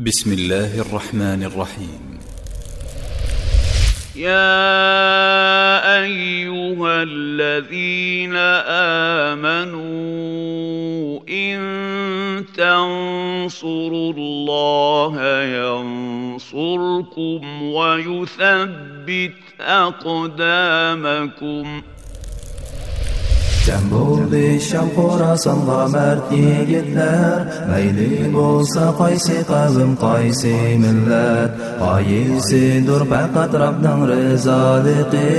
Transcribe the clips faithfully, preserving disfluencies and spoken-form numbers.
بسم الله الرحمن الرحيم. يا أيها الذين آمنوا إن تنصروا الله ينصركم ويثبت أقدامكم. جەم بولدى شام خوراسانغا مەرد يىگىتلەر، مەيلى بولسا قايسى قەۋم، قايسى مىللەت، غايىسىدۇر پەقەت رەبنىڭ رىزالىقى.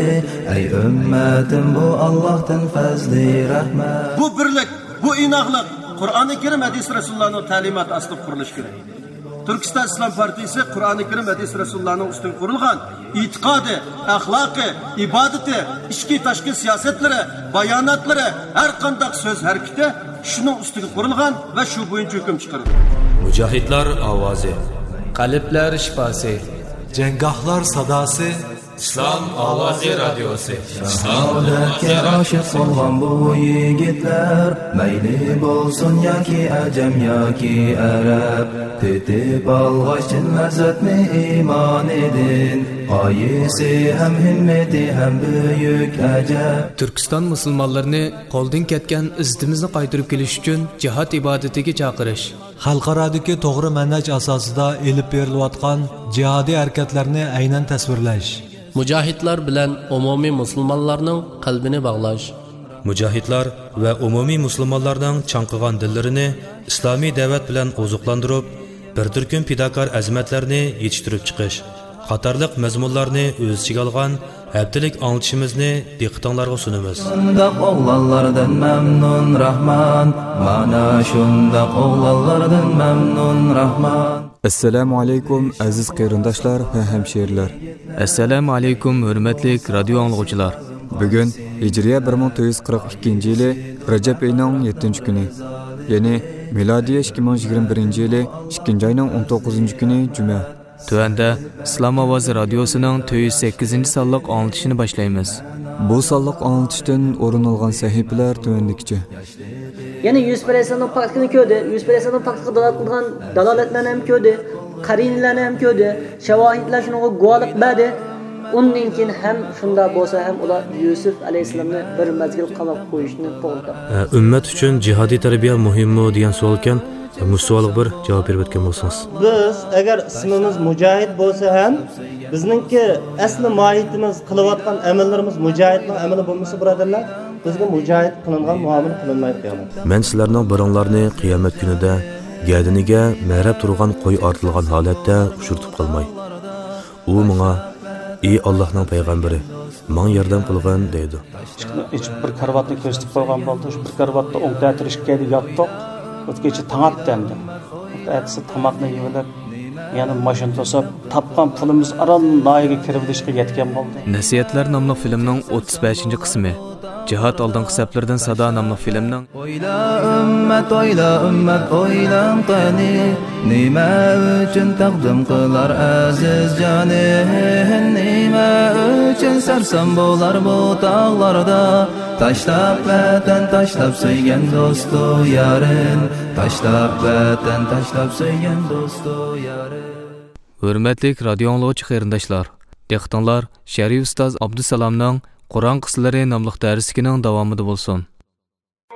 ئەي ئۈممەتىم، بۇ ئاللاھتىن پەزلى رەھمەت. بۇ بىرلىك، بۇ ئىناقلىق قۇرئانى كەرىم، ھەدىس رەسۇلۇللانىڭ تەلىماتى ئاستىدا قۇرۇلۇشى كېرەك. تۈركىستان ئىسلام پارتىيىسى قۇرئانى كەرىم، ھەدىس رەسۇلۇللانىڭ ئۈستىگە قۇرۇلغان ئېتىقادى، ئەخلاقى، ئىبادىتى، ئىچكى تاشقى سىياسەتلىرى، باياناتلىرى، ھەر قانداق سۆز ھەرىكىتى شۇنىڭ ئۈستىگە قۇرۇلغان ۋە شۇ بويىچە ھۆكۈم چىقىرىدۇ. مۇجاھىدلار ئاۋازى. قەلبلەر شىپاسى. جەڭگاھلار ساداسى. ئىسلام ئاۋازى رادىيوسى. شاھادەتكە ئاشىق بولغان بۇ يىگىتلەر، مەيلى بولسۇن ياكى ئەجەم ياكى ئەرەب، تېتىپ ئالغاچ چىن لەززەتنى ئىمانىدىن، غايىسى ھەم ھىممىتى ھەم بۈيۈك ئەجەب. تۈركىستان مۇسۇلمانلىرىنى قولدىن كەتكەن ئىززىتىمىزنى قايتۇرۇپ كېلىش ئۈچۈن جىھاد ئىبادىتىگە چاقىرىش. خەلقئارادىكى توغرا مەنھەج ئاساسىدا ئېلىپ بېرىلىۋاتقان جىھادىي ھەرىكەتلەرنى ئەينەن تەسۋىرلەش. مۇجاھىدلار بىلەن ئومۇمىي مۇسۇلمانلارنىڭ قەلبىنى باغلاش. مۇجاھىدلار ۋە ئومۇمىي مۇسۇلمانلارنىڭ چاڭقىغان دىللىرىنى ئىسلامىي دەۋەت بىلەن ئوزۇقلاندۇرۇپ، بىر تۈركۈم پىداكار ئەزىمەتلەرنى يېتىشتۈرۈپ چىقىش قاتارلىق مەزمۇنلارنى ئۆز ئىچىگە ئالغان ھەپتىلىك ئاڭلىتىشىمىزنى دىققىتىڭلارغا سۇنىمىز. شۇنداق ئوغلانلاردىن مەمنۇن راھمان، مانا شۇنداق ئوغلانلاردىن مەمنۇن راھمان. ئەسسالامۇ ئەلەيكۇم، ئەزىز قېرىنداشلار ۋە ھەمشىرىلەر. ئەسسالامۇ ئەلەيكۇم، ھۆرمەتلىك رادىيو ئاڭلىغۇچىلار. بۈگۈن ھىجرىيە بىر مىڭ تۆت يۈز قىرىق ئىككىنچى يىلى رەجەب ئېيىنىڭ يەتتىنچى كۈنى، يەنى مىلادىيە ئىككى مىڭ يىگىرمە بىرىنچى يىلى ئىككىنچى ئاينىڭ ئون توققۇزىنچى كۈنى جۈمە. تۆۋەندە ئىسلام ئاۋازى رادىيوسىنىڭ تۆت يۈز سەككىزىنچى سانلىق ئاڭلىتىشىنى باشلايمىز. بۇ سانلىق ئاڭلىتىشتىن ئورۇن ئالغان سەھىپىلەر تۆۋەندىكىچە. يەنى يۈسۈپ ئەلەيھىسسالامنىڭ پاكلىقىنى كۆردى. يۈسۈپ ئەلەيھىسسالامنىڭ پاكلىقىغا دالالەت قىلىدىغان دالالەتلەرنى ھەم كۆردى. قەرىنىلەرنى ھەم كۆردى. شاۋاھىدلەر شۇنىڭغا گۇۋاھلىق بەردى. ئۇندىن كېيىن ھەم شۇنداق بولسا ھەم ئۇلار يۈسۈپ ئەلەيھىسسالامنى بىر مەزگىل قاماپ قويۇشنى توغرا تاپتى. ئە، ئۈممەت ئۈچۈن جىھادىي تەربىيە مۇھىممۇ دېگەن سوئالكەن. مۇشۇ سوئالغا بىر جاۋاب بېرىپ ئۆتكەن بولسىڭىز. بىز ئەگەر ئىسمىمىز مۇجاھىد بولسا ھەم، بىزنىڭكى ئەسلى ماھىيىتىمىز، قىلىۋاتقان ئەمەللىرىمىز مۇجاھىدنىڭ ئەمىلى بولمىسا، بۇرادەرلەر، بىزگە مۇجاھىد قىلىنغان مۇئامىلە قىلىنمايدۇ قىيامەتتە. مەن سىلەرنىڭ بىرىڭلارنى قىيامەت كۈنىدە گەدىنىگە مەرەپ تۇرغان قوي ئارتىلغان ھالەتتە ئۇچرىتىپ قالماي. ئۇ ماڭا، ئى ئاللاھنىڭ پەيغەمبىرى، ماڭا ياردەم قىلغىن، دەيدۇ. ئىشىكنى ئېچىپ، بىر كارىۋاتنى كۆرسىتىپ قويغان بولدى. شۇ بىر كارىۋاتتا ئوڭ تەتۈر ئىككىيلەن ياتتۇق. ئۆتكەچە تاڭ ئاتتى ئەمدى. ئەتىسى تاماقنى يېۋېلىپ، يەنە ماشىنا توسۇپ، تاپقان پۇلىمىز ئاران ناھىيەگە كىرىۋېلىشقا يەتكەن بولدى. نەسىھەتلەر ناملىق فىلىمنىڭ ئوتتۇز بەشىنچى قىسمى، جىھاد ئالدىنقى سەپلىرىدىن سادا ناملىق فىلىمنىڭ. ئويلا ئۈممەت، ئويلا ئۈممەت، ئويلاڭ قېنى، نېمە ئۈچۈن تەقدىم قىلار ئەزىز جانى؟ نېمە ئۈچۈن سەرسان بولار بۇ تاغلاردا؟ تاشلاپ ۋەتەن، تاشلاپ سۆيگەن دوستۇ يارىن، تاشلاپ ۋەتەن، تاشلاپ سۆيگەن دوستۇ يارىن. ھۆرمەتلىك رادىيو ئاڭلىغۇچى قېرىنداشلار، دىققىتىڭلار شەرىپ ئۇستاز ئابدۇسالامنىڭ قۇرئان قىسسىلىرى ناملىق دەرسلىكىنىڭ داۋامىدا بولسۇن.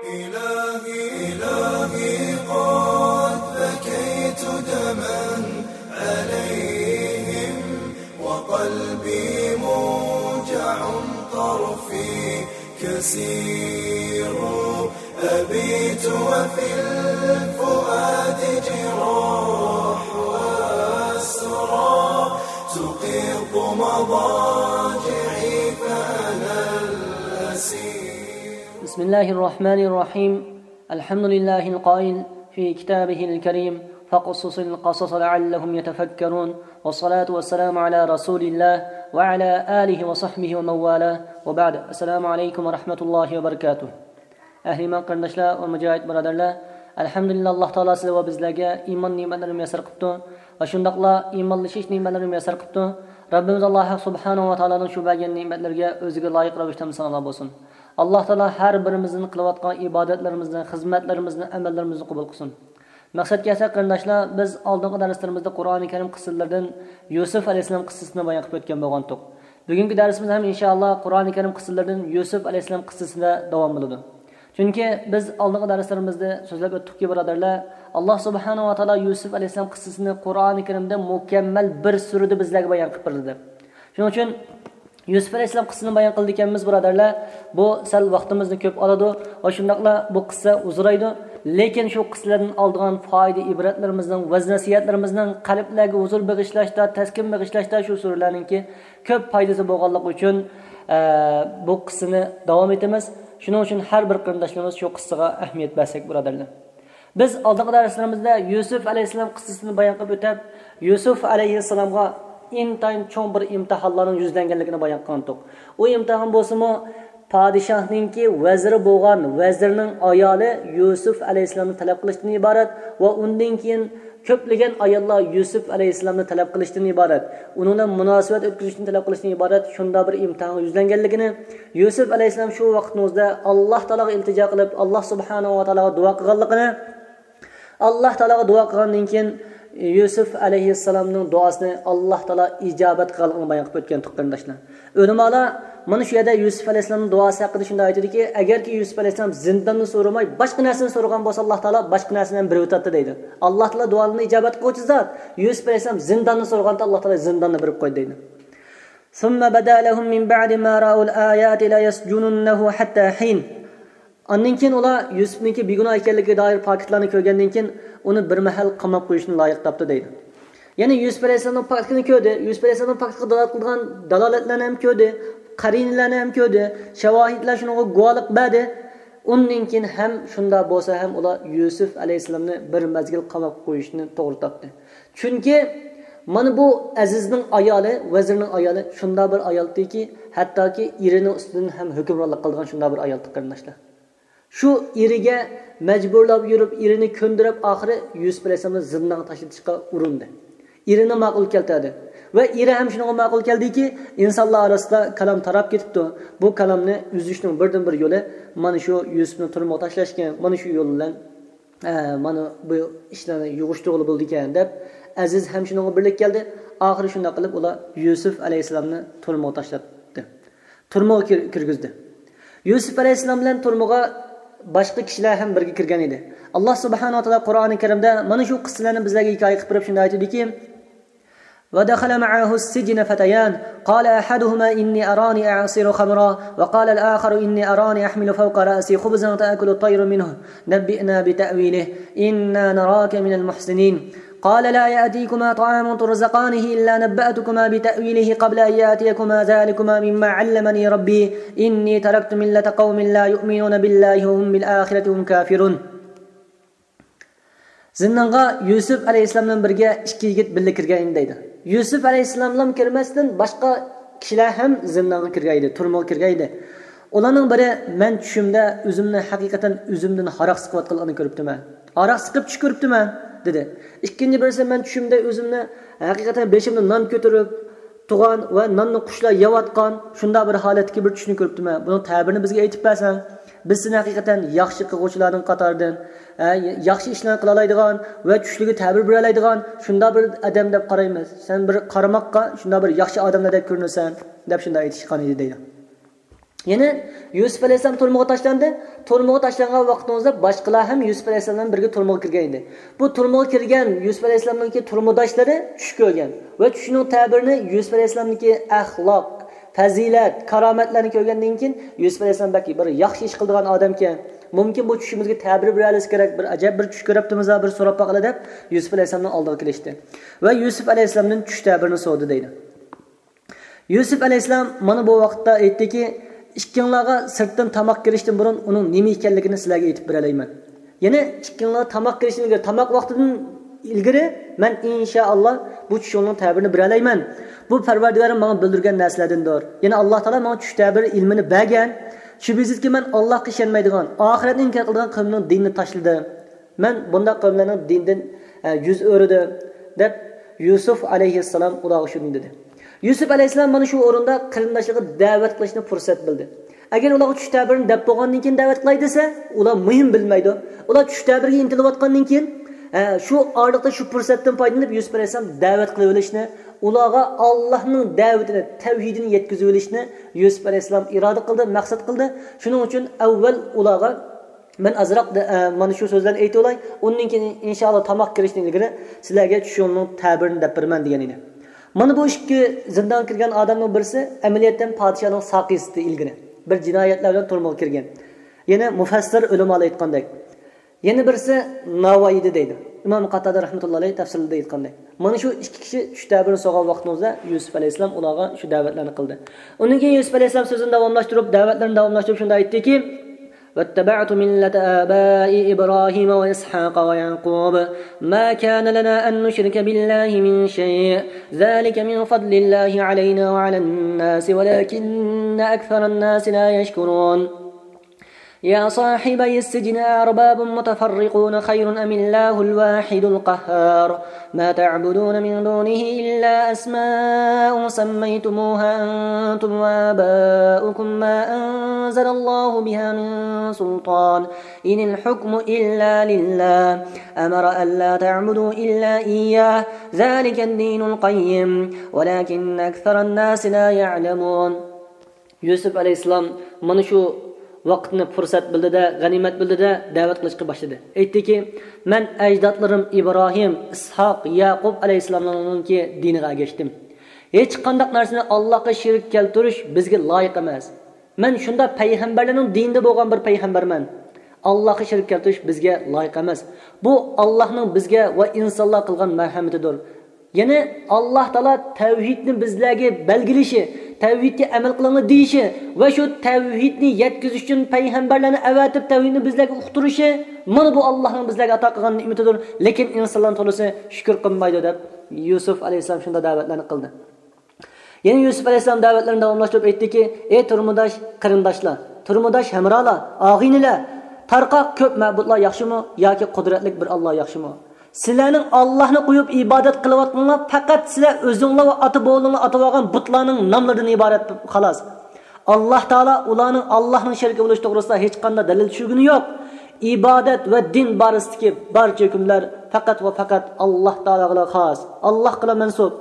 إلهي، إلهي، قد بكيت دما عليهم وقلبي موجع طرفي كثير. أبيت وفي الفؤاد جراح وأسرى تقيض مضاجعي فأنا الأسير. بسم الله الرحمن الرحيم. الحمد لله القائل في كتابه الكريم: فاقصص القصص لعلهم يتفكرون. والصلاة والسلام على رسول الله وعلى آله وصحبه ومن والاه. وبعد. السلام عليكم ورحمة الله وبركاته. ئەھلى ئىمان قېرىنداشلار ۋە مۇجاھىد بۇرادەرلەر، ئەلھەمدۇلىللا، ئاللاھ تائالا سىلەر ۋە بىزلەرگە ئىمان نېمەتلىرىنى مۇيەسسەر قىپتۇ ۋە شۇنداقلا ئىمانلىشىش نېمەتلىرىنى مۇيەسسەر قىپتۇ. رەببىمىز ئاللاھ ھەق سۇبھانەھۇ ۋە تائالانىڭ شۇ بەرگەن نېمەتلىرىگە ئۆزىگە لايىق رەۋىشتە ھەمدۇ سانالار بولسۇن. ئاللاھ تائالا ھەر بىرىمىزنىڭ قىلىۋاتقان ئىبادەتلىرىمىزنى، خىزمەتلىرىمىزنى، ئەمەللىرىمىزنى قوبۇل قىلسۇن. مەقسەتكە كەلسەك، قېرىنداشلار، بىز ئالدىنقى دەرسلىرىمىزدە قۇرئانى كەرىم قىسسىلىرىدىن يۈسۈپ ئەلەيھىسسالام قىسسىسىنى بايان قىلىپ ئۆتكەن بولغانتۇق. بۈگۈنكى دەرسىمىزدە ھەم ئىنشائاللا قۇرئانى كەرىم قىسسىلىرىدىن يۈسۈپ ئەلەيھىسسالام قىسسىسىدە داۋام بولىدۇ. چۈنكى بىز ئالدىنقى دەرسلىرىمىزدە سۆزلەپ ئۆتتۇقكى، بۇرادەرلەر، ئاللا سۇبھانەھۇ ۋە تائالا يۈسۈپ ئەلەيھىسسالام قىسسىسىنى قۇرئانى كەرىمدە مۇكەممەل بىر سۈرىدە بىزلەرگە بايان قىلىپ بەردى دەپ. شۇنىڭ ئۈچۈن يۈسۈپ ئەلەيھىسسالام قىسسىسىنى بايان قىلىدىكەنمىز، بۇرادەرلەر، بۇ سەل ۋاقتىمىزنى كۆپ ئالىدۇ ۋە شۇنداقلا بۇ قىسسە ئۇزىرايدۇ. لېكىن شۇ قىسسىلەردىن ئالىدىغان پايدا ئىبرەتلىرىمىزنىڭ، ۋەز نەسىھەتلىرىمىزنىڭ، قەلبلەرگە ھۇزۇر بېغىشلاشتا، تەسكىن بېغىشلاشتا شۇ سۈرىلەرنىڭكى كۆپ پايدىسى بولغانلىقى ئۈچۈن، ئە، بۇ قىسسىنى داۋام ئېتىمىز. شۇنىڭ ئۈچۈن ھەر بىر قېرىنداشلىرىمىز شۇ قىسسىغا ئەھمىيەت بەرسەك، بۇرادەرلەر. بىز ئالدىنقى دەرسلىرىمىزدە يۈسۈپ ئەلەيھىسسالام قىسسىسىنى بايان قىلىپ ئۆتۈپ، يۈسۈپ ئەلەيھىسسالامغا ئىنتايىن چوڭ بىر ئىمتىھانلارنىڭ يۈزلەنگەنلىكىنى بايان قىلغانتۇق. ئۇ ئىمتىھان بولسىمۇ پادىشاھنىڭكى ۋەزىرى بولغان ۋەزىرنىڭ ئايالى يۈسۈپ ئەلەيھىسسالامنى تەلەپ قىلىشتىن ئىبارەت ۋە ئۇندىن كېيىن كۆپلىگەن ئاياللار يۈسۈپ ئەلەيھىسسالامنى تەلەپ قىلىشتىن ئىبارەت، ئۇنىڭ بىلەن مۇناسىۋەت ئۆتكۈزۈشتىن تەلەپ قىلىشتىن ئىبارەت شۇنداق بىر ئىمتىھانغا يۈزلەنگەنلىكىنى، يۈسۈپ ئەلەيھىسسالام شۇ ۋاقىتنىڭ ئۆزىدە ئاللا تائالاغا ئىلتىجا قىلىپ، ئاللا سۇبھانەھۇ ۋە تائالاغا دۇئا قىلغانلىقىنى، ئاللا تائالاغا دۇئا قىلغاندىن كېيىن يۈسۈپ ئەلەيھىسسالامنىڭ دۇئاسىنى ئاللا تائالا ئىجابەت قىلغانلىقىنى بايان قىلىپ ئۆتكەن، قېرىنداشلار. ئۆلىمالار مانا شۇ يەردە يۈسۈپ ئەلەيھىسسالامنىڭ دۇئاسى ھەققىدە شۇنداق ئېيتىدۇكى، ئەگەركى يۈسۈپ ئەلەيھىسسالام زىنداننى سورىماي، باشقا نەرسىنى سورىغان بولسا، ئاللا تائالا باشقا نەرسىنى ھەم بېرىۋېتەتتى دەيدۇ. ئاللا تائالا دۇئالىرىنى ئىجابەت قىلغۇچى زات. يۈسۈپ ئەلەيھىسسالام زىنداننى سورىغاندا، ئاللا تائالا زىنداننى بېرىپ قويدى دەيدۇ. ثم بدا لهم من بعد ما رأوا الآيات ليسجننه حتى حين. ئاندىن كېيىن ئۇلار يۈسۈپنىڭكى بىگۇناھ ئىكەنلىكىگە دائىر پاكىتلارنى كۆرگەندىن كېيىن، ئۇنى بىر مەھەل قاماپ قويۇشنى لايىق تاپتى دەيدۇ. يەنى يۈسۈپ ئەلەيھىسسالامنىڭ پاكىتلىقىنى كۆردى. يۈسۈپ ئەلەيھىسسالامنىڭ پاكىتلىقىغا دالالەت قىلىدىغان دالالەتلەرنى ھەم كۆردى، قەرىنىلەرنى ھەم كۆردى، شاۋاھىدلار شۇنىڭغا گۇۋاھلىق بەردى. ئۇندىن كېيىن ھەم شۇنداق بولسا ھەم ئۇلار يۈسۈپ ئەلەيھىسسالامنى بىر مەزگىل قاماپ قويۇشنى توغرا تاپتى. چۈنكى مانا بۇ ئەزىزنىڭ ئايالى، ۋەزىرنىڭ ئايالى شۇنداق بىر ئايالدىكى، ھەتتاكى ئېرىنىڭ ئۈستىدىن ھەم ھۆكۈمرانلىق قىلىدىغان شۇنداق بىر ئايالدى، قېرىنداشلار. شۇ ئېرىگە مەجبۇرلاپ يۈرۈپ، ئېرىنى كۆندۈرۈپ، ئاخىرى يۈسۈپ ئەلەيھىسسالامنى زىندانغا تاشلىتىشقا ئۇرۇندى. ئېرىنى ماقۇل كەلتۈردى. ۋە ئېرى ھەم شۇنىڭغا ماقۇل كەلدىكى، ئىنسانلار ئارىسىدا كالام تاراپ كېتىپتۇ. بۇ كالامنى ئۈزۈشنىڭ بىردىنبىر يولى مانا شۇ يۈسۈپنى تۈرمىگە تاشلاشكەن، مانا شۇ يول بىلەن، ئە، مانا بۇ ئىشلارنى يىغىشتۇرغىلى بولىدىكەن، دەپ ئەزىز ھەم شۇنىڭغا بىرلىككە كەلدى. ئاخىرى شۇنداق قىلىپ ئۇلار يۈسۈپ ئەلەيھىسسالامنى تۈرمىگە تاشلاتتى. تۈرمىگە كىر-، كىرگۈزدى. يۈسۈپ ئەلەيھىسسالام بىلەن تۈرمىگە باشقا كىشىلەر ھەم بىرگە كىرگەن ئىدى. ئاللا سۇبھانەھۇ ۋە تائالا قۇرئانى كەرىمدە مانا شۇ قىسسىلەرنى بىزلەرگە ھېكايە قىلىپ بېرىپ شۇنداق ئېيتىدۇكى، ودخل معه السجن فتيان قال أحدهما إني أراني أعصر خمرا وقال الآخر إني أراني أحمل فوق رأسي خبزا تأكل الطير منه نبئنا بتأويله إنا نراك من المحسنين قال لا يأتيكما طعام ترزقانه إلا نبأتكما بتأويله قبل أن يأتيكما ذلكما مما علمني ربي إني تركت ملة قوم لا يؤمنون بالله وهم بالآخرة هم كافرون. زىندانغا يۈسۈپ ئەلەيھىسسالام بىلەن بىرگە ئىككى يىگىت بىللە كىرگەن ئىدى دەيدۇ. يۈسۈپ ئەلەيھىسسالاملا كىرمەستىن باشقا كىشىلەر ھەم زىندانغا كىرگەن ئىدى، تۈرمىگە كىرگەن ئىدى. ئۇلارنىڭ بىرى، مەن چۈشۈمدە ئۆزۈمنى ھەقىقەتەن ئۆزۈمدىن ھاراق سىقىۋاتقانلىقىنى كۆرۈپتىمەن. ھاراق سىقىپ چۈش كۆرۈپتىمەن، دېدى. ئىككىنچى بىرسى، مەن چۈشۈمدە ئۆزۈمنى ھەقىقەتەن بېشىمدا نان كۆتۈرۈپ تۇرغان ۋە ناننى قۇشلار يەۋاتقان شۇنداق بىر ھالەتتىكى بىر چۈشنى كۆرۈپتىمەن. بۇنىڭ تەبىرىنى بىزگە ئېيتىپ بەرسەڭ، بىز سېنى ھەقىقەتەن ياخشى قىلغۇچىلارنىڭ قاتارىدىن، ھە، ياخشى ئىشلارنى قىلالايدىغان ۋە چۈشلىرىگە تەبىر بېرەلەيدىغان شۇنداق بىر ئادەم دەپ قارايمىز. سەن بىر قارىماققا شۇنداق بىر ياخشى ئادەملەردەك كۆرۈنىسەن، دەپ شۇنداق ئېيتىشقان ئىدى دەيدۇ. يەنە يۈسۈپ ئەلەيھىسسالام تۈرمىگە تاشلاندى. تۈرمىگە تاشلانغان ۋاقتىڭىزدا باشقىلار ھەم يۈسۈپ ئەلەيھىسسالام بىلەن بىرگە تۈرمىگە كىرگەن ئىدى. بۇ تۈرمىگە كىرگەن يۈسۈپ ئەلەيھىسسالامنىڭكى تۈرمىداشلىرى چۈش كۆرگەن ۋە چۈشىنىڭ تەبىرىنى يۈسۈپ ئەلەيھىسسالامنىڭكى ئەخلاق، پەزىلەت، كارامەتلەرنى كۆرگەندىن كېيىن يۈسۈپ ئەلەيھىسسالام بەك بىر ياخشى ئىش قىلىدىغان ئادەمكەن. مۇمكىن بۇ چۈشىمىزگە تەبىر بېرەلىسە كېرەك، بىر ئەجەب بىر چۈش كۆرۈپتىمىز، بىر سوراپ باقىلى دەپ يۈسۈپ ئەلەيھىسسالامنىڭ ئالدىغا كېلىشتى. ۋە يۈسۈپ ئەلەيھىسسالامدىن چۈش تەبىرىنى سورىدى دەيدۇ. يۈسۈپ ئەلەيھىسسالام مانا بۇ ۋاقىتتا ئېيتتىكى، ئىككىڭلارغا سىرتتىن تاماق كىرىشتىن بۇرۇن ئۇنىڭ نېمە ئىكەنلىكىنى سىلەرگە ئېيتىپ بېرەلەيمەن. يەنى ئىككىڭلار تاماق كىرىشتىن ئىلگىرى، تاماق ۋاقتىدىن ئىلگىرى مەن ئىنشائاللا بۇ چۈشۈڭنىڭ تەبىرىنى بېرەلەيمەن. بۇ پەرۋەردىگارىم ماڭا بىلدۈرگەن نەرسىلەردىندۇر. يەنى ئاللا تائالا ماڭا چۈش تەبىر ئىلمىنى بەرگەن. شۈبھىسىزكى مەن ئاللاغا ئىشەنمەيدىغان، ئاخىرەتنى ئىنكار قىلىدىغان قەۋمنىڭ دىنىنى تاشلىدىم. مەن بۇنداق قەۋملەرنىڭ دىنىدىن، ئە، يۈز ئۆرۈدۈم، دەپ يۈسۈپ ئەلەيھىسسالام ئۇلارغا شۇنى دېدى. يۈسۈپ ئەلەيھىسسالام مانا شۇ ئورۇندا قېرىنداشلىرىغا دەۋەت قىلىشنى پۇرسەت بىلدى. ئەگەر ئۇلارغا چۈش تەبىرىنى دەپ بولغاندىن كېيىن دەۋەت قىلاي دېسە، ئۇلار مۇھىم بىلمەيدۇ. ئۇلار چۈش تەبىرىگە ئىنتىلىۋاتقاندىن كېيىن، ھە، شۇ ئارىلىقتا شۇ پۇرسەتتىن پايدىلىنىپ يۈسۈپ ئەلەيھىسسالام دەۋەت قىلىۋېلىشنى، ئۇلارغا ئاللاھنىڭ دەۋىتىنى، تەۋھىدىنى يەتكۈزۈۋېلىشنى يۈسۈپ ئەلەيھىسسالام ئىرادە قىلدى، مەقسەت قىلدى. شۇنىڭ ئۈچۈن ئەۋۋەل ئۇلارغا مەن ئازراق دە-، ئە، مانا شۇ سۆزلەرنى ئېيتىۋالاي، ئۇندىن كېيىن ئىنشائاللا تاماق كىرىشتىن ئىلگىرى سىلەرگە چۈشۈڭنىڭ تەبىرىنى دەپ بېرىمەن دېگەن ئىدى. مانا بۇ ئىككى زىندانغا كىرگەن ئادەمنىڭ بىرسى ئەمەلىيەتتىن پادىشاھنىڭ ساقىيسىدى ئىلگىرى بىر جىنايەتلەر بىلەن تۈرمىگە كىرگەن. يەنە مۇفەسسىر ئۆلىمالار ئېيتقاندەك، يەنە بىرسى ناۋايىدى دەيدۇ. ئىمام قاتادە رەھمەتۇللا ئەلەيھ تەپسىرىدە ئېيتقاندەك. مانا شۇ ئىككى كىشى چۈش تەبىرىنى سورىغان ۋاقتىمىزدا يۈسۈپ ئەلەيھىسسالام ئۇلارغا شۇ دەۋەتلەرنى قىلدى. ئۇندىن كېيىن يۈسۈپ ئەلەيھىسسالام سۆزىنى داۋاملاشتۇرۇپ، دەۋەتلىرىنى داۋاملاشتۇرۇپ شۇنداق ئېيتتىكى، واتبعت ملة آبائي إبراهيم وإسحاق ويعقوب ما كان لنا أن نشرك بالله من شيء ذلك من فضل الله علينا وعلى الناس ولكن أكثر الناس لا يشكرون. يا صاحبي السجن أأرباب متفرقون خير أم الله الواحد القهار؟ ما تعبدون من دونه إلا أسماء سميتموها أنتم وآباؤكم ما أنزل الله بها من سلطان إن الحكم إلا لله أمر ألا تعبدوا إلا إياه ذلك الدين القيم ولكن أكثر الناس لا يعلمون. يۈسۈپ ئەلەيھىسسالام مانا شۇ ۋاقىتنى پۇرسەت بىلدى-دە، غەنىيمەت بىلدى-دە، دەۋەت قىلىشقا باشلىدى. ئېيتتىكى، مەن ئەجدادلىرىم ئىبراھىم، ئىسھاق، يەقۇب ئەلەيھىسسالاملارنىڭكى دىنىغا ئەگەشتىم. ھېچقانداق نەرسىنى ئاللاھقا شېرىك كەلتۈرۈش بىزگە لايىق ئەمەس. مەن شۇنداق پەيغەمبەرلەرنىڭ دىنىدا بولغان بىر پەيغەمبەرمەن. ئاللاھقا شېرىك كەلتۈرۈش بىزگە لايىق ئەمەس. بۇ ئاللاھنىڭ بىزگە ۋە ئىنسانلارغا قىلغان مەرھەمىتىدۇر. يەنى ئاللاھ تائالا تەۋھىدنى بىزلەرگە بەلگىلىشى، تەۋھىدكە ئەمەل قىلىڭلار دېيىشى ۋە شۇ تەۋھىدنى يەتكۈزۈش ئۈچۈن پەيغەمبەرلەرنى ئەۋەتىپ تەۋھىدنى بىزلەرگە ئۇقتۇرۇشى، مانا بۇ ئاللاھنىڭ بىزلەرگە ئاتا قىلغان نېمىتىدۇر. لېكىن ئىنسانلارنىڭ تولىسى شۈكۈر قىلمايدۇ دەپ يۈسۈپ ئەلەيھىسسالام شۇنداق دەۋەتلەرنى قىلدى. يەنە يۈسۈپ ئەلەيھىسسالام دەۋەتلىرىنى داۋاملاشتۇرۇپ ئېيتتىكى، ئەي تۇرمۇداش قېرىنداشلار، تۇرمۇداش ھەمراھلار، ئاغىنىلەر، تارقاق كۆپ مەبۇدلار ياخشىمۇ ياكى قۇدرەتلىك بىر ئاللا ياخشىمۇ؟ سىلەرنىڭ ئاللاھنى قويۇپ ئىبادەت قىلىۋاتقىنىڭلار پەقەت سىلەر ئۆزۈڭلار ۋە ئاتا بوۋىلىرىڭلار ئاتىۋالغان بۇتلارنىڭ ناملىرىدىن ئىبارەت، خالاس. ئاللاھ تائالا ئۇلارنىڭ ئاللاھنىڭ شېرىكى بولۇشى توغرىسىدا ھېچقانداق دەلىل چۈشۈرگىنى يوق. ئىبادەت ۋە دىن بارىسىدىكى بارچە ھۆكۈملەر پەقەت ۋە پەقەت ئاللاھ تائالاغىلا خاس، ئاللاھقىلا مەنسۇپ.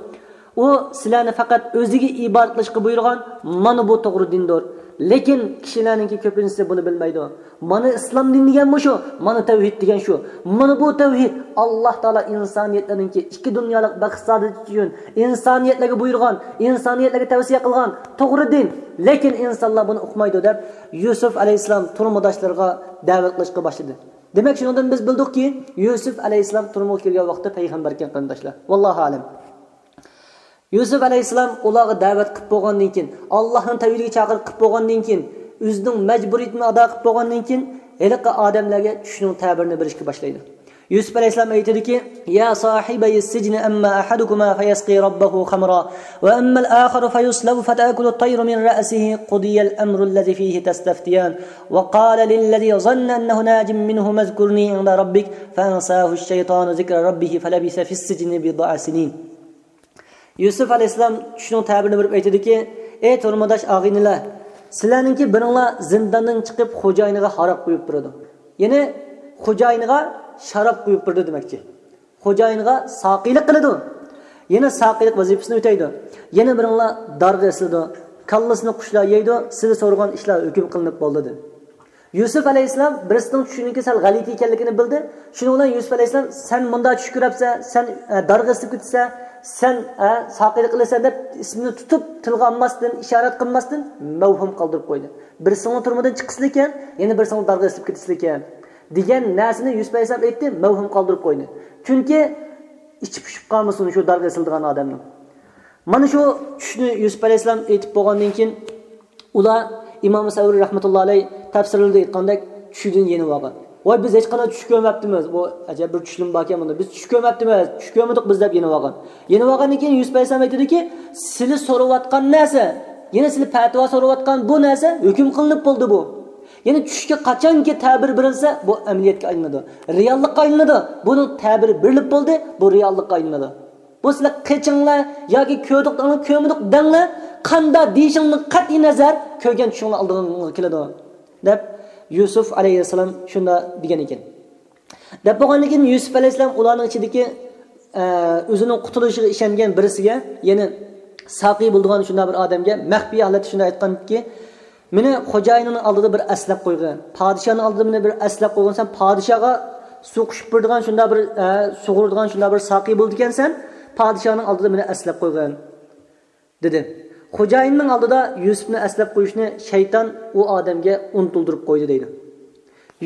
ئۇ سىلەرنى پەقەت ئۆزىگە ئىبادەت قىلىشقا بۇيرۇغان، مانا بۇ توغرا دىندۇر. لېكىن كىشىلەرنىڭكى كۆپىنچىسى بۇنى بىلمەيدۇ. مانا ئىسلام دىنى دېگەن مۇشۇ، مانا تەۋھىد دېگەن شۇ. مانا بۇ تەۋھىد ئاللاھ تائالا ئىنسانىيەتلەرنىڭكى ئىككى دۇنيالىق بەخت سائادىتى ئۈچۈن ئىنسانىيەتلەرگە بۇيرۇغان، ئىنسانىيەتلەرگە تەۋسىيە قىلغان توغرا دىن. لېكىن ئىنسانلار بۇنى ئۇقمايدۇ دەپ يۈسۈپ ئەلەيھىسسالام تۇرمۇداشلىرىغا دەۋەت قىلىشقا باشلىدى. دېمەك، شۇنىڭدىن بىز بىلدۇقكى، يۈسۈپ ئەلەيھىسسالام تۇرمىغا كىرگەن ۋاقىتتا پەيغەمبەركەن، قېرىنداشلار. ۋاللاھۇ ئەلەم. يۈسۈپ ئەلەيھىسسالام ئۇلارغا دەۋەت قىلىپ بولغاندىن كېيىن، ئاللاھنىڭ تەۋھىدىگە چاقىرىق قىلىپ بولغاندىن كېيىن، ئۆزىنىڭ مەجبۇرىيىتىنى ئادا قىلىپ بولغاندىن كېيىن، ھېلىقى ئادەملەرگە چۈشنىڭ تەبىرىنى بېرىشكە باشلايدۇ. يۈسۈپ ئەلەيھىسسالام ئېيتىدۇكى، يا صاحبي السجن أما أحدكما فيسقي ربه خمرا وأما الآخر فيصلب فتأكل الطير من رأسه قضي الأمر الذي فيه تستفتيان وقال للذي ظن أنه ناج منهما اذكرني عند ربك فأنساه الشيطان ذكر ربه فلبث في السجن بضع سنين. يۈسۈپ ئەلەيھىسسالام چۈشنىڭ تەبىرىنى بېرىپ ئېيتىدۇكى، ئەي تۇرمۇداش ئاغىنىلەر، سىلەرنىڭكى بىرىڭلار زىنداندىن چىقىپ خوجايىنىغا ھاراق قۇيۇپ بېرىدۇ. يەنى خوجايىنىغا شاراب قۇيۇپ بېرىدۇ دېمەكچى. خوجايىنغا ساقىيلىق قىلىدۇ. يەنە ساقىيلىق ۋەزىپىسىنى ئۆتەيدۇ. يەنە بىرىڭلار دارغا ئېسىلىدۇ. كاللىسىنى قۇشلار يەيدۇ، سىلى سورىغان ئىشلار ھۆكۈم قىلىنىپ بولدى، دېدى. يۈسۈپ ئەلەيھىسسالام بىرسىنىڭ چۈشىنىڭكى سەل غەلىتە ئىكەنلىكىنى بىلدى. شۇنىڭ بىلەن يۈسۈپ ئەلەيھىسسالام، سەن مۇنداق چۈش كۆرەپسەن، سەن، ئە، دارغا ئېسىلىپ كېتىسەن، سەن، ئە، ساقىيلىق قىلىسەن دەپ ئىسمىنى تۇتۇپ، تىلغا ئالماستىن، ئىشارەت قىلماستىن مەۋھۇم قالدۇرۇپ قويدى. بىرسىڭلار تۈرمىدىن چىقىسىلىكەن، يەنە بىرسىڭلار دارغا ئېسىلىپ كېتىسىلىكەن، دېگەن نەرسىنى يۈسۈپ ئەلەيھىسسالام ئېيتتى، مەۋھۇم قالدۇرۇپ قويدى. چۈنكى ئىچى پۇشۇپ قالمىسۇن شۇ دارغا ئېسىلىدىغان ئادەمنىڭ. مانا شۇ چۈشنى يۈسۈپ ئەلەيھىسسالام ئېيتىپ بولغاندىن كېيىن، ئۇلار ئىمام سەۋرى رەھمەتۇللا ئەلەيھ تەپسىرلىرىدە ئېيتقاندەك چۈشىدىن يېنىۋالغان. ۋاي، بىز ھېچقانداق چۈش كۆرمەپتىمىز. بۇ ئەجەب بىر چۈشلىمۇ باركەن بۇندا. بىز چۈش كۆرمەپتىمىز، چۈش كۆرمىدۇق بىز دەپ يېنىۋالغان. يېنىۋالغاندىن كېيىن يۈسۈپ ئەلەيھىسسالام ئېيتىدۇكى، سىلى سورىۋاتقان نەرسە، يەنى سىلى پەتىۋا سورىۋاتقان بۇ نەرسە ھۆكۈم قىلىنىپ بولدى بۇ. يەنى چۈشكە قاچانكى تەبىر بېرىلسە، بۇ ئەمەلىيەتكە ئايلىنىدۇ، رېئاللىققا ئايلىنىدۇ. بۇنىڭ تەبىرى بېرىلىپ بولدى، بۇ رېئاللىققا ئايلىنىدۇ. بۇ سىلەر قېچىڭلار ياكى كۆردۇق دەڭلار، كۆرمىدۇق دەڭلار، قانداق دېيىشىڭدىن قەتئىي نەزەر، كۆرگەن چۈشۈڭلار ئالدىڭلارغا كېلىدۇ، دەپ يۈسۈپ ئەلەيھىسسالام شۇنداق دېگەن ئىكەن. دەپ بولغاندىن كېيىن يۈسۈپ ئەلەيھىسسالام ئۇلارنىڭ ئىچىدىكى، ئە، ئۆزىنىڭ قۇتۇلۇشىغا ئىشەنگەن بىرسىگە، يەنى ساقىي بولىدىغان شۇنداق بىر ئادەمگە مەخپىي ھالەتتە شۇنداق ئېيتقانكى، مېنى خوجايىنىڭ ئالدىدا بىر ئەسلەپ قويغىن، پادىشاھنىڭ ئالدىدا مېنى بىر ئەسلەپ قويغىن، سەن پادىشاھغا سۇ قۇيۇپ بېرىدىغان شۇنداق بىر، ئە، سۇغۇرىدىغان شۇنداق بىر ساقىي بولىدىكەنسەن، پادىشاھنىڭ ئالدىدا مېنى ئەسلەپ قويغىن، دېدى. خوجايىننىڭ ئالدىدا يۈسۈپنى ئەسلەپ قويۇشنى شەيتان ئۇ ئادەمگە ئۇنتۇلدۇرۇپ قويدى، دەيدۇ.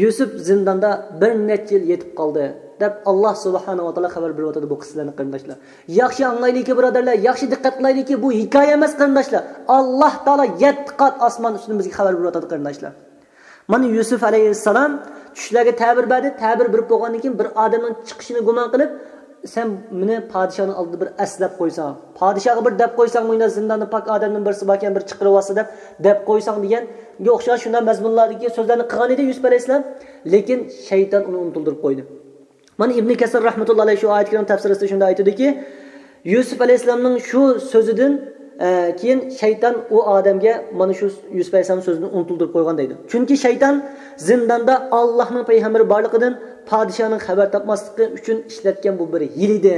يۈسۈپ زىنداندا بىر نەچچە يىل يېتىپ قالدى، دەپ ئاللا سۇبھانەھۇ ۋە تائالا خەۋەر بېرىۋاتىدۇ بۇ قىسسىلەرنى، قېرىنداشلار. ياخشى ئاڭلايلىكى، بۇرادەرلەر، ياخشى دىققەت قىلايلىكى، بۇ ھېكايە ئەمەس، قېرىنداشلار. ئاللا تائالا يەتتە قات ئاسمان ئۈستىدىن بىزگە خەۋەر بېرىۋاتىدۇ، قېرىنداشلار. مانا يۈسۈپ ئەلەيھىسسالام چۈشلەرگە تەبىر بەردى، تەبىر بېرىپ بولغاندىن كېيىن بىر ئادەمنىڭ چىقىشىنى گۇمان قىلىپ، سەن مېنى پادىشاھنىڭ ئالدىدا بىر ئەسلەپ قويساڭ، پادىشاھقا بىر دەپ قويساڭ، مۇنداق زىنداندا پاك ئادەمدىن بىرسى باركەن، بىر چىقىرىۋالسا دەپ، دەپ قويساڭ دېگەنگە ئوخشىغان شۇنداق مەزمۇنلاردىكى سۆزلەرنى قىلغان ئىدى يۈسۈپ ئەلەيھىسسالام. لېكىن شەيتان ئۇنى ئۇنتۇلدۇرۇپ قويدى. مانا ئىبنى كەسىر رەھمەتۇللا ئەلەيھ شۇ ئايەت كەرىمە تەپسىرىدە شۇنداق ئېيتىدۇكى، يۈسۈپ ئەلەيھىسسالامنىڭ شۇ سۆزىدىن، ئە، كېيىن شەيتان ئۇ ئادەمگە مانا شۇ يۈسۈپ ئەلەيھىسسالام سۆزىنى ئۇنتۇلدۇرۇپ قويغان دەيدۇ. چۈنكى شەيتان زىنداندا ئاللاھنىڭ پەيغەمبىرى بارلىقىدىن، پادىشاھنىڭ خەۋەر تاپماسلىقى ئۈچۈن ئىشلەتكەن بۇ بىر ھىيلە ئىدى.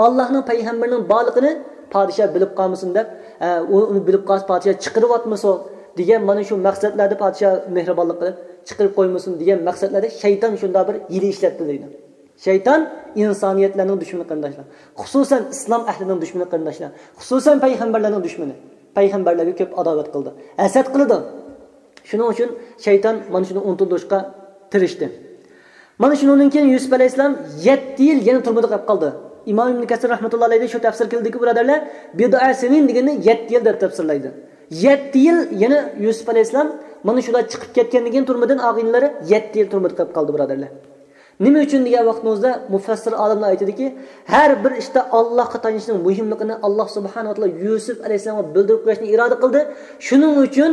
ئاللاھنىڭ پەيغەمبىرىنىڭ بارلىقىنى پادىشاھ بىلىپ قالمىسۇن دەپ، ئە، ئۇ ئۇنى بىلىپ قالسا پادىشاھ چىقىرىۋاتمىسۇن دېگەن مانا شۇ مەقسەتلەردە، پادىشاھ مېھرىبانلىق قىلىپ چىقىرىپ قويمىسۇن دېگەن مەقسەتلەردە شەيتان شۇنداق بىر ھىيلە ئىشلەتتى دەيدۇ. شەيتان ئىنسانىيەتلەرنىڭ دۈشمىنى، قېرىنداشلار. خۇسۇسەن ئىسلام ئەھلىنىڭ دۈشمىنى، قېرىنداشلار. خۇسۇسەن پەيغەمبەرلەرنىڭ دۈشمىنى. پەيغەمبەرلەرگە كۆپ ئاداۋەت قىلىدۇ. ھەسەت قىلىدۇ. شۇنىڭ ئۈچۈن شەيتان مانا شۇنى ئۇنتۇلدۇرۇشقا تىرىشتى. مانا شۇنىڭدىن كېيىن يۈسۈپ ئەلەيھىسسالام يەتتە يىل يەنە تۈرمىدە قېلىپ قالدى. ئىمام ئىبن كەسىر رەھمەتۇللا ئەلەيھى شۇ تەپسىر قىلدىكى، بۇرادەرلەر، بىدئە سىنىن دېگەننى يەتتە يىل دەپ تەپسىرلەيدۇ. يەتتە يىل يەنە يۈسۈپ ئەلەيھىسسالام مانا شۇلار چىقىپ كەتكەندىن كېيىن تۈرمىدىن ئاغىنىلىرى يەتتە يىل تۈرمىدە قېلىپ قالدى، بۇرادەرلەر. نېمە ئۈچۈن دېگەن ۋاقتىمىزدا مۇفەسسىر ئالىملار ئېيتىدۇكى، ھەر بىر ئىشتا ئاللاھقا تايىنىشنىڭ مۇھىملىقىنى ئاللاھ سۇبھانەھۇ ۋە تائالا يۈسۈپ ئەلەيھىسسالامغا بىلدۈرۈپ قويۇشنى ئىرادە قىلدى. شۇنىڭ ئۈچۈن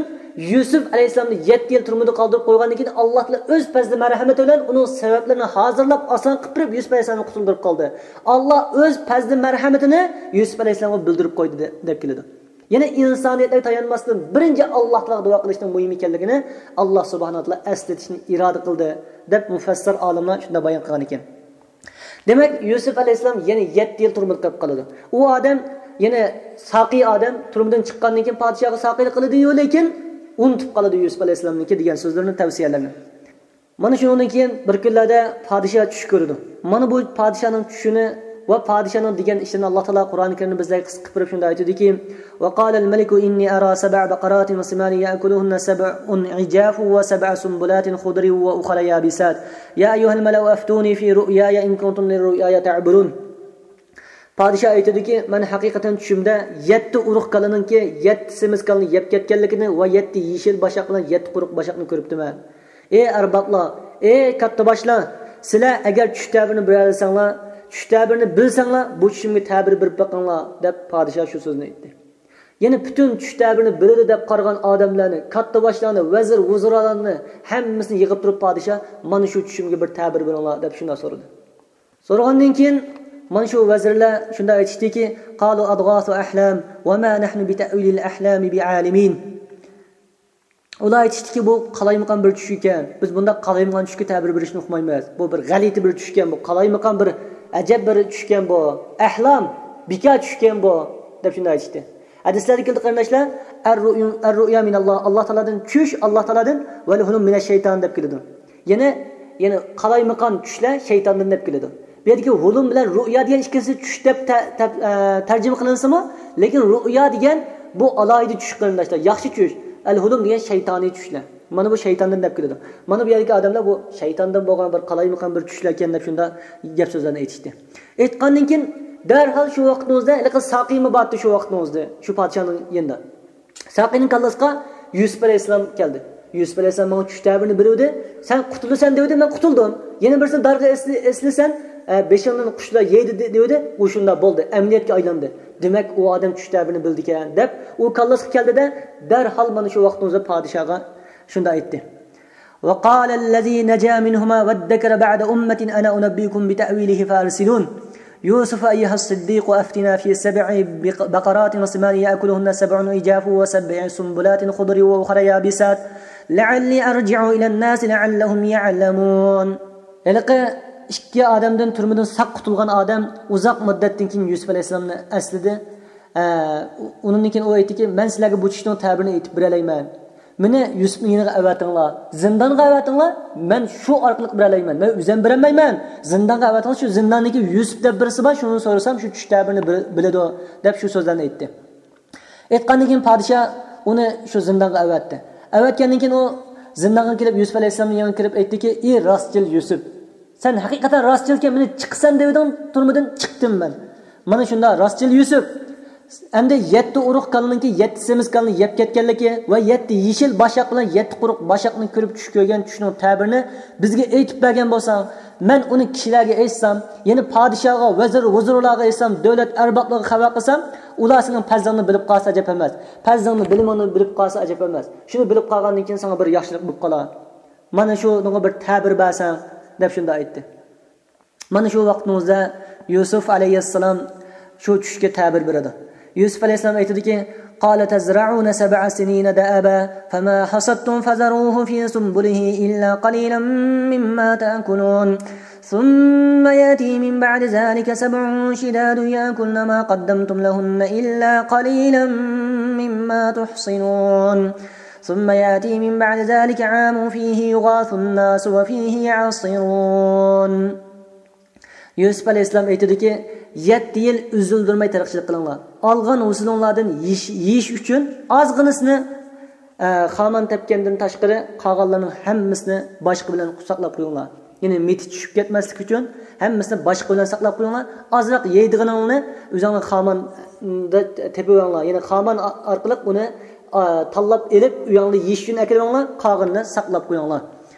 يۈسۈپ ئەلەيھىسسالامنى يەتتە يىل تۈرمىدە قالدۇرۇپ قويغاندىن كېيىن، ئاللاھ تائالا ئۆز پەزلى مەرھەمىتى بىلەن ئۇنىڭ سەۋەبلىرىنى ھازىرلاپ، ئاسان قىلىپ بېرىپ، يۈسۈپ ئەلەيھىسسالامنى قۇتۇلدۇرۇپ قالدى. ئاللاھ ئۆز پەزلى مەرھەمىتىنى يۈسۈپ ئەلەيھىسسالامغا بىلدۈرۈپ قويدى، دە-، دەپ كېلىدۇ. يەنى ئىنسانىيەتلەرگە تايانماستىن، بىرىنچى ئاللاھ تائالاغا دۇئا قىلىشنىڭ مۇھىم ئىكەنلىكىنى ئاللاھ سۇبھانەھۇ ۋە تائالا ئەسلىتىشنى ئىرادە قىلدى، دەپ مۇفەسسىر ئالىملار شۇنداق بايان قىلغان ئىكەن. دېمەك، يۈسۈپ ئەلەيھىسسالام يەنە يەتتە يىل تۈرمىدە قېلىپ قالىدۇ. ئۇ ئادەم، يەنى ساقىي ئادەم، تۈرمىدىن چىققاندىن كېيىن پادىشاھقا ساقىيلىق قىلىدۇ، لېكىن ئۇنتۇپ قالىدۇ يۈسۈپ ئەلەيھىسسالامنىڭكى دېگەن سۆزلىرىنى، تەۋسىيەلەرنى. مانا شۇنىڭدىن كېيىن بىر كۈنلەردە پادىشاھ چۈش كۆرىدۇ. مانا بۇ پادىشاھنىڭ چۈشىنى ۋە پادىشاھنىڭ دېگەن ئىشلىرىنى ئاللاھ تائالا قۇرئان كەرىمدە بىزلەرگە قىسقا قىلىپ بېرىپ شۇنداق ئېيتىدۇكى، وقال الملك إني أرى سبع بقرات سمان يأكلهن سبع عجاف وسبع سنبلات خضر وأخر يابسات يا أيها الملأ أفتوني في رؤياي إن كنتم للرؤيا تعبرون. پادىشاھ ئېيتىدۇكى، مەن ھەقىقەتەن چۈشۈمدە يەتتە ئۇرۇق كالىنىڭكى يەتتە سېمىز كالىنى يەپ كەتكەنلىكىنى ۋە يەتتە يېشىل باشاق بىلەن يەتتە قۇرۇق باشاقنى كۆرۈپتىمەن. ئەي ئەربابلار، ئەي كاتتىباشلار، سىلەر ئەگەر چۈش تەبىرىنى بېرەلىسەڭلار، چۈش تەبىرىنى بىلسەڭلار، بۇ چۈشۈمگە تەبىر بېرىپ بېقىڭلار، دەپ پادىشاھ شۇ سۆزنى ئېيتتى. يەنى پۈتۈن چۈش تەبىرىنى بىلىدۇ دەپ قارىغان ئادەملەرنى، كاتتىباشلارنى، ۋەزىر، ۋۇزرالارنى ھەممىسىنى يىغىپ تۇرۇپ پادىشاھ، مانا شۇ چۈشۈمگە بىر تەبىر بېرىڭلار، دەپ شۇنداق سورىدى. سورىغاندىن كېيىن مانا شۇ ۋەزىرلەر شۇنداق ئېيتىشتىكى، قالوا أضغاث أحلام وما نحن بتأويل الأحلام بعالمين. ئۇلار ئېيتىشتىكى، بۇ قالايمىقان بىر چۈش ئىكەن، بىز بۇنداق قالايمىقان چۈشكە تەبىر بېرىشنى ئۇقمايمىز. بۇ بىر غەلىتە بىر چۈشكەن، بۇ قالايمىقان بىر ئەجەب بىر چۈشكەن بۇ. ئەھلام، بىكار چۈشكەن بۇ، دەپ شۇنداق ئېيتىشتى. ھەدىسلەردە كېلىدۇ، قېرىنداشلار، الرؤيا، الرؤيا من الله، ئاللاھ تائالادىن چۈش، ئاللاھ تائالادىن، والحلم من الشيطان دەپ كېلىدۇ. يەنى، يەنى قالايمىقان چۈشلەر شەيتاندىن دەپ كېلىدۇ. بۇ يەردىكى ھۇلۇم بىلەن رۇئيا دېگەن ئىككىسى چۈش دەپ تە-، تە-، ئە، تەرجىمە قىلىنسىمۇ، لېكىن رۇئيا دېگەن بۇ ئالاھىدە چۈش، قېرىنداشلار، ياخشى چۈش. ئەل ھۇلۇم دېگەن شەيتانىي چۈشلەر. مانا بۇ شەيتاندىن دەپ كېلىدۇ. مانا بۇ يەردىكى ئادەملەر بۇ شەيتاندىن بولغان بىر قالايمىقان بىر چۈشلەركەن دەپ شۇنداق گەپ سۆزلەرنى ئېيتىشتى. ئېيتقاندىن كېيىن دەرھال شۇ ۋاقتىڭىزدا ھېلىقى ساقىيمۇ بارتى شۇ ۋاقتىڭىزدا، شۇ پادىشاھنىڭ يېنىدا. ساقىينىڭ كاللىسىغا يۈسۈپ ئەلەيھىسسالام كەلدى. يۈسۈپ ئەلەيھىسسالام ماڭا چۈش تەبىرىنى بېرىۋىدى. سەن قۇتۇلىسەن دېۋىدى، مەن قۇتۇلدۇم. يەنە بىرسىنى دارغا ئېسىلىسەن، ئە، بېشىڭدىن قۇشلار يەيدۇ دېۋىدى. ئۇ شۇنداق بولدى، ئەمەلىيەتكە ئايلاندى. دېمەك، ئۇ ئادەم چۈش تەبىرىنى بىلىدىكەن، دەپ ئۇ كاللىسىغا كەلدى-دە، دەرھال مانا شۇ ۋاقتىڭىزدا پادىشاھغا شۇنداق ئېيتتى. وقال الذي نجا منهما وادكر بعد أمة أنا أنبئكم بتأويله فأرسلون. يوسف أيها الصديق أفتنا في سبع بق-، بقرات سمان يأكلهن سبع عجاف وسبع سنبلات خضر وأخر يابسات لعلي أرجع إلى الناس لعلهم يعلمون. ھېلىقى ئىككى ئادەمدىن، تۈرمىدىن ساق قۇتۇلغان ئادەم ئۇزاق مۇددەتتىن كېيىن يۈسۈپ ئەلەيھىسسالامنى ئەسلىدى. ئە، ئۇنىڭدىن كېيىن ئۇ ئېيتتىكى، مەن سىلەرگە بۇ چۈشنىڭ تەبىرىنى ئېيتىپ بېرەلەيمەن. مېنى يۈسۈپنىڭ يېنىغا ئەۋەتىڭلار، زىندانغا ئەۋەتىڭلار، مەن شۇ ئارقىلىق بېرەلەيمەن. مەن ئۆزۈم بېرەلمەيمەن، زىندانغا ئەۋەتىڭلار، شۇ زىنداندىكى يۈسۈپ دەپ بىرسى بار، شۇنى سورىسام شۇ چۈش تەبىرىنى بىلىدۇ، دەپ شۇ سۆزلەرنى ئېيتتى. ئېيتقاندىن كېيىن پادىشاھ ئۇنى شۇ زىندانغا ئەۋەتتى. ئەۋەتكەندىن كېيىن ئۇ زىندانغا كېلىپ، يۈسۈپ ئەلەيھىسسالامنىڭ يېنىغا كىرىپ ئېيتتىكى، ئى راستچىل يۈسۈپ، سەن ھەقىقەتەن راستچىلكەن، مېنى چىقىسەن دەۋىدىڭ تۈرمىدىن، چىقتىم مەن. مانا شۇنداق راستچىل يۈسۈپ. ئەمدى يەتتە ئۇرۇق كالىنىڭكى يەتتە سېمىز كالىنى يەپ كەتكەنلىكى ۋە يەتتە يېشىل باشاق بىلەن يەتتە قۇرۇق باشاقنى كۆرۈپ چۈش كۆرگەن چۈشنىڭ تەبىرىنى بىزگە ئېيتىپ بەرگەن بولساڭ، مەن ئۇنى كىشىلەرگە ئېيتسام، يەنى پادىشاھغا، ۋەزىر ھۇزۇرلارغا ئېيتسام، دۆلەت ئەربابلىرىغا خەۋەر قىلسام، ئۇلار سېنىڭ پەزلىڭنى بىلىپ قالسا ئەجەب ئەمەس. پەزلىڭنى، بىلىمىڭنى بىلىپ قالسا ئەجەب ئەمەس. شۇنى بىلىپ قالغاندىن كېيىن ساڭا بىر ياخشىلىق بولۇپ قالار. مانا شۇنىڭغا بىر تەبىر بەرسەڭ، دەپ شۇنداق ئېيتتى. مانا شۇ ۋاقىتنىڭ ئۆزىدە يۈسۈپ ئەلەيھىسسالام شۇ چۈشكە تەبىر بېرىدۇ. يۈسۈپ ئەلەيھىسسالام ئېيتىدۇكى، قال تزرعون سبع سنين دأبا فما حصدتم فذروه في سنبله إلا قليلا مما تأكلون ثم يأتي من بعد ذلك سبع شداد يأكلن ما قدمتم لهن إلا قليلا مما تحصنون ثم يأتي من بعد ذلك عام فيه يغاث الناس وفيه يعصرون. يۈسۈپ ئەلەيھىسسالام ئېيتىدۇكى، يەتتە يىل ئۈزۈلدۈرمەي تېرىقچىلىق قىلىڭلار. ئالغان ھوسۇلۇڭلاردىن يېيىش، يېيىش ئۈچۈن ئازغىنىسىنى، ئە، خامان تەپكەندىن تاشقىرى قالغانلارنىڭ ھەممىسىنى باشقا بىلەن ساقلاپ قويۇڭلار. يەنى مىتى چۈشۈپ كەتمەسلىك ئۈچۈن ھەممىسىنى باشقا بىلەن ساقلاپ قويۇڭلار. ئازراق يەيدىغىنىڭنى ئۆزۈڭلار خاماندا تېپىۋېلىڭلار. يەنى خامان ئارقىلىق ئۇنى، ئا، تاللاپ ئېلىپ ئۆيۈڭلاردا يېيىش ئۈچۈن ئەكىلىۋېلىڭلار. قالغىنىنى ساقلاپ قويۇڭلار.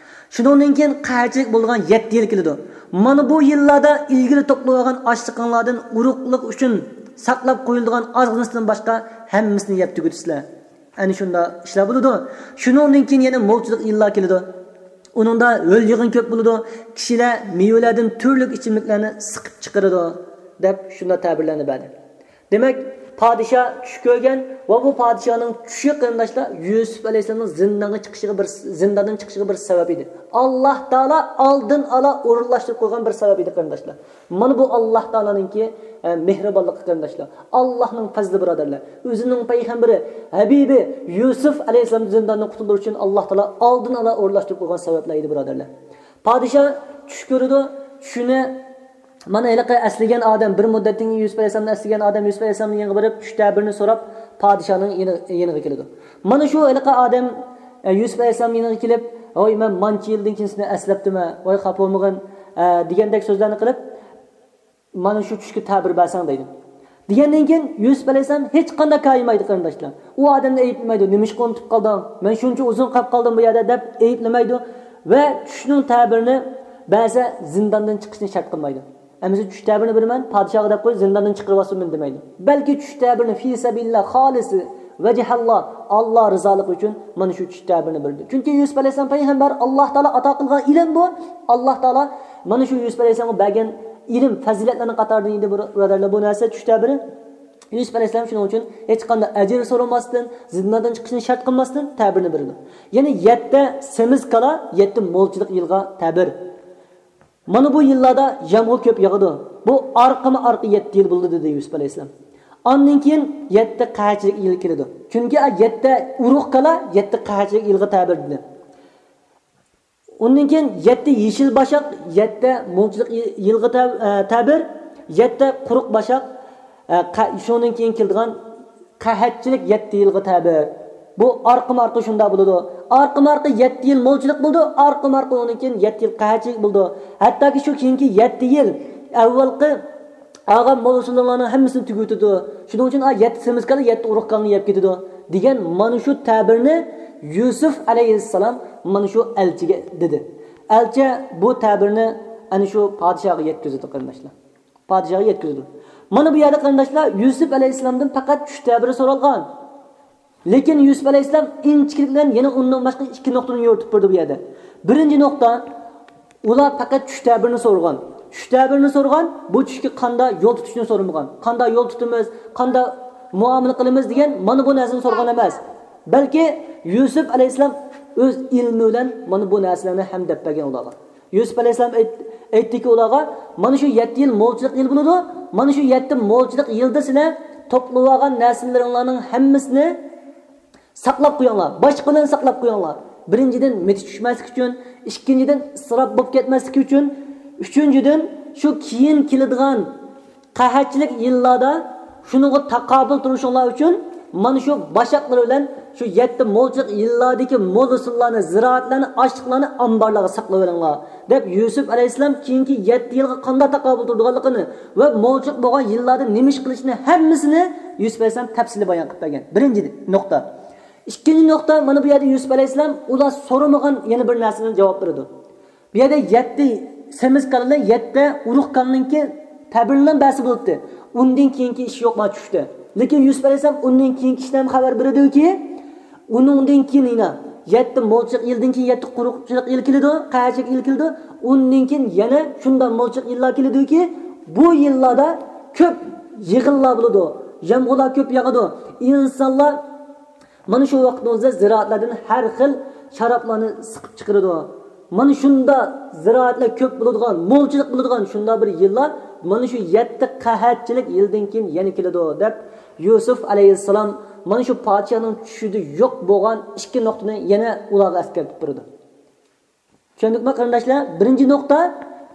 شۇنىڭدىن كېيىن قەھەتچىلىك بولىدىغان يەتتە يىل كېلىدۇ. مانا بۇ يىللاردا ئىلگىرى توپلىۋالغان ئاشلىقىڭلاردىن ئۇرۇقلۇق ئۈچۈن ساقلاپ قويۇلىدىغان ئازغىنىسىدىن باشقا ھەممىسىنى يەپ تۈگىتىسىلەر. ئەنە شۇنداق ئىشلار بولىدۇ. شۇنىڭدىن كېيىن يەنە مولچىلىق يىللار كېلىدۇ. ئۇنىڭدا ھۆل-يېغىن كۆپ بولىدۇ. كىشىلەر مېۋىلەردىن تۈرلۈك ئىچىملىكلەرنى سىقىپ چىقىرىدۇ، دەپ شۇنداق تەبىرلەرنى بەردى. دېمەك، پادىشاھ چۈش كۆرگەن ۋە بۇ پادىشاھنىڭ چۈشى، قېرىنداشلار، يۈسۈپ ئەلەيھىسسالامنىڭ زىندانغا چىقىشىغا بىر، زىنداندىن چىقىشىغا بىر سەۋەب ئىدى. ئاللاھ تائالا ئالدىن ئالا ئورۇنلاشتۇرۇپ قويغان بىر سەۋەب ئىدى، قېرىنداشلار. مانا بۇ ئاللاھ تائالانىڭكى، ئە، مېھرىبانلىقى، قېرىنداشلار. ئاللاھنىڭ پەزلى، بۇرادەرلەر. ئۆزىنىڭ پەيغەمبىرى، ھەبىبى يۈسۈپ ئەلەيھىسسالامنى زىنداندىن قۇتۇلدۇرۇش ئۈچۈن ئاللاھ تائالا ئالدىن ئالا ئورۇنلاشتۇرۇپ قويغان سەۋەبلەر ئىدى، بۇرادەرلەر. پادىشاھ چۈش كۆرىدۇ، چۈشىنى مانا ھېلىقى ئەسلىگەن ئادەم، بىر مۇددەتتىن كېيىن يۈسۈپ ئەلەيھىسسالامنى ئەسلىگەن ئادەم يۈسۈپ ئەلەيھىسسالامنىڭ يېنىغا بېرىپ، چۈش تەبىرىنى سوراپ، پادىشاھنىڭ يېنى-، يېنىغا كېلىدۇ. مانا شۇ ھېلىقى ئادەم، ئە، يۈسۈپ ئەلەيھىسسالامنىڭ يېنىغا كېلىپ، ۋاي، مەن مانچە يىلدىن كېيىن سېنى ئەسلەپتىمەن، ۋاي، خاپا بولمىغىن، ئە، دېگەندەك سۆزلەرنى قىلىپ، مانا شۇ چۈشكە تەبىر بەرسەڭ دەيدۇ. دېگەندىن كېيىن يۈسۈپ ئەلەيھىسسالام ھېچقانداق كايىمايدۇ، قېرىنداشلار. ئۇ ئادەمنى ئەيىبلىمەيدۇ، نېمىشقا ئۇنتۇپ قالدىڭ؟ مەن شۇنچە ئۇزۇن قاپ قالدىم بۇ يەردە، دەپ ئەيىبلىمەيدۇ ۋە چۈشنىڭ تەبىرىنى بەرسە زىنداندىن چىقىشنى شەرت قىلمايدۇ. ئەمىسە چۈش تەبىرىنى بېرىمەن، پادىشاھقا دەپ قوي، زىنداندىن چىقىرىۋالسۇن مېنى دېمەيدۇ. بەلكى چۈش تەبىرىنى فى سەبىلىللا، خالىس ۋەجھەللا، ئاللا رىزالىقى ئۈچۈن مانا شۇ چۈش تەبىرىنى بېرىدۇ. چۈنكى يۈسۈپ ئەلەيھىسسالام پەيغەمبەر، ئاللا تائالا ئاتا قىلغان ئىلىم بۇ. ئاللا تائالا مانا شۇ يۈسۈپ ئەلەيھىسسالامغا بەرگەن ئىلىم، پەزىلەتلەرنىڭ قاتارىدىن ئىدى، بۇرادەرلەر، بۇ نەرسە چۈش تەبىرى. يۈسۈپ ئەلەيھىسسالام شۇنىڭ ئۈچۈن ھېچقانداق ئەجىر سورىماستىن، زىنداندىن چىقىشنى شەرت قىلماستىن تەبىرنى بېرىدۇ. يەنى يەتتە سېمىز كالا، يەتتە مولچىلىق يىلغا تەبىر. مانا بۇ يىللاردا يامغۇر كۆپ ياغىدۇ. بۇ ئارقىما ئارقا يەتتە يىل بولىدۇ، دېدى يۈسۈپ ئەلەيھىسسالام. ئاندىن كېيىن يەتتە قەھەتچىلىك يىل كېلىدۇ. چۈنكى يەتتە ئۇرۇق كالا، يەتتە قەھەتچىلىك يىلغا تەبىر، دېدى. ئۇندىن كېيىن يەتتە يېشىل باشاق، يەتتە مولچىلىق يىلغا تە-، ئە، تەبىر، يەتتە قۇرۇق باشاق، ئە، قە-، شۇنىڭدىن كېيىن كېلىدىغان قەھەتچىلىك يەتتە يىلغا تەبىر. بۇ ئارقىما ئارقا شۇنداق بولىدۇ. ئارقىما ئارقا يەتتە يىل مولچىلىق بولىدۇ، ئارقىما ئارقا ئۇنىڭدىن كېيىن يەتتە يىل قەھەتچىلىك بولىدۇ. ھەتتاكى شۇ كېيىنكى يەتتە يىل ئەۋۋالقى ئالغان مول ھوسۇللىرىڭلارنىڭ ھەممىسىنى تۈگىتىدۇ. شۇنىڭ ئۈچۈن، ئا، يەتتە سېمىز كالا يەتتە ئۇرۇق كالىنى يەپ كېتىدۇ، دېگەن مانا شۇ تەبىرنى يۈسۈپ ئەلەيھىسسالام مانا شۇ ئەلچىگە دېدى. ئەلچى بۇ تەبىرنى ئەنە شۇ پادىشاھقا يەتكۈزىدۇ، قېرىنداشلار. پادىشاھقا يەتكۈزىدۇ. مانا بۇ يەردە، قېرىنداشلار، يۈسۈپ ئەلەيھىسسالامدىن پەقەت چۈش تەبىرى سورالغان. لېكىن يۈسۈپ ئەلەيھىسسالام ئىنچىكىلىك بىلەن يەنە ئۇنىڭدىن باشقا ئىككى نۇقتىنى يورۇتۇپ بەردى بۇ يەردە. بىرىنچى نۇقتا، ئۇلار پەقەت چۈش تەبىرىنى سورىغان. چۈش تەبىرىنى سورىغان، بۇ چۈشكە قاندا يول تۇتۇشنى سورىمىغان. قاندا يول تۇتىمىز، قاندا مۇئامىلە قىلىمىز دېگەن مانا بۇ نەرسىنى سورىغان ئەمەس. بەلكى يۈسۈپ ئەلەيھىسسالام ئۆز ئىلمى بىلەن مانا بۇ نەرسىلەرنى ھەم دەپ بەرگەن ئۇلارغا. يۈسۈپ ئەلەيھىسسالام ئېيت-، ئېيتتىكى ئۇلارغا، مانا شۇ يەتتە يىل مولچىلىق يىلى بولىدۇ، مانا شۇ يەتتە مولچىلىق يىلدا سىلەر توپلىۋالغان نەرسىلىرىڭلارنىڭ ھەممىسىنى ساقلاپ قويۇڭلار، باشقا بىلەن ساقلاپ قويۇڭلار. بىرىنچىدىن، مىتى چۈشمەسلىك ئۈچۈن، ئىككىنچىدىن، ئىسراپ بولۇپ كەتمەسلىكى ئۈچۈن، ئۈچىنچىدىن، شۇ كېيىن كېلىدىغان قەھەتچىلىك يىللاردا شۇنىڭغا تاقابىل تۇرۇشۇڭلار ئۈچۈن، مانا شۇ باشاقلىرى بىلەن شۇ يەتتە مولچىلىق يىللاردىكى مول ھوسۇللارنى، زىرائەتلەرنى، ئاشلىقلارنى ئامبارلارغا ساقلاۋېلىڭلار، دەپ يۈسۈپ ئەلەيھىسسالام كېيىنكى يەتتە يىلغا قانداق تاقابىل تۇرىدىغانلىقىنى ۋە مولچىلىق بولغان يىللاردا نېمە ئىش قىلىشىنى ھەممىسىنى يۈسۈپ ئەلەيھىسسالام تەپسىلىي بايان قىلىپ بەرگەن. بىرىنچى نۇقتا. ئىككىنچى نۇقتا، مانا بۇ يەردە يۈسۈپ ئەلەيھىسسالام ئۇلار سورىمىغان يەنە بىر نەرسىدىن جاۋاب بېرىدۇ. بۇ يەردە يەتتە سېمىز كالىنى، يەتتە ئۇرۇق كالىنىڭكى تەبىرىنى بەرسە بولاتتى. ئۇندىن كېيىنكى ئىش يوق ما چۈشتە. لېكىن يۈسۈپ ئەلەيھىسسالام ئۇندىن كېيىنكى ئىشنى ھەم خەۋەر بېرىدۇكى، ئۇنىڭدىن كېيىن يەنە يەتتە مولچىلىق يىلدىن كېيىن يەتتە قۇرۇقچىلىق يىل كېلىدۇ، قەھەتچىلىك يىل كېلىدۇ. ئۇندىن كېيىن يەنە شۇنداق مولچىلىق يىللار كېلىدۇكى، بۇ يىللاردا كۆپ يېغىنلار بولىدۇ، يامغۇرلار كۆپ ياغىدۇ. ئىنسانلار مانا شۇ ۋاقىتنىڭ ئۆزىدە زىرائەتلەردىن ھەر خىل شارابلارنى سىقىپ چىقىرىدۇ. مانا شۇنداق زىرائەتلەر كۆپ بولىدىغان، مولچىلىق بولىدىغان شۇنداق بىر يىللار مانا شۇ يەتتە قەھەتچىلىك يىلدىن كېيىن يەنە كېلىدۇ، دەپ يۈسۈپ ئەلەيھىسسالام مانا شۇ پادىشاھنىڭ چۈشىدە يوق بولغان ئىككى نۇقتىنى يەنە ئۇلارغا ئەسكەرتىپ بېرىدۇ. چۈشەندۇقمۇ قېرىنداشلار؟ بىرىنچى نۇقتا،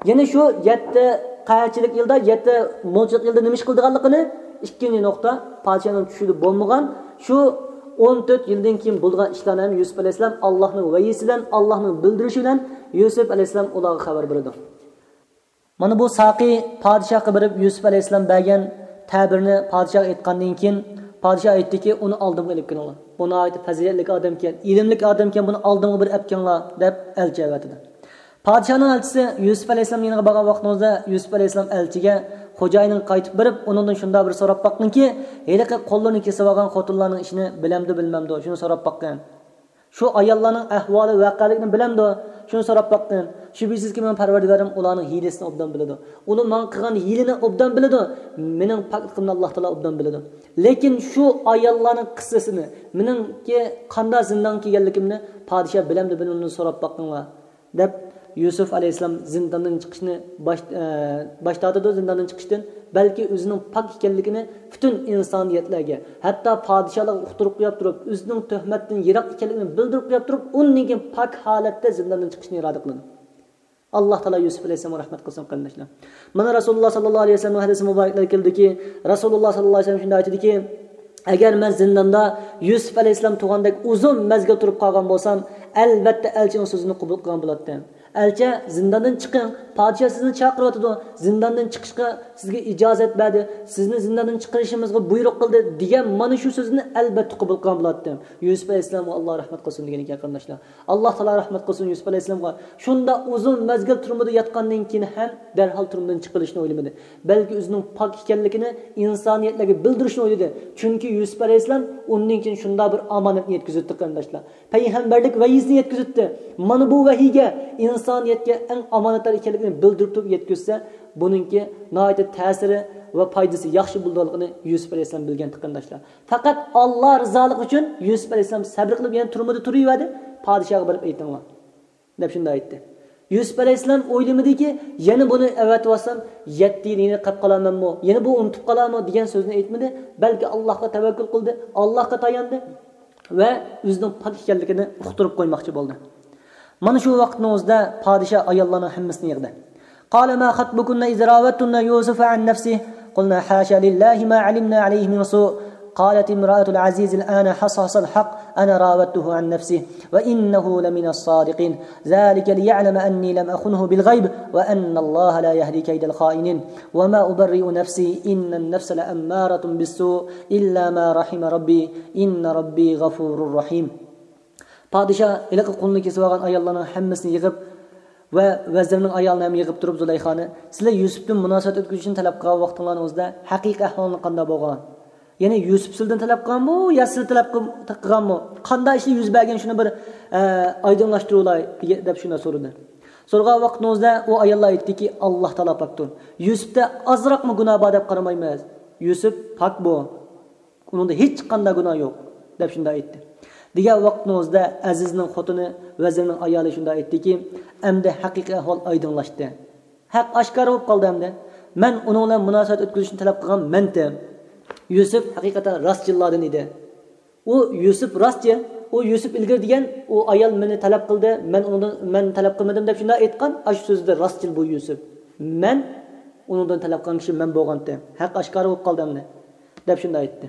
يەنە شۇ يەتتە قەھەتچىلىك يىلدا، يەتتە مولچىلىق يىلدا نېمە ئىش قىلىدىغانلىقىنى. ئىككىنچى نۇقتا، پادىشاھنىڭ چۈشىدە بولمىغان شۇ ئون تۆت يىلدىن كېيىن بولىدىغان ئىشلارنى ھەم يۈسۈپ ئەلەيھىسسالام ئاللاھنىڭ ۋەھىيسى بىلەن، ئاللاھنىڭ بىلدۈرۈشى بىلەن يۈسۈپ ئەلەيھىسسالام ئۇلارغا خەۋەر بېرىدۇ. مانا بۇ ساقىي پادىشاھقا بېرىپ يۈسۈپ ئەلەيھىسسالام بەرگەن تەبىرنى پادىشاھقا ئېيتقاندىن كېيىن، پادىشاھ ئېيتتىكى، ئۇنى ئالدىمغا ئېلىپ كېلىڭلار. بۇ ناھايىتى پەزىلەتلىك ئادەمكەن، ئىلىملىك ئادەمكەن، بۇنى ئالدىمغا بىر ئەپ كېلىڭلار، دەپ ئەلچى ئەۋەتىدۇ. پادىشاھنىڭ ئەلچىسى يۈسۈپ ئەلەيھىسسالام يېنىغا بارغان ۋاقتىڭىزدا، يۈسۈپ ئەلەيھىسسالام ئەلچىگە خوجايىنىڭ قايتىپ بېرىپ، ئۇنىڭدىن شۇنداق بىر سوراپ باققىنكى، ھېلىقى قوللىرىنى كېسىۋالغان خوتۇنلارنىڭ ئىشىنى بىلەمدۇ، بىلمەمدۇ، شۇنى سوراپ باققىن. شۇ ئاياللارنىڭ ئەھۋالى، ۋەقەلىكىنى بىلەمدۇ؟ شۇنى سوراپ باققىن. شۈبھىسىزكى، مېنىڭ پەرۋەردىگارىم ئۇلارنىڭ ھىيلىسىنى ئوبدان بىلىدۇ. ئۇلار ماڭا قىلغان ھىيلىنى ئوبدان بىلىدۇ. مېنىڭ پاكلىقىمنى ئاللا تائالا ئوبدان بىلىدۇ. لېكىن شۇ ئاياللارنىڭ قىسسىسىنى، مېنىڭكى قانداق زىندانغا كىرگەنلىكىمنى پادىشاھ بىلەمدۇ، بىلمەمدۇ، سوراپ باققىنلا، دەپ يۈسۈپ ئەلەيھىسسالام زىنداندىن چىقىشنى باش، ئە، باش تارتىدۇ، زىنداندىن چىقىشتىن. بەلكى ئۆزىنىڭ پاك ئىكەنلىكىنى پۈتۈن ئىنسانىيەتلەرگە، ھەتتا پادىشاھلارغا ئۇقتۇرۇپ قويۇپ تۇرۇپ، ئۆزىنىڭ تۆھمەتتىن يىراق ئىكەنلىكىنى بىلدۈرۈپ قويۇپ تۇرۇپ، ئۇندىن كېيىن پاك ھالەتتە زىنداندىن چىقىشنى ئىرادە قىلىدۇ. ئاللا تائالا يۈسۈپ ئەلەيھىسسالامغا رەھمەت قىلسۇن، قېرىنداشلار. مانا رەسۇلۇللا ساللاللاھۇ ئەلەيھى ۋەسەللەم ھەدىسى مۇبارەكلىرى كېلىدۇكى، رەسۇلۇللا ساللاللاھۇ ئەلەيھى ۋەسەللەم شۇنداق ئېيتىدىكى، ئەگەر مەن زىنداندا يۈسۈپ ئەلەيھىسسالام تۇرغاندەك ئۇزۇن مەزگىل تۇرۇپ قالغان بولسام، ئەلۋەتتە ئەلچىنىڭ سۆزىنى قوبۇل قىلغان بولاتتىم. ئەلچى، زىنداندىن چىقىڭ، پادىشاھ سىزنى چاقىرىۋاتىدۇ، زىنداندىن چىقىشقا سىزگە ئىجازەت بەردى، سىزنى زىنداندىن چىقىرىشىمىزغا بۇيرۇق قىلدى، دېگەن مانا شۇ سۆزنى ئەلۋەتتە قوبۇل قىلغان بولاتتىم. يۈسۈپ ئەلەيھىسسالامغا ئاللا رەھمەت قىلسۇن دېگەن ئىكەن، قېرىنداشلار. ئاللا تائالا رەھمەت قىلسۇن يۈسۈپ ئەلەيھىسسالامغا. شۇنداق ئۇزۇن مەزگىل تۈرمىدە ياتقاندىن كېيىن ھەم دەرھال تۈرمىدىن چىقىرىلىشنى ئويلىمىدى. بەلكى ئۆزىنىڭ پاك ئىكەنلىكىنى ئىنسانىيەتلەرگە بىلدۈرۈشنى ئويلىدى. چۈنكى يۈسۈپ ئەلەيھىسسالام ئۇندىن كېيىن شۇنداق بىر ئامانەتنى يەتكۈزۈپتۇ، قېرىنداشلار. پەيغەمبەرلىك ۋەھىيسىنى يەتكۈزۈپتۇ. مانا بۇ ۋەھىيگە، ئىنسانىيەتكە ئەڭ ئامانەتدار ئىكەنلىكىنى بىلدۈرۈپ تۇرۇپ يەتكۈزسە، بۇنىڭكى ناھايىتى تەسىرى ۋە پايدىسى ياخشى بولىدىغانلىقىنى يۈسۈپ ئەلەيھىسسالام بىلگەنتى، قېرىنداشلار. پەقەت ئاللا رىزالىقى ئۈچۈن يۈسۈپ ئەلەيھىسسالام سەبرى قىلىپ يەنە تۈرمىدە تۇرۇۋەردى. پادىشاھقا بېرىپ ئېيتىڭلار، دەپ شۇنداق ئېيتتى. يۈسۈپ ئەلەيھىسسالام ئويلىمىدىكى، يەنە بۇنى ئەۋەتىۋالسام، يەتتە يىل يەنە قېلىپ قالارمەنمۇ؟ يەنە بۇ ئۇنتۇپ قالارمۇ؟ دېگەن سۆزنى ئېيتمىدى. بەلكى ئاللاھقا تەۋەككۈل قىلدى، ئاللاھقا تاياندى ۋە ئۆزىنىڭ پاك ئىكەنلىكىنى ئۇقتۇرۇپ قويماقچى بولدى. مانا شۇ ۋاقىتنىڭ ئۆزىدە پادىشاھ ئاياللارنىڭ ھەممىسىنى يىغدى. قال ما خطبكن إذ راودتن يوسف عن نفسه قلن حاش لله ما علمنا عليه من سوء قالت امرأة العزيز الآن حصحص الحق أنا راودته عن نفسه وإنه لمن الصادقين ذلك ليعلم أني لم أخنه بالغيب وأن الله لا يهدي كيد الخائنين وما أبرئ نفسي إن النفس لأمارة بالسوء إلا ما رحم ربي إن ربي غفور رحيم. پادىشاھ ھېلىقى قۇلنى كېسىۋالغان ئاياللارنىڭ ھەممىسىنى يىغىپ ۋە ۋەزىرنىڭ ئايالىنى ھەم يىغىپ تۇرۇپ زۇلەيخانى، سىلەر يۈسۈپتىن مۇناسىۋەت ئۆتكۈزۈشنى تەلەپ قىلغان ۋاقتىڭلارنىڭ ئۆزىدە ھەقىقىي ئەھۋالىڭلار قانداق بولغان؟ يەنى يۈسۈپ سىلىدىن تەلەپ قىلغانمۇ يا سىلە تەلەپ قىل-، قىلغانمۇ؟ قانداق ئىشلار يۈز بەرگەن، شۇنى بىر، ئە، ئايدىڭلاشتۇرۇۋالاي، دېگە-، دەپ شۇنداق سورىدى. سورىغان ۋاقتىڭىزدا ئۇ ئاياللار ئېيتتىكى، ئاللا تائالا پاكتۇر. يۈسۈپتە ئازراقمۇ گۇناھ بار دەپ قارىمايمىز. يۈسۈپ پاك بۇ. ئۇنىڭدا ھېچقانداق گۇناھ يوق، دەپ شۇنداق ئېيتتى. دېگەن ۋاقتىڭىزدا ئەزىزنىڭ خوتۇنى، ۋەزىرنىڭ ئايالى شۇنداق ئېيتتىكى، ئەمدى ھەقىقىي ئەھۋال ئايدىڭلاشتى. ھەق ئاشكارا بولۇپ قالدى ئەمدى. مەن ئۇنىڭ بىلەن مۇناسىۋەت ئۆتكۈزۈشنى تەلەپ قىلغان مەنتىم. يۈسۈپ ھەقىقەتەن راستچىللاردىن ئىدى. ئۇ يۈسۈپ راستچى، ئۇ يۈسۈپ ئىلگىرى دېگەن، ئۇ ئايال مېنى تەلەپ قىلدى، مەن ئۇنىڭدىن، مەن تەلەپ قىلمىدىم دەپ شۇنداق ئېيتقان، ئاشۇ سۆزىدە راستچىل بۇ يۈسۈپ. مەن ئۇنىڭدىن تەلەپ قىلغان كىشى مەن بولغانتىم. ھەق ئاشكارا بولۇپ قالدى ئەمدى، دەپ شۇنداق ئېيتتى.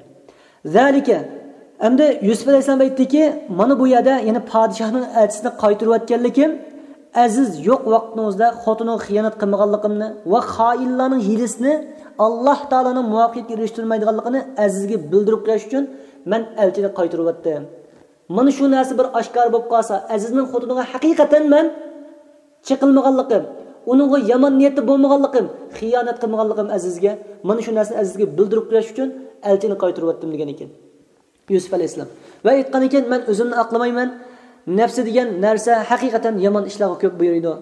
زالىكە، ئەمدى يۈسۈپ ئەلەيھىسسالام ئېيتتىكى، مانا بۇ يەردە يەنە پادىشاھنىڭ ئەلچىسىنى قايتۇرۇۋەتكەنلىكىم، ئەزىز يوق ۋاقتىڭىزدا خوتۇنىغا خىيانەت قىلمىغانلىقىمنى ۋە خائىنلارنىڭ ھىيلىسىنى ئاللاھ تائالانىڭ مۇۋەپپەقىيەتكە ئېرىشتۈرمەيدىغانلىقىنى ئەزىزگە بىلدۈرۈپ قويۇش ئۈچۈن مەن ئەلچىنى قايتۇرۇۋەتتىم. مانا شۇ نەرسە بىر ئاشكارا بولۇپ قالسا، ئەزىزنىڭ خوتۇنىغا ھەقىقەتەن مەن چېقىلمىغانلىقىم، ئۇنىڭغا يامان نىيەتتە بولمىغانلىقىم، خىيانەت قىلمىغانلىقىم ئەزىزگە، مانا شۇ نەرسىنى ئەزىزگە بىلدۈرۈپ قويۇش ئۈچۈن ئەلچىنى قايتۇرۇۋەتتىم دېگەن ئىكەن. يۈسۈپ ئەلەيھىسسالام. ۋە ئېيتقان ئىكەن، مەن ئۆزۈمنى ئاقلىمايمەن. نەپسى دېگەن نەرسە ھەقىقەتەن يامان ئىشلارغا كۆپ بۇيرۇيدۇ.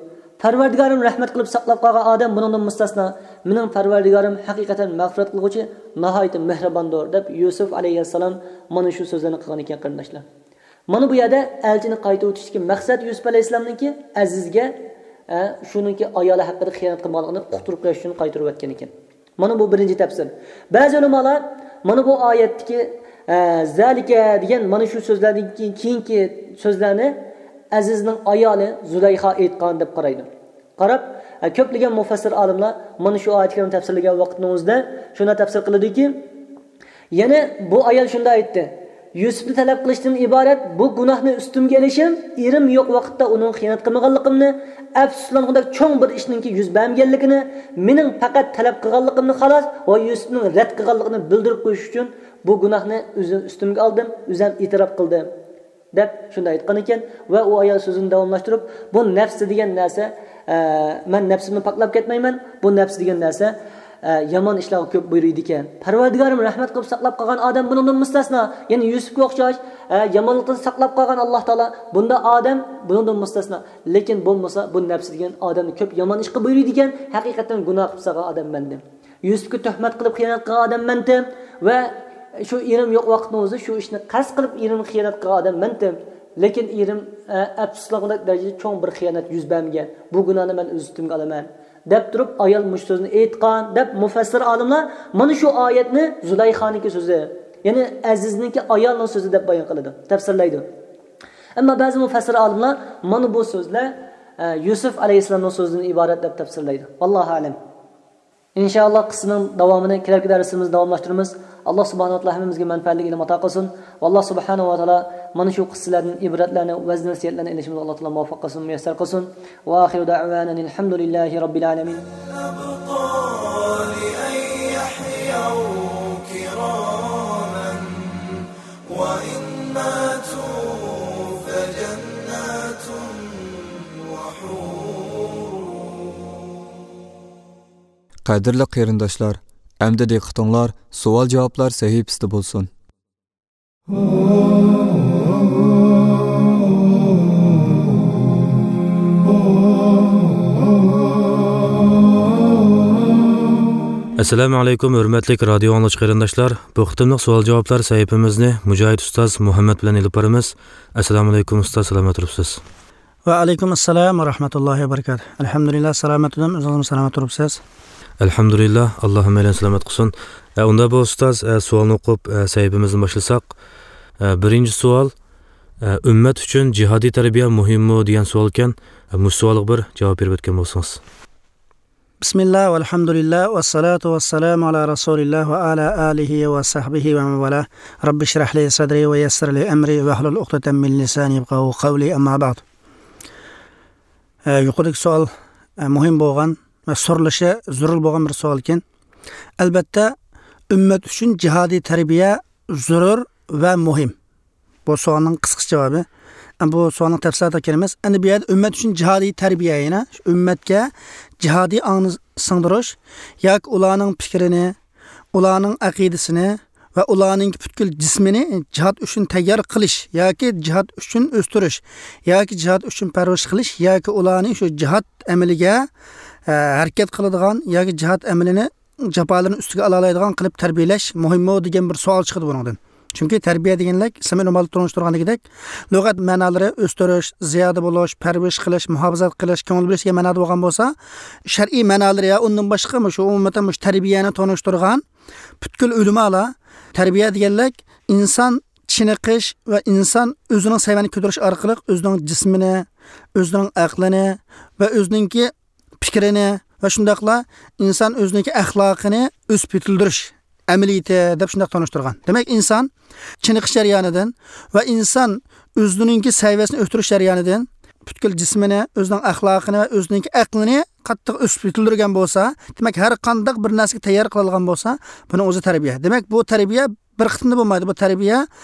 پەرۋەردىگارىم رەھمەت قىلىپ ساقلاپ قالغان ئادەم بۇنىڭدىن مۇستەسنا. مېنىڭ پەرۋەردىگارىم ھەقىقەتەن مەغپىرەت قىلغۇچى، ناھايىتى مېھرىباندۇر، دەپ يۈسۈپ ئەلەيھىسسالام مانا شۇ سۆزلەرنى قىلغان ئىكەن، قېرىنداشلار. مانا بۇ يەردە ئەلچىنى قايتۇرۇۋېتىشتىكى مەقسەت يۈسۈپ ئەلەيھىسسالامنىڭكى ئەزىزگە، ئە، شۇنىڭكى ئايالى ھەققىدە خىيانەت قىلمىغانلىقىنى ئۇقتۇرۇپ قويۇش ئۈچۈن قايتۇرۇۋەتكەن ئىكەن. مانا بۇ بىرىنچى تەپسىر. بەزى ئۆلىمالار مانا بۇ ئايەتتىكى، ئە، زالىكە دېگەن مانا شۇ سۆزلەردىن كېيىن، كېيىنكى سۆزلەرنى ئەزىزنىڭ ئايالى زۇلەيخا ئېيتقان دەپ قارايدۇ. قاراپ، ئە، كۆپلىگەن مۇفەسسىر ئالىملار مانا شۇ ئايەت كەرىمنى تەپسىرلىگەن ۋاقتىنىڭ ئۆزىدە شۇنداق تەپسىر قىلىدۇكى، يەنى بۇ ئايال شۇنداق ئېيتتى، يۈسۈپنى تەلەپ قىلىشتىن ئىبارەت بۇ گۇناھنى ئۈستۈمگە ئېلىشىم، ئېرىم يوق ۋاقىتتا ئۇنىڭغا خىيانەت قىلمىغانلىقىمنى، ئەپسۇسلانغۇدەك چوڭ بىر ئىشنىڭكى يۈز بەرمىگەنلىكىنى، مېنىڭ پەقەت تەلەپ قىلغانلىقىمنى خالاس ۋە يۈسۈپنىڭ رەت قىلغانلىقىنى بىلدۈرۈپ قويۇش ئۈچۈن بۇ گۇناھنى ئۆزۈم ئۈستۈمگە ئالدىم، ئۆزۈم ئېتىراپ قىلدىم. دەپ شۇنداق ئېيتقان ئىكەن. ۋە ئۇ ئايال سۆزىنى داۋاملاشتۇرۇپ، بۇ نەپسى دېگەن نەرسە، ئە، مەن نەپسىمنى پاكلاپ كەتمەيمەن، بۇ نەپسى دېگەن نەرسە، ئە، يامان ئىشلارغا كۆپ بۇيرۇيدىكەن. پەرۋەردىگارىم رەھمەت قىلىپ ساقلاپ قالغان ئادەم بۇنىڭدىن مۇستەسنا. يەنى يۈسۈپكە ئوخشاش، ئە، يامانلىقتىن ساقلاپ قالغان ئاللاھ تائالا بۇنداق ئادەم بۇنىڭدىن مۇستەسنا. لېكىن بولمىسا بۇ نەپسى دېگەن ئادەمنى كۆپ يامان ئىشقا بۇيرۇيدىكەن. ھەقىقەتەن گۇناھ قىلىپ سالغان ئادەم مەندىم. يۈسۈپكە تۆھمەت قىلىپ خىيانەت قىلغان ئادەم مەنتىم ۋە شۇ ئېرىم يوق ۋاقىتنىڭ ئۆزى شۇ ئىشنى قەست قىلىپ ئېرىمگە خىيانەت قىلغان ئادەم مەنتىم. لېكىن ئېرىم، ئە، ئەپسۇسلانغۇدەك دەرىجىدە چوڭ بىر خىيانەت يۈز بەرمىگەن. بۇ گۇناھنى مەن ئۆز ئۈستۈمگە ئالىمەن، دەپ تۇرۇپ ئايال مۇشۇ سۆزنى ئېيتقان، دەپ مۇفەسسىر ئالىملار مانا شۇ ئايەتنى زۇلەيخانىڭكى سۆزى، يەنى ئەزىزنىڭكى ئايالىنىڭ سۆزى دەپ بايان قىلىدۇ، تەپسىرلەيدۇ. ئەمما بەزى مۇفەسسىر ئالىملار مانا بۇ سۆزلەر، ئە، يۈسۈپ ئەلەيھىسسالامنىڭ سۆزىدىن ئىبارەت دەپ تەپسىرلەيدۇ. ۋاللاھۇ ئەلەم. ئىنشائاللا، قىسسىنىڭ داۋامىنى كېلەركى دەرسىمىزدە داۋاملاشتۇرىمىز. ئاللا سۇبھانەھۇ ۋە تائالا ھەممىمىزگە مەنپەئەتلىك ئىلىم ئاتا قىلسۇن. ۋە ئاللا سۇبھانەھۇ ۋە تائالا مانا شۇ قىسسىلەردىن ئىبرەتلەرنى، ۋەز نەسىھەتلەرنى ئېلىشىمىزغا ئاللا تائالا مۇۋەپپەق قىلسۇن، مۇيەسسەر قىلسۇن. ۋە ئاخىرۇ دەئۋانا ئەنىل ھەمدۇلىللاھى رەببىل ئالەمىن. قەدىرلىك قېرىنداشلار، ئەمدى دىققىتىڭلار سوئال-جاۋابلار سەھىپىسىدە بولسۇن. ئەسسالامۇ ئەلەيكۇم، ھۆرمەتلىك رادىيو ئاڭلىغۇچى قېرىنداشلار. بۇ قېتىملىق سوئال-جاۋابلار سەھىپىمىزنى مۇجاھىد ئۇستاز مۇھەممەد بىلەن ئېلىپ بارىمىز. ئەسسالامۇ ئەلەيكۇم ئۇستاز، سالامەت تۇرۇپسىز؟ ۋەئەلەيكۇم ئەسسالام ۋە رەھمەتۇللاھى ۋە بەرىكاتۇھ. ئەلھەمدۇلىللا، سالامەت تۇردۇم. ئۆزىڭىزمۇ سالامەت تۇرۇپسىز؟ ئەلھەمدۇلىللا، ئاللا ھەممەيلەننى سالامەت قىلسۇن. ئە، ئۇندا بۇ ئۇستاز، ئە، سوئالنى ئوقۇپ، ئە، سەھىپىمىزدىن باشلىساق. ئە، بىرىنچى سوئال، ئە، ئۈممەت ئۈچۈن جىھادىي تەربىيە مۇھىممۇ دېگەن سوئال ئىكەن. ئە، مۇشۇ سوئالغا بىر جاۋاب بېرىپ ئۆتكەن بولسىڭىز. بىسمىللا، ۋەلھەمدۇلىللا، ۋەسسالاتۇ ۋەسسالامۇ ئالا رەسۇلىللا ۋە ئالا ئالىھى ۋە سەھبىھى ۋە مەن ۋالا. رەببىشرەھلى سەدرى ۋە يەسسىرلى ئەمرى ۋەھلۇل ئۇقدەتەم مىن لىسانى يەفقەھۇ قەۋلى، ئەمما بەئد. ئە، يۇقىرىدىكى سوئال، ئە، مۇھىم بولغان ۋە سورىلىشى زۆرۈر بولغان بىر سوئال ئىكەن. ئەلبەتتە، ئۈممەت ئۈچۈن جىھادىي تەربىيە زۆرۈر ۋە مۇھىم. بۇ سوئالنىڭ قىسقىچە جاۋابى. ئەمما بۇ سوئالنىڭ تەپسىلاتىغا كىرىمىز. ئەمدى بۇ يەردە ئۈممەت ئۈچۈن جىھادىي تەربىيە، يەنى ئۈممەتكە جىھادىي ئاڭنى سىڭدۈرۈش ياكى ئۇلارنىڭ پىكرىنى، ئۇلارنىڭ ئەقىدىسىنى ۋە ئۇلارنىڭ پۈتكۈل جىسمىنى جىھاد ئۈچۈن تەييار قىلىش ياكى جىھاد ئۈچۈن ئۆستۈرۈش ياكى جىھاد ئۈچۈن پەرۋىش قىلىش ياكى ئۇلارنى شۇ جىھاد ئەمىلىگە، ئە، ھەرىكەت قىلىدىغان ياكى جىھاد ئەمىلىنى جاپالىرىنى ئۈستىگە ئالالايدىغان قىلىپ تەربىيەلەش مۇھىممۇ دېگەن بىر سوئال چىقىدۇ بۇنىڭدىن. چۈنكى تەربىيە دېگەنلىك، ئىسلام ئۆلىمالىرى تونۇشتۇرغاندىكىدەك، لۇغەت مەنالىرى ئۆستۈرۈش، زىيادە بولۇش، پەرۋىش قىلىش، مۇھاپىزەت قىلىش، كۆڭۈل بۆلۈش دېگەن مەنادا بولغان بولسا، شەرئىي مەنالىرى يا ئۇندىن باشقا مۇشۇ ئومۇمەن مۇشۇ تەربىيەنى تونۇشتۇرغان پۈتكۈل ئۆلىمالار، تەربىيە دېگەنلىك ئىنسان چېنىقىش ۋە ئىنسان ئۆزىنىڭ سەۋىيەنى كۆتۈرۈش ئارقىلىق ئۆزىنىڭ جىسمىنى، ئۆزىنىڭ ئەقلىنى ۋە ئۆزىنىڭكى پىكرىنى ۋە شۇنداقلا ئىنسان ئۆزىنىڭكى ئەخلاقىنى ئۆسۈپ يېتىلدۈرۈش ئەمەلىيىتى دەپ شۇنداق تونۇشتۇرغان. دېمەك، ئىنسان چېنىقىش جەريانىدىن ۋە ئىنسان ئۆزىنىڭكى سەۋىيەسىنى ئۆستۈرۈش جەريانىدىن پۈتكۈل جىسمىنى، ئۆزىنىڭ ئەخلاقىنى ۋە ئۆزىنىڭكى ئەقلىنى قاتتىق ئۆسۈپ يېتىلدۈرگەن بولسا، دېمەك، ھەر قانداق بىر نەرسىگە تەييار قىلىدىغان بولسا، بۇنىڭ ئۆزى تەربىيە. دېمەك، بۇ تەربىيە بىر قېتىمدا بولمايدۇ. بۇ تەربىيە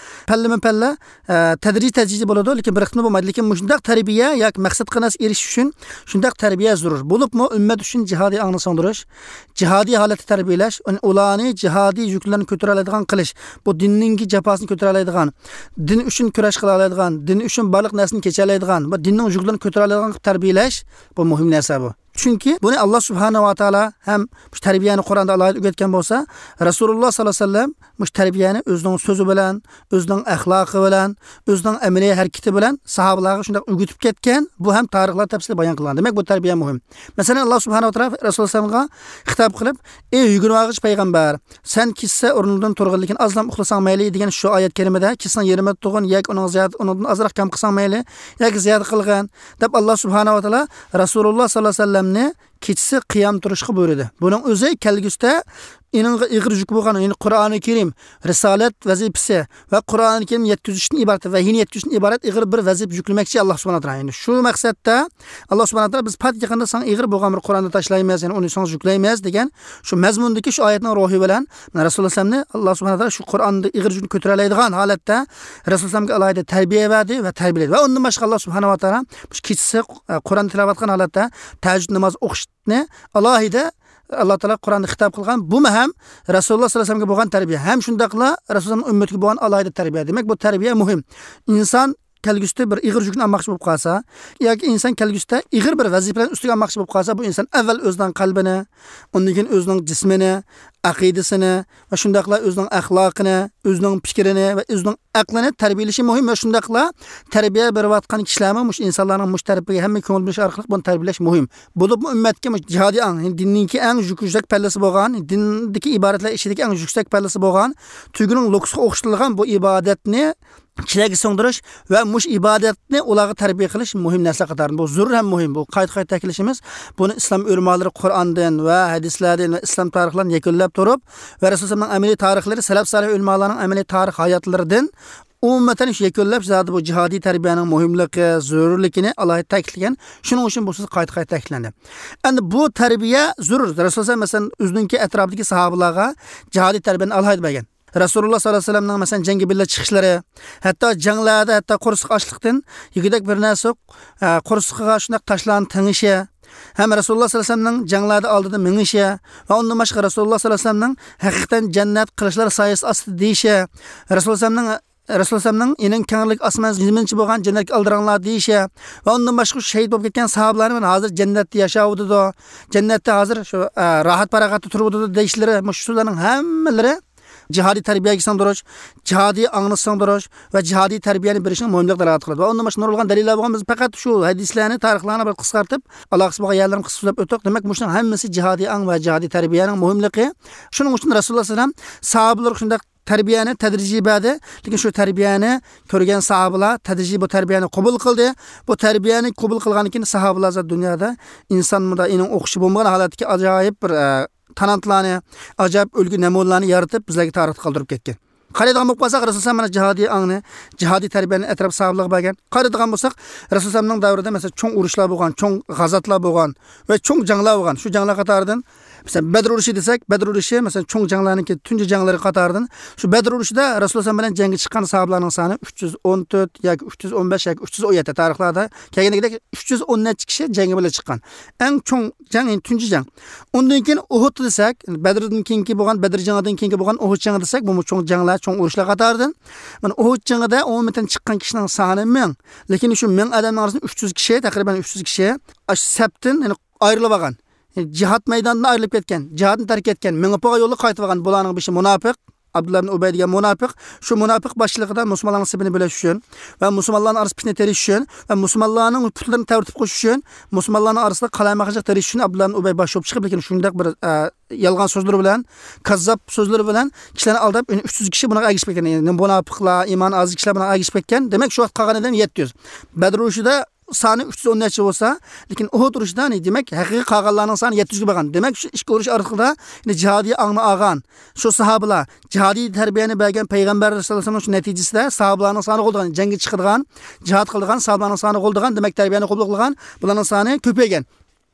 پەللىمۇ پەللە، ئە، تەدرىجىي تەدرىجىي بولىدۇ، لېكىن بىر قېتىمدا بولمايدۇ. لېكىن مۇشۇنداق تەربىيە ياكى مەقسەتكە نەرسە ئېرىشىش ئۈچۈن شۇنداق تەربىيە زۆرۈر. بولۇپمۇ ئۈممەت ئۈچۈن جىھادىي ئاڭنى سىڭدۈرۈش، جىھادىي ھالەتتە تەربىيەلەش، ئۇلارنى جىھادىي يۈكلەرنى كۆتۈرەلەيدىغان قىلىش، بۇ دىننىڭكى جاپاسىنى كۆتۈرەلەيدىغان، دىن ئۈچۈن كۈرەش قىلالايدىغان، دىن ئۈچۈن بارلىق نەرسىنى كېچەلەيدىغان، بۇ دىننىڭ يۈكلىرىنى كۆتۈرەلەيدىغان قىلىپ تەربىيەلەش، بۇ مۇھىم نەرسە بۇ. چۈنكى بۇنى ئاللا سۇبھانەھۇ ۋە تائالا ھەم شۇ تەربىيەنى قۇرئاندا ئالاھىدە ئۆگەتكەن بولسا، رەسۇلۇللا ساللاللاھۇ ئەلەيھى ۋەسەللەم مۇشۇ تەربىيەنى ئۆزىنىڭ سۆزى بىلەن، ئۆزىنىڭ ئەخلاقى بىلەن، ئۆزىنىڭ ئەمەلىي ھەرىكىتى بىلەن ساھابىلارغا شۇنداق ئۆگىتىپ كەتكەن. بۇ ھەم تارىخلار تەپسىلىي بايان قىلغان. دېمەك، بۇ تەربىيە مۇھىم. مەسىلەن، ئاللا سۇبھانەھۇ ۋە تائالا رەسۇلۇللا سەللەللاھۇ ئەلەيھى ۋەسەللەمگە خىتاب قىلىپ، ئەي يۈگۈرۈۋالغۇچى پەيغەمبەر، سەن كېچىسى ئورنۇڭدىن تۇرغىن، لېكىن ئازلا ئۇخلىساڭ مەيلى دېگەن شۇ ئايەت كەرىمىدە، كېچىسىنىڭ يېرىمىدا تۇرغىن ياكى ئۇنىڭ زىيادە، ئۇنىڭدىن ئازراق كام قىلساڭ مەيلى ياكى زىيادە قىلغىن دەپ، ئاللا سۇبھانەھۇ ۋە تائالا رەسۇلۇللا ساللاللاھۇ ئەلەيھى ۋەسەللەمنى كېچىسى قىيام تۇرۇشقا بۇيرۇدى. بۇنىڭ ئۆزى كەلگۈسىدە ئېنىڭغا ئېغىر يۈك بولغان، يەنى قۇرئانى كەرىم، رىسالەت ۋەزىپىسى ۋە قۇرئانى كەرىم يەتكۈزۈشتىن ئىبارەت، ۋەھىينى يەتكۈزۈشتىن ئىبارەت ئېغىر بىر ۋەزىپە يۈكلىمەكچى ئاللا سۇبھانەھۇ ۋە تائالا. يەنى شۇ مەقسەتتە ئاللا سۇبھانەھۇ ۋە تائالا بىز پات يېقىندا ساڭا ئېغىر بولغان بىر قۇرئاننى تاشلايمىز، يەنى ئۇنى ساڭا يۈكلەيمىز دېگەن شۇ مەزمۇندىكى شۇ ئايەتنىڭ روھى بىلەن رەسۇلۇللا سەللەللاھۇ ئەلەيھى ۋەسەللەمنى ئاللا سۇبھانەھۇ ۋە تائالا شۇ قۇرئاندا ئېغىر يۈكنى كۆتۈرەلەيدىغان ھالەتتە رەسۇلۇللا سەللەللاھۇ ئەلەيھى ۋەسەللەمگە ئالاھىدە تەربىيە بەردى ۋە تەربىيەلىدى. ۋە ئۇندىن باشقا ئاللا سۇبھانەھۇ ۋە تائالا مۇشۇ كېچىسى، ئە، قۇرئان تىلاۋەت قىلغان ھالەتتە تەھەججۇد نامازى ئوقۇشنى ئالاھىدە ئاللا تائالا قۇرئاندا خىتاب قىلغان. بۇمۇ ھەم رەسۇلۇللا ساللاللاھۇ ئەلەيھى ۋەسەللەمگە بولغان تەربىيە، ھەم شۇنداقلا رەسۇلۇللانىڭ ئۈممىتىگە بولغان ئالاھىدە تەربىيە. دېمەك، بۇ تەربىيە مۇھىم. ئىنسان كەلگۈسىدە بىر ئېغىر يۈكنى ئالماقچى بولۇپ قالسا ياكى ئىنسان كەلگۈسىدە ئېغىر بىر ۋەزىپىلەرنى ئۈستىگە ئالماقچى بولۇپ قالسا، بۇ ئىنسان ئەۋۋەل ئۆزىنىڭ قەلبىنى، ئۇندىن كېيىن ئۆزىنىڭ جىسمىنى، ئەقىدىسىنى ۋە شۇنداقلا ئۆزىنىڭ ئەخلاقىنى، ئۆزىنىڭ پىكرىنى ۋە ئۆزىنىڭ ئەقلىنى تەربىيەلىشى مۇھىم. ۋە شۇنداقلا تەربىيە بېرىۋاتقان كىشىلەرمۇ مۇشۇ ئىنسانلارنىڭ مۇشۇ تەرىپىگە ھەممە كۆڭۈل بۆلۈش ئارقىلىق بۇنى تەربىيەلەش مۇھىم. بولۇپمۇ ئۈممەتكە مۇشۇ جىھادىي ئاڭ، يەنى دىننىڭكى ئەڭ يۈك-، يۈكسەك پەللىسى بولغان، دىندىكى ئىبادەتلەر ئىچىدىكى ئەڭ يۈكسەك پەللىسى بولغان تۆگىنىڭ لوكىسىغا ئوخشىتىلغان بۇ ئىبادەتنى كىشىلەرگە سىڭدۈرۈش ۋە مۇشۇ ئىبادەتنى ئۇلارغا تەربىيە قىلىش مۇھىم نەرسە قاتارىدىن. بۇ زۆرۈر ھەم مۇھىم. بۇ قايتا-قايتا تەكىتلىشىمىز. بۇنى ئىسلام ئۆلىمالىرى قۇرئاندىن ۋە ھەدىسلەردىن ۋە ئىسلام تارىخلىرىدىن يەكۈنلەپ تۇرۇپ ۋە رەسۇلۇللانىڭ ئەمەلىي تارىخلىرى، سەلەپ سالىھ ئۆلىمالارنىڭ ئەمەلىي تارىخ ھاياتلىرىدىن ئومۇمەن شۇ يەكۈنلەپ، زادى بۇ جىھادىي تەربىيەنىڭ مۇھىملىقى، زۆرۈرلۈكىنى ئالاھىدە تەكىتلىگەن. شۇنىڭ ئۈچۈن بۇ سۆز قايتا-قايتا تەكىتلەندى. ئەمدى بۇ تەربىيە زۆرۈر. رەسۇلۇللا، مەسىلەن، ئۆزىنىڭكى ئەتراپىدىكى ساھابىلارغا جىھادىي تەربىيەنى ئالاھىدە بەرگەن. رەسۇلۇللا ساللاللاھۇ ئەلەيھى ۋەسەللەمنىڭ، مەسىلەن، جەڭگە بىللە چىقىشلىرى، ھەتتا جەڭلەردە ھەتتا قورسىقى ئاچلىقتىن يېگۈدەك بىر نەرسە يوق، ئە، قورسىقىغا شۇنداق تاشلارنى تېڭىشى، ھەم رەسۇلۇللا ساللاللاھۇ ئەلەيھى ۋەسەللەمنىڭ جەڭلەردە ئالدىدا مېڭىشى ۋە ئۇندىن باشقا رەسۇلۇللا ساللاللاھۇ ئەلەيھى ۋەسەللەمنىڭ ھەقىقەتەن جەننەت قىلىچلار سايىسى ئاستىدا دېيىشى، رەسۇلۇللا ساللاللاھۇ ئەلەيھى ۋەسەللەمنىڭ ئېنىڭ كەڭلىك ئاسمان زېمىنچە بولغان جەننەتكە ئالدىراڭلار دېيىشى ۋە ئۇندىن باشقا شۇ شېھىت بولۇپ كەتكەن ساھابىلارنى مانا ھازىر جەننەتتە ياشاۋاتىدۇ، جەننەتتە ھازىر شۇ، ئە، راھەت پاراغەتتە تۇرۇۋاتىدۇ دېيىشلىرى، مۇشۇ سۆزلەرنىڭ ھەممىلىرى جىھادىي تەربىيەگە سىڭدۈرۈش، جىھادىي ئاڭنى سىڭدۈرۈش ۋە جىھادىي تەربىيەنى بېرىشنىڭ مۇھىملىقىنى دالالەت قىلىدۇ. ۋە ئۇندىن باشقا نۇرغۇنلىغان دەلىللەر بولغان، بىز پەقەت شۇ ھەدىسلەرنى، تارىخلارنى بىر قىسقارتىپ، ئالاقىسى بولغان يەرلىرىنى قىسقا سۆزلەپ ئۆتتۇق. دېمەك، مۇشۇنىڭ ھەممىسى جىھادىي ئاڭ ۋە جىھادىي تەربىيەنىڭ مۇھىملىقى. شۇنىڭ ئۈچۈن رەسۇلۇللا سەللەللاھۇ ئەلەيھى ۋەسەللەم ساھابىلەرگە شۇنداق تەربىيەنى تەدرىجىي بەردى. لېكىن شۇ تەربىيەنى كۆرگەن ساھابىلەر تەدرىجىي بۇ تەربىيەنى قوبۇل قىلدى. بۇ تەربىيەنى قوبۇل قىلغاندىن كېيىن ساھابىلەر زادى دۇنيادا ئىنسان مۇنداق ئېنىڭ ئوخشىشى بولمىغان ھالەتتىكى ئاجايىپ بىر، ئە، تالانتلارنى، ئاجايىپ ئۈلگە نەمۇنىلەرنى يارىتىپ، بىزلەرگە تارىختا قالدۇرۇپ كەتكەن. قارايدىغان بولۇپ قالساق، رەسۇل سەللەللاھۇ ئەلەيھى ۋەسەللەم مانا جىھادىي ئاڭنى، جىھادىي تەربىيەنى ئەتراپ ساھابىلەرگە بەرگەن. قارايدىغان بولساق، رەسۇل سەللەللاھۇ ئەلەيھى ۋەسەللەمنىڭ دەۋرىدە، مەسىلەن، چوڭ ئۇرۇشلار بولغان، چوڭ غازاتلار بولغان ۋە چوڭ جەڭلەر بولغان. شۇ جەڭلەر قاتارىدىن، مەسىلەن، بەدر ئۇرۇشى دېسەك، بەدر ئۇرۇشى، مەسىلەن، چوڭ جەڭلەرنىڭكى تۇنجى جەڭلىرى قاتارىدىن. شۇ بەدر ئۇرۇشىدا رەسۇل سەللەللاھۇ ئەلەيھى ۋەسەللەم بىلەن جەڭگە چىققان ساھابىلارنىڭ سانى ئۈچ يۈز ئون تۆت ياكى ئۈچ يۈز ئون بەش ياكى ئۈچ يۈز ئون يەتتە، تارىخلاردا كەلگىنىدەك ئۈچ يۈز ئون نەچچە كىشى جەڭگە بىللە چىققان. ئەڭ چوڭ جەڭ، يەنى تۇنجى جەڭ. ئۇندىن كېيىن ئۇھۇد دېسەك، بەدردىن كېيىنكى بولغان، بەدر جېڭىدىن كېيىنكى بولغان ئۇھۇد جېڭى دېسەك، بۇمۇ چوڭ جەڭلەر، چوڭ ئۇرۇشلار قاتارىدىن. مانا ئۇھۇد جېڭىدە ئومۇمەن چىققان كىشىنىڭ سانى مىڭ. لېكىن شۇ مىڭ ئادەمنىڭ ئارىسىدىن ئۈچ يۈز كىشى، تەقرىبەن ئۈچ يۈز كىشى ئاشۇ سەپتىن، يەنى ئايرىلىپ ئالغان. يەنى جىھاد مەيدانىدىن ئايرىلىپ كەتكەن، جىھادنى تەرك ئەتكەن، مېڭىپ بولغان يولىغا قايتىپ ئالغان. بۇلارنىڭ بېشى مۇناپىق. ئابدۇللا ئىبن ئۇبەي دېگەن مۇناپىق، شۇ مۇناپىق باشچىلىقىدا مۇسۇلمانلارنىڭ سېپىنى بۆلۈش ئۈچۈن ۋە مۇسۇلمانلارنىڭ ئارىسىدا پىتنە تېرىش ئۈچۈن ۋە مۇسۇلمانلارنىڭ پۇتلىرىنى تەۋرىتىپ قويۇش ئۈچۈن، مۇسۇلمانلارنىڭ ئارىسىدا قالايمىقانچىلىق تېرىش ئۈچۈن ئابدۇللا ئىبن ئۇبەي باش بولۇپ چىقىپ، لېكىن شۇنداق بىر، ئە، يالغان سۆزلىرى بىلەن، كاززاپ سۆزلىرى بىلەن كىشىلەرنى ئالداپ، يەنە ئۈچ يۈز كىشى بۇنىڭغا ئەگىشىپ كەتكەن. يەنى مۇناپىقلار، ئىمانى ئاز كىشىلەر بۇنىڭغا ئەگىشىپ كەتكەن. دېمەك، شۇ ۋاقىت قالغان ئادەم يەتتە يۈز. بەدر ئۇرۇشىدا سانى ئۈچ يۈز ئون نەچچە بولسا، لېكىن ئۇھۇد ئۇرۇشىدا، يەنى دېمەك، ھەقىقىي قالغانلارنىڭ سانى يەتتە يۈزگە بارغان. دېمەك، شۇ ئىككى ئۇرۇش ئارىلىقىدا، يەنى جىھادىي ئاڭنى ئالغان شۇ ساھابىلار، جىھادىي تەربىيەنى بەرگەن پەيغەمبەر ئەلەيھىسسالام شۇ نەتىجىسىدە ساھابىلارنىڭ سانى غولىدىغان، جەڭگە چىقىدىغان، جىھاد قىلىدىغان ساھابىلارنىڭ سانى غولىدىغان، دېمەك، تەربىيەنى قوبۇل قىلغان بۇلارنىڭ سانى كۆپەيگەن.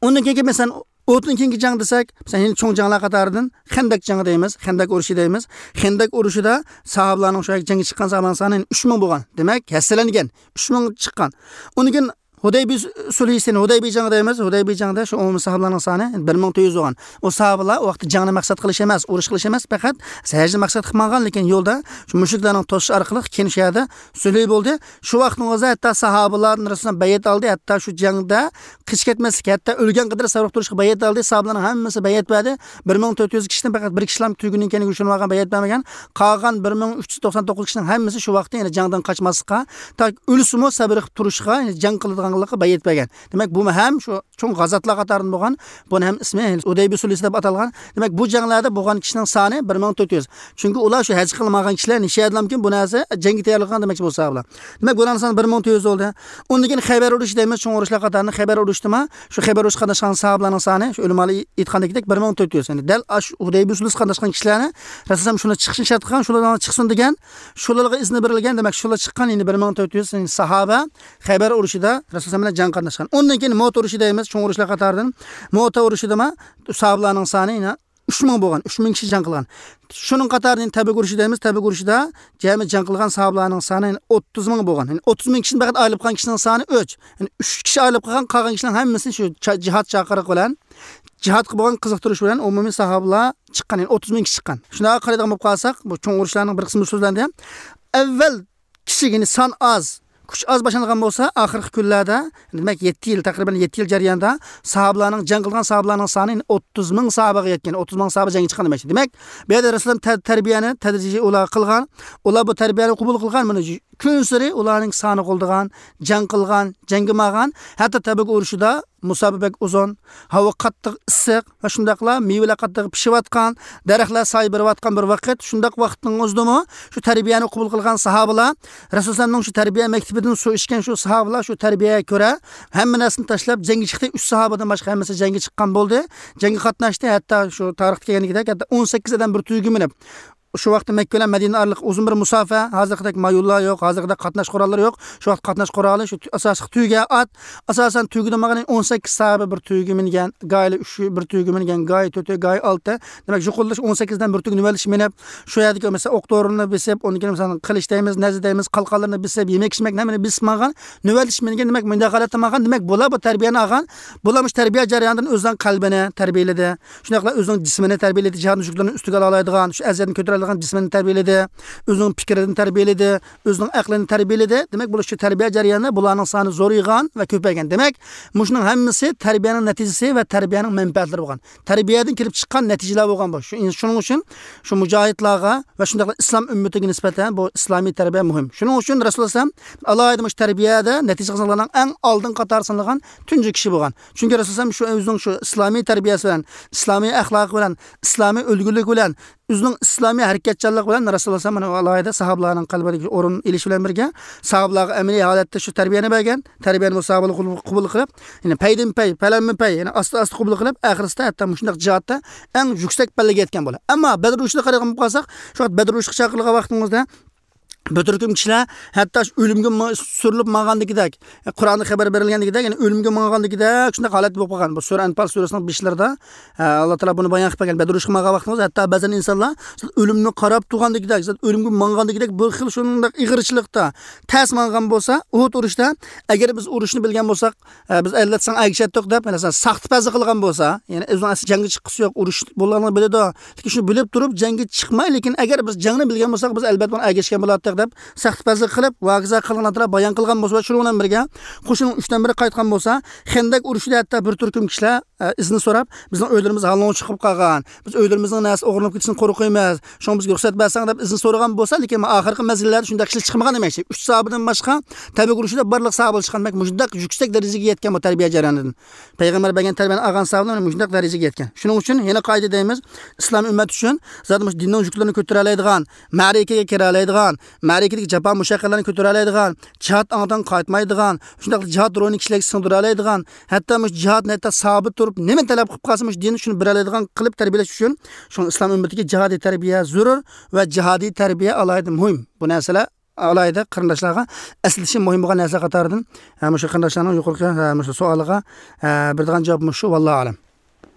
ئۇندىن كېيىنكى، مەسىلەن، ئۇھۇدتىن كېيىنكى جەڭ دېسەك، مەسىلەن، يەنە چوڭ جەڭلەر قاتارىدىن خەندەك جېڭى دەيمىز، خەندەك ئۇرۇشى دەيمىز. خەندەك ئۇرۇشىدا ساھابىلارنىڭ شۇ جەڭگە چىققان ساھابىلارنىڭ سانى ئۈچ مىڭ بولغان. دېمەك، ھەسسىلەنگەن، ئۈچ مىڭ چىققان. ئۇندىن كېيىن ھۇدەيبىيە سۇلھىسى، ھۇدەيبىيە جەڭى دەيمىز. ھۇدەيبىيە جەڭدە شۇ ئومۇمىي ساھابىلارنىڭ سانى بىر مىڭ تۆت يۈز بولغان. ئۇ ساھابىلار ئۇ ۋاقىتتا جەڭنى مەقسەت قىلىش ئەمەس، ئۇرۇش قىلىش ئەمەس، پەقەت ھەجنى مەقسەت قىلىپ ماڭغان، لېكىن يولدا شۇ مۇشرىكلارنىڭ توسۇش ئارقىلىق كېيىن شۇ يەردە سۈلھى بولدى. شۇ ۋاقىتنىڭ ئۆزىدە ھەتتا ساھابىلاردىن رەسۇلۇللاھ بەيئەت ئالدى، ھەتتا شۇ جەڭدە قېچىپ كەتمەسلىك، ھەتتا ئۆلگەن قەدەر سەۋر قىلىپ تۇرۇشقا بەيئەت ئالدى. ساھابىلارنىڭ ھەممىسى بەيئەت بەردى. بىر مىڭ تۆت يۈز كىشىدىن پەقەت بىر كىشىلا تۈگىنىڭ كەينىگە يوشۇرۇنۇپ بەيئەت بەرمىگەن. قالغان بىر مىڭ ئۈچ يۈز توقسان توققۇز كىشىنىڭ ھەممىسى شۇ ۋاقىتتا يەنە جەڭدىن قاچماسلىققا، تاكى ئۆلسىمۇ سەۋر قىلىپ تۇرۇشقا، يەنى جەڭ قىلىدىغانلىققا بەيئەت بەرگەن. دېمەك، بۇمۇ ھەم شۇ چوڭ غازاتلار قاتارىدىن بولغان. بۇنىڭ ھەم ئىسمى ھۇدەيبىيە سۇلھىسى دەپ ئاتالغان. دېمەك، بۇ جەڭلەردە بولغان كىشىنىڭ سانى بىر مىڭ تۆت يۈز. چۈنكى ئۇلار شۇ ھەج قىلمىغان كىشىلەر نىشەدىلامكىن بۇ نەرسە جەڭگە تەييارلىق قىلغان دېمەكچى بۇ ساھابىلار. دېمەك، بۇلارنىڭ سانى بىر مىڭ تۆت يۈز بولدى. ئۇندىن كېيىن خەيبەر ئۇرۇشى دەيمىز، چوڭ ئۇرۇشلار قاتارىدا خەيبەر ئۇرۇشىدىمۇ شۇ خەيبەر ئۇرۇشقا قاتناشقان ساھابىلارنىڭ سانى، شۇ ئۆلىمالار ئېيتقاندەك، بىر مىڭ تۆت يۈز. يەنى دەل ئاشۇ ھۇدەيبىيە سۇلھىسىغا قاتناشقان كىشىلەرنى رەسۇلۇللاھ شۇنى چىقىشنى شەرت قىلغان، شۇلار چىقسۇن دېگەن، شۇلارغا ئىزنى بېرىلگەن. دېمەك، شۇلار چىققان، يەنى بىر مىڭ تۆت يۈز، يەنى ساھابە خەيبەر ئۇرۇشىدا رەسۇلۇللاھ بىلەن جەڭ قاتناشقان. ئۇندىن كېيىن مۆتە ئۇرۇشى دەيمىز، چوڭ ئۇرۇشلار قاتارىدىن. مۆتە ئۇرۇشىدىمۇ ساھابىلارنىڭ سانى يەنە ئۈچ مىڭ بولغان، ئۈچ مىڭ كىشى جەڭ قىلغان. شۇنىڭ قاتارىدىن تەبۈك ئۇرۇشى دەيمىز، تەبۈك ئۇرۇشىدا جەمئىي جەڭ قىلغان ساھابىلارنىڭ سانى يەنە ئوتتۇز مىڭ بولغان. يەنى ئوتتۇز مىڭ كىشىدىن پەقەت ئايرىلىپ قالغان كىشىنىڭ سانى ئۈچ. يەنى ئۈچ كىشى ئايرىلىپ قالغان، قالغان كىشىلەرنىڭ ھەممىسى شۇ چا-، جىھاد چاقىرىقى بىلەن، جىھادقا بولغان قىزىقتۇرۇش بىلەن ئومۇمىي ساھابىلار چىققان، يەنى ئوتتۇز مىڭ كىشى چىققان. شۇنداق قارايدىغان بولۇپ قالساق، بۇ چوڭ ئۇرۇشلارنىڭ بىر قىسمى سۆزلەندى. ئەۋۋەل كىچىك، يەنى سان ئاز، كۈچ ئاز باشلانغان بولسا، ئاخىرقى كۈنلەردە، دېمەك، يەتتە يىل، تەقرىبەن يەتتە يىل جەريانىدا ساھابىلارنىڭ، جەڭ قىلغان ساھابىلارنىڭ سانى ئوتتۇز مىڭ ساھابىغا يەتكەن، ئوتتۇز مىڭ ساھابە جەڭگە چىققان دېمەكچى. دېمەك، بۇ يەردە رەسۇلۇللاھ تە-، تەربىيەنى، تەدرىجىي ئۇلارغا قىلغان، ئۇلار بۇ تەربىيەنى قوبۇل قىلغان، مانا، كۈنسېرى ئۇلارنىڭ سانى قولدىغان، جەڭ قىلغان، جەڭگە ماڭغان، ھەتتا تەبۈك ئۇرۇشىدا مۇساپە بەك ئۇزۇن، ھاۋا قاتتىق ئىسسىق ۋە شۇنداقلا مېۋىلەر قاتتىق پىشىۋاتقان، دەرەخلەر سايە بېرىۋاتقان بىر ۋاقىت، شۇنداق ۋاقىتنىڭ ئۆزىدىمۇ شۇ تەربىيەنى قوبۇل قىلغان ساھابىلار رەسۇلۇللاھنىڭ شۇ تەربىيە مەكتىپىدىن سۇ ئىچكەن شۇ ساھابىلار شۇ تەربىيەگە كۆرە ھەممە نەرسىنى تاشلاپ جەڭگە چىقتى. ئۈچ ساھابىدىن باشقا ھەممىسى جەڭگە چىققان بولدى. جەڭگە قاتناشتى. ھەتتا شۇ تارىختا كەلگەندىكىدەك، ھەتتا ئون سەككىز ئادەم بىر تۈگە مىنىپ، شۇ ۋاقىتتا مەككە بىلەن مەدىنە ئارىلىق ئۇزۇن بىر مۇساپە، ھازىرقىدەك مايوللار يوق، ھازىرقىدەك قاتناش قوراللىرى يوق. شۇ ۋاقىت قاتناش قورالى شۇ تۇ-، ئاساسلىق تۆگە ئات، ئاساسەن تۆگىدە ماڭغان ئون سەككىز ساھابە بىر تۆگە مىنگەن، گايىلار ئۈچى بىر تۆگە مىنگەن، گايى تۆتى، گايى ئالتە. دېمەك، يۇقىرىدا ئون سەككىز ئادەم بىر تۆگە نۆۋەتلىشىپ مىنىپ، شۇ يەردىكى مەسىلەن ئوق دورىنى بېسىپ، ئۇندىن كېيىن مەسىلەن قىلىچ دەيمىز، نەززە دەيمىز، قالقانلىرىنى بېسىپ، يېمەك ئىچمەك ھەممىنى بېسىپ ماڭغان، نۆۋەتلىشىپ مىنگەن. دېمەك، مۇنداق ھالەتتە ماڭغان. دېمەك، بۇلار بۇ تەربىيەنى ئالغان، بۇلار مۇشۇ تەربىيە جەريانىدىن ئۆزىنىڭ قەلبىنى تەربىيەلىدى. شۇنداقلا ئۆزىنىڭ جىسمىنى تەربىيەلىدى، جىھاد مۈشۈكلىرىنى ئۈستىگە ئالالايدىغان، شۇ ئەزىيەتنى كۆتۈرەلىگەن جىسمىنى تەربىيەلىدى، ئۆزىنىڭ پىكرىدىنى تەربىيەلىدى، ئۆزىنىڭ ئەقلىنى تەربىيەلىدى. دېمەك، بۇ شۇ تەربىيە جەريانىدا بۇلارنىڭ سانى زورىيغان ۋە كۆپەيگەن. دېمەك، مۇشۇنىڭ ھەممىسى تەربىيەنىڭ نەتىجىسى ۋە تەربىيەنىڭ مەنپەئەتلىرى بولغان. تەربىيەدىن كېلىپ چىققان نەتىجىلەر بولغان بۇ. شۇ، شۇنىڭ ئۈچۈن شۇ مۇجاھىدلارغا ۋە شۇنداقلا ئىسلام ئۈممىتىگە نىسبەتەن بۇ ئىسلامىي تەربىيە مۇھىم. شۇنىڭ ئۈچۈن رەسۇلۇللاھ ئەلەيھىسسالام ئالاھىدە مۇشۇ تەربىيەدە نەتىجە قازانغانلارنىڭ ئەڭ ئالدىنقى قاتارى سانالغان تۇنجى كىشى بولغان. چۈنكى رەسۇلۇللاھ ئەلەيھىسسالام شۇ ئۆزىنىڭ شۇ ئىسلامىي تەربىيەسى بىلەن، ئىسلامىي ئەخلاقى بىلەن، ئىسلامىي ئۈلگىلىكى بىلەن، ئۆزىنىڭ ئىسلامىي ھەرىكەتچانلىقى بىلەن رەسۇلۇللاھ ئەلەيھىسسالام مانا ئالاھىدە ساھابىلارنىڭ قەلبىدىكى ئورۇن ئېلىش بىلەن بىرگە، ساھابىلارغا ئەمەلىي ھالەتتە شۇ تەربىيەنى بەرگەن، تەربىيەنى بۇ ساھابىلار قوبۇل، قوبۇل قىلىپ، يەنى پەيدىنپەي، پەلەنمىپەي، يەنى ئاستا ئاستا قوبۇل قىلىپ، ئاخىرسىدا ھەتتا مۇشۇنداق جىھادتا ئەڭ يۈكسەك پەللىگە يەتكەن بولدى. ئەمما بەدر ئۇرۇشىدا قارايدىغان بولۇپ قالساق، شۇ ۋاقىت بەدر ئۇرۇشىغا چاقىرىلغان ۋاقتىمىزدا بىر تۈركۈم كىشىلەر ھەتتا شۇ ئۆلۈمگە ما-، سۈرۈلۈپ ماڭغاندىكىدەك، قۇرئاندا خەۋەر بېرىلگەندىكىدەك، يەنى ئۆلۈمگە ماڭغاندىكىدەك شۇنداق ھالەت بولۇپ قالغان. بۇ سۈرە ئەنپال سۈرىسىنىڭ بېشلىرىدا، ئە، ئاللا تائالا بۇنى بايان قىلىپ بەرگەن. بەدر ئۇرۇشقا ماڭغان ۋاقتىمىزدا ھەتتا بەزەن ئىنسانلار ئۆلۈمنى قاراپ تۇرغاندىكىدەك، ئۆلۈمگە ماڭغاندىكىدەك بىر خىل شۇنداق ئېغىرچىلىقتا تەس ماڭغان بولسا، ئۇھۇد ئۇرۇشتا ئەگەر بىز ئۇرۇشنى بىلگەن بولساق، ئە، بىز ئەلۋەتتە ساڭا ئەگىشەتتۇق دەپ، مەسىلەن، ساختىپەزلىك قىلغان بولسا، يەنى ئۆزىنىڭ ئەسلى جەڭگە چىققۇسى يوق، ئۇرۇش بولغانلىقىنى بىلىدۇ، لېكىن شۇنى بىلىپ تۇرۇپ جەڭگە چىقماي، لېكىن ئەگەر بىز جەڭنى بىلگەن بولساق، بىز ئەلۋەتتە بۇنى ئەگەشكەن بولاتتۇق. دەپ سەختپەزلىك قىلىپ، ۋاگىزا قىلغان ئاتراپ بايان قىلغان بولسا، شۇنىڭ بىلەن بىرگە قوشۇننىڭ ئۈچتىن بىرى قايتقان بولسا، خەندەق ئۇرۇشىدا ھەتتا بىر تۈركۈم كىشىلەر، ئە، ئىزنى سوراپ، بىزنىڭ ئۆيلىرىمىز ھالىڭغا چىقىپ قالغان، بىز ئۆيلىرىمىزنىڭ نەرسىسى ئوغرىلىنىپ كېتىشىدىن قورقىمىز، شۇڭا بىزگە رۇخسەت بەرسەڭ دەپ ئىزنى سورىغان بولسا، لېكىن ئاخىرقى مەزگىللەردە شۇنداق كىشىلەر چىقمىغان دېمەكچى. ئۈچ ساھابىدىن باشقا تەبۈك ئۇرۇشىدا بارلىق ساھابىلار چىققان، دېمەك، مۇشۇنداق يۈكسەك دەرىجىگە يەتكەن بۇ تەربىيە جەريانىدىن. پەيغەمبەر بەرگەن تەربىيەنى ئالغان ساھابىلار مۇشۇنداق دەرىجىگە يەتكەن. شۇنىڭ ئۈچۈن يەنە قائىدە دەيمىز، ئىسلام ئۈممەت ئۈچۈن زادى مۇشۇ دىننىڭ يۈكلىرىنى كۆتۈرەلەيدىغان، مەرىكىگە كىرەلەيدىغان، مەرىكىدىكى جاپا مۇشەققەتلەرنى كۆتۈرەلەيدىغان، جىھاد ئاڭدىن قايتمايدىغان، شۇنداقلا جىھاد روھىنى كىشىلەرگە سىڭدۈرەلەيدىغان، ھەتتا مۇشۇ جىھاد نەتتە سابىت تۇرۇپ، نېمە تەلەپ قىلىپ قالسا، مۇشۇ دىن شۇنى بېرەلەيدىغان قىلىپ تەربىيەلەش ئۈچۈن، شۇڭا ئىسلام ئۈممىتىگە جىھادىي تەربىيە زۆرۈر ۋە جىھادىي تەربىيە ئالاھىدە مۇھىم. بۇ نەرسىلەر ئالاھىدە قېرىنداشلارغا ئەسلىتىشى مۇھىم بولغان نەرسە قاتارىدىن، ھە، مۇشۇ قېرىنداشلارنىڭ يۇقىرىقى، ھە، مۇشۇ سوئالىغا، ھە، بېرىدىغان جاۋاب مۇشۇ، ۋاللاھۇ ئەلەم.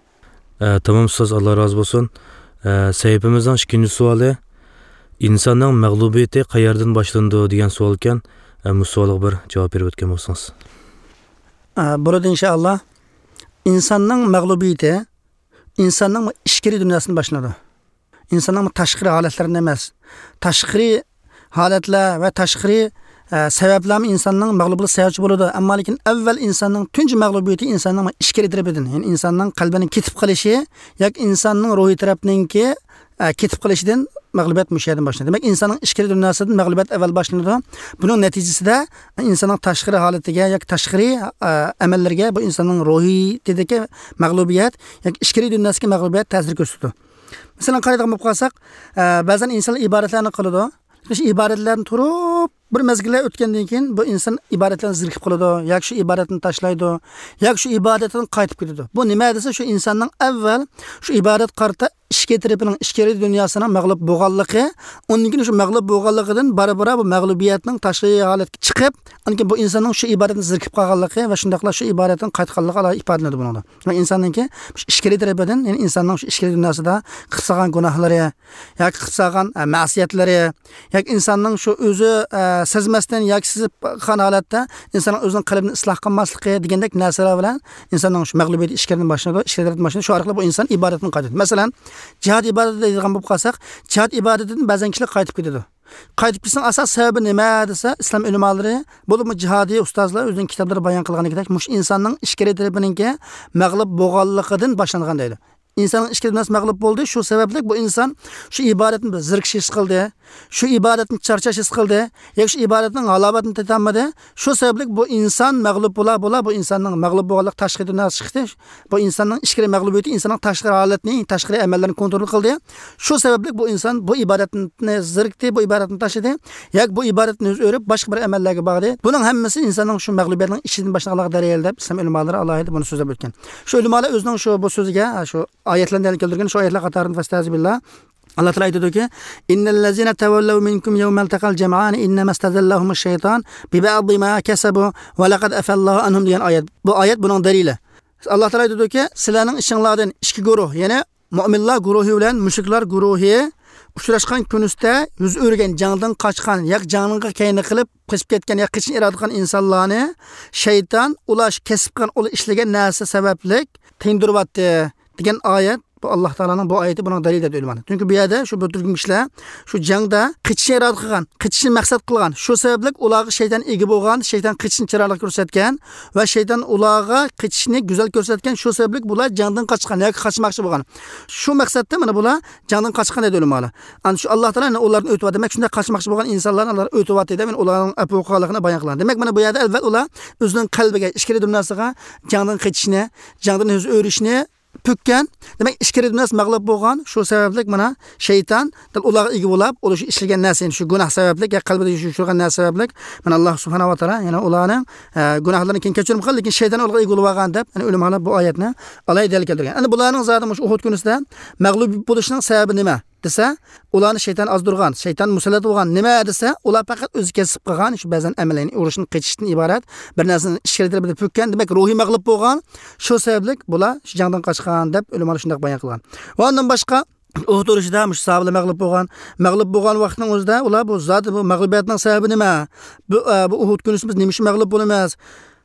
ئە، تامام ئۇستاز، ئاللا رازى بولسۇن. ئە، سەھىپىمىزنىڭ ئىككىنچى سوئالى، ئىنساننىڭ مەغلۇبىيىتى قەيەردىن باشلىنىدۇ دېگەن سوئالكەن. ئە، مۇشۇ سوئالغا بىر جاۋاب بېرىپ ئۆتكەن بولسىڭىز. ئە، بولىدۇ، ئىنشائاللا. ئىنساننىڭ مەغلۇبىيىتى ئىنساننىڭ ئىچكىرى دۇنياسىدىن باشلىنىدۇ. ئىنساننىڭ تاشقىرى ھالەتلىرىدىن ئەمەس. تاشقىرى ھالەتلەر ۋە تاشقىرى، ئە، سەۋەبلەرمۇ ئىنساننىڭ مەغلۇپ بولۇشىغا سەۋەبچى بولىدۇ. ئەمما لېكىن ئەۋۋەل ئىنساننىڭ تۇنجى مەغلۇبىيىتى ئىنساننىڭ ئىچكىرى تەرىپىدىن، يەنى ئىنساننىڭ قەلبىنىڭ كېتىپ قېلىشى ياكى ئىنساننىڭ روھىي تەرەپنىڭكى، ئە، كېتىپ قېلىشىدىن مەغلۇبىيەت مۇشۇ يەردىن باشلىنىدۇ. دېمەك، ئىنساننىڭ ئىچكىرى دۇنياسىدىن مەغلۇبىيەت ئەۋۋەل باشلىنىدۇ. بۇنىڭ نەتىجىسىدە ئىنساننىڭ تاشقىرى ھالىتىگە ياكى تاشقىرى، ئە، ئەمەللىرىگە بۇ ئىنساننىڭ روھىيىتىدىكى مەغلۇبىيەت ياكى ئىچكىرى دۇنياسىدىكى مەغلۇبىيەت تەسىر كۆرسىتىدۇ. مەسىلەن، قارايدىغان بولۇپ قالساق، ئە، بەزەن ئىنسانلار ئىبادەتلەرنى قىلىدۇ. شۇ ئىبادەتلەردىن تۇرۇپ، بىر مەزگىللەر ئۆتكەندىن كېيىن بۇ ئىنسان ئىبادەتلەردىن زېرىكىپ قالىدۇ ياكى شۇ ئىبادەتنى تاشلايدۇ ياكى شۇ ئىبادەتتىن قايتىپ كېتىدۇ. بۇ نېمە دېسە، شۇ ئىنساننىڭ ئەۋۋەل شۇ ئىبادەتكە قارىتا ئىچكى تەرىپىنىڭ، ئىچكىرى دۇنياسىنىڭ مەغلۇپ بولغانلىقى، ئۇندىن كېيىن شۇ مەغلۇپ بولغانلىقىدىن بارا-بارا بۇ مەغلۇبىيەتنىڭ تاشقى ھالەتكە چىقىپ، ئاندىن كېيىن بۇ ئىنساننىڭ شۇ ئىبادەتتىن زېرىكىپ قالغانلىقى ۋە شۇنداقلا شۇ ئىبادەتتىن قايتقانلىقى ئالاھىدە ئىپادىلىنىدۇ بۇنىڭدا. ۋە ئىنساننىڭكى شۇ ئىچكىرى تەرىپىدىن، يەنى ئىنساننىڭ شۇ ئىچكىرى دۇنياسىدا قىلسىغان گۇناھلىرى ياكى قىلسىغان، ئە، مەسىيەتلىرى ياكى ئىنساننىڭ شۇ ئۆزى، ئە، سەزمەستىن ياكى سېزىپ قالغان ھالەتتە ئىنساننىڭ ئۆزىنىڭ قەلبىنى ئىسلاھ قىلماسلىقى دېگەندەك نەرسىلەر بىلەن ئىنساننىڭ شۇ مەغلۇبىيىتى ئىچكىرىدىن باشلىنىدۇ، ئىچكىرىدىن باشلىنىدۇ. شۇ ئارقىلىق بۇ ئىنسان ئىبادەتتىن قايتىدۇ. مەسىلەن، جىھاد ئىبادىتى دەيدىغان بولۇپ قالساق، جىھاد ئىبادىتىدىن بەزەن كىشىلەر قايتىپ كېتىدۇ. قايتىپ كېتىشنىڭ ئاساسىي سەۋەبى نېمە دېسە، ئىسلام ئۆلىمالىرى، بولۇپمۇ جىھادىي ئۇستازلار ئۆزىنىڭ كىتابلىرىدا بايان قىلغىنىدەك، مۇشۇ ئىنساننىڭ ئىچكىرى تەرىپىنىڭكى مەغلۇپ بولغانلىقىدىن باشلانغان دەيدۇ. ئىنساننىڭ ئىچكىرى دۇنياسى مەغلۇپ بولدى. شۇ سەۋەبلىك بۇ ئىنسان شۇ ئىبادەتتىن بىر زېرىكىش ھېس قىلدى. شۇ ئىبادەتتىن چارچاش ھېس قىلدى. ياكى شۇ ئىبادەتنىڭ ھالاۋىتىنى تېتىيالمىدى. شۇ سەۋەبلىك بۇ ئىنسان مەغلۇپ بولا، بولا، بۇ ئىنساننىڭ مەغلۇپ بولغانلىق تاشقى دۇنياسى چىقتى. بۇ ئىنساننىڭ ئىچكىرى مەغلۇبىيىتى ئىنساننىڭ تاشقى ھالەتنى، تاشقى ئەمەللىرىنى كونترول قىلدى. شۇ سەۋەبلىك بۇ ئىنسان بۇ ئىبادەتنى زېرىكتى، بۇ ئىبادەتنى تاشلىدى. ياكى بۇ ئىبادەتتىن يۈز ئۆرۈپ، باشقا بىر ئەمەللەرگە باردى. بۇنىڭ ھەممىسى ئىنساننىڭ شۇ مەغلۇبىيەتنىڭ ئىچىدىن باشلانغانلىققا دەلىل دەپ ئىسلام ئۆلىمالىرى ئالاھىدە بۇنى سۆزلەپ ئۆتكەن. شۇ ئۆلىمالار ئۆزىنىڭ شۇ بۇ سۆزىگە، شۇ ئايەتلەرنى دەلىل كەلتۈرگەن شۇ ئايەتلەر قاتارىدا، فەستەزىبىللا، ئاللا تائالا ئېيتىدۇكى، إن الذين تولوا منكم يوم التقى الجمعان إنما استزلهم الشيطان ببعض ما كسبوا ولقد عفا الله عنهم دېگەن ئايەت. بۇ ئايەت بۇنىڭ دەلىلى. ئاللا تائالا ئېيتىدۇكى، سىلەرنىڭ ئىچىڭلاردىن ئىككى گۇرۇھ، يەنى مۆمىنلار گۇرۇھى بىلەن مۇشرىكلار گۇرۇھى ئۇچراشقان كۈنىسىدە يۈز ئۆرۈگەن، جەڭدىن قاچقان ياكى جەڭنىڭ كەينى قىلىپ قېچىپ كەتكەن ياكى قېچىشنى ئىرادە قىلغان ئىنسانلارنى شەيتان ئۇلار كەسىپ قىلغان، ئۇلار ئىشلىگەن نەرسە سەۋەبلىك تىندۇرۇۋەتتى دېگەن ئايەت. بۇ ئاللا تائالانىڭ بۇ ئايىتى، بۇنىڭ دەلىلى دەيدۇ ئۆلىمالار. چۈنكى بۇ يەردە شۇ بىر تۈركۈم كىشىلەر شۇ جەڭدە قېچىشنى ئىرادە قىلغان، قېچىشنى مەقسەت قىلغان، شۇ سەۋەبلىك ئۇلارغا شەيتان ئىگە بولغان، شەيتان قېچىشنى چىرايلىق كۆرسەتكەن ۋە شەيتان ئۇلارغا قېچىشنى گۈزەل كۆرسەتكەن، شۇ سەۋەبلىك بۇلار جەڭدىن قاچقان ياكى قاچماقچى بولغان. شۇ مەقسەتتە مانا بۇلار جەڭدىن قاچقان دەيدۇ ئۆلىمالار. ئەنە شۇ ئاللا تائالا ئۇلارنى ئۆتۈۋەتتى. دېمەك، شۇنداق قاچماقچى بولغان ئىنسانلارنى ئۇلار ئۆتۈۋەتتى دەپ، ئۇلارنىڭ ئەپۇ قىلغانلىقىنى بايان قىلغان. دېمەك، مانا بۇ يەردە ئەلۋەتتە ئۇلار ئۆزىنىڭ قەلبىگە، ئىچكىرى دۇنياسىغا جەڭدىن قېچىشنى، جەڭدىن يۈز ئۆرۈشنى پۈككەن. دېمەك، ئىچكىرى دۇنياسى مەغلۇپ بولغان، شۇ سەۋەبلىك مانا شەيتان دەل ئۇلارغا ئىگە بولاپ، ئۇلار شۇ ئىشلىگەن نەرسىنى، شۇ گۇناھ سەۋەبلىك يا قەلبىدە يوشۇرغان نەرسە سەۋەبلىك، مانا، ئاللا سۇبھانەھۇ ۋە تائالا يەنە ئۇلارنىڭ، ئە، گۇناھلىرىنى كېيىن كەچۈرۈم قىلدى، لېكىن شەيتان ئۇلارغا ئىگە بولۇۋالغان دەپ، يەنە ئۆلىمالار بۇ ئايەتنى ئالاھىدە دەلىل كەلتۈرگەن. ئەنە بۇلارنىڭ زادى مۇشۇ ئۇھۇد كۈنىسىدە مەغلۇپ بولۇشنىڭ سەۋەبى نېمە دېسە، ئۇلارنى شەيتان ئازدۇرغان، شەيتان مۇسەللەت بولغان. نېمە دېسە، ئۇلار پەقەت ئۆزى كەسىپ قىلغان شۇ بەزەن ئەمەللەرنى، ئۇرۇشنى، قېچىشتىن ئىبارەت بىر نەرسىنى ئىچكىرى تەرىپىدە پۈككەن، دېمەك، روھىي مەغلۇپ بولغان، شۇ سەۋەبلىك بۇلار شۇ جەڭدىن قاچقان دەپ ئۆلىمالار شۇنداق بايان قىلغان. ۋە ئۇندىن باشقا، ئۇھۇد ئۇرۇشىدا مۇشۇ ساھابىلەر مەغلۇپ بولغان. مەغلۇپ بولغان ۋاقىتنىڭ ئۆزىدە ئۇلار بۇ زادى بۇ مەغلۇبىيەتنىڭ سەۋەبى نېمە؟ بۇ، ئە، بۇ ئۇھۇد كۈنىسى بىز نېمە ئۈچۈن مەغلۇپ بولىمىز؟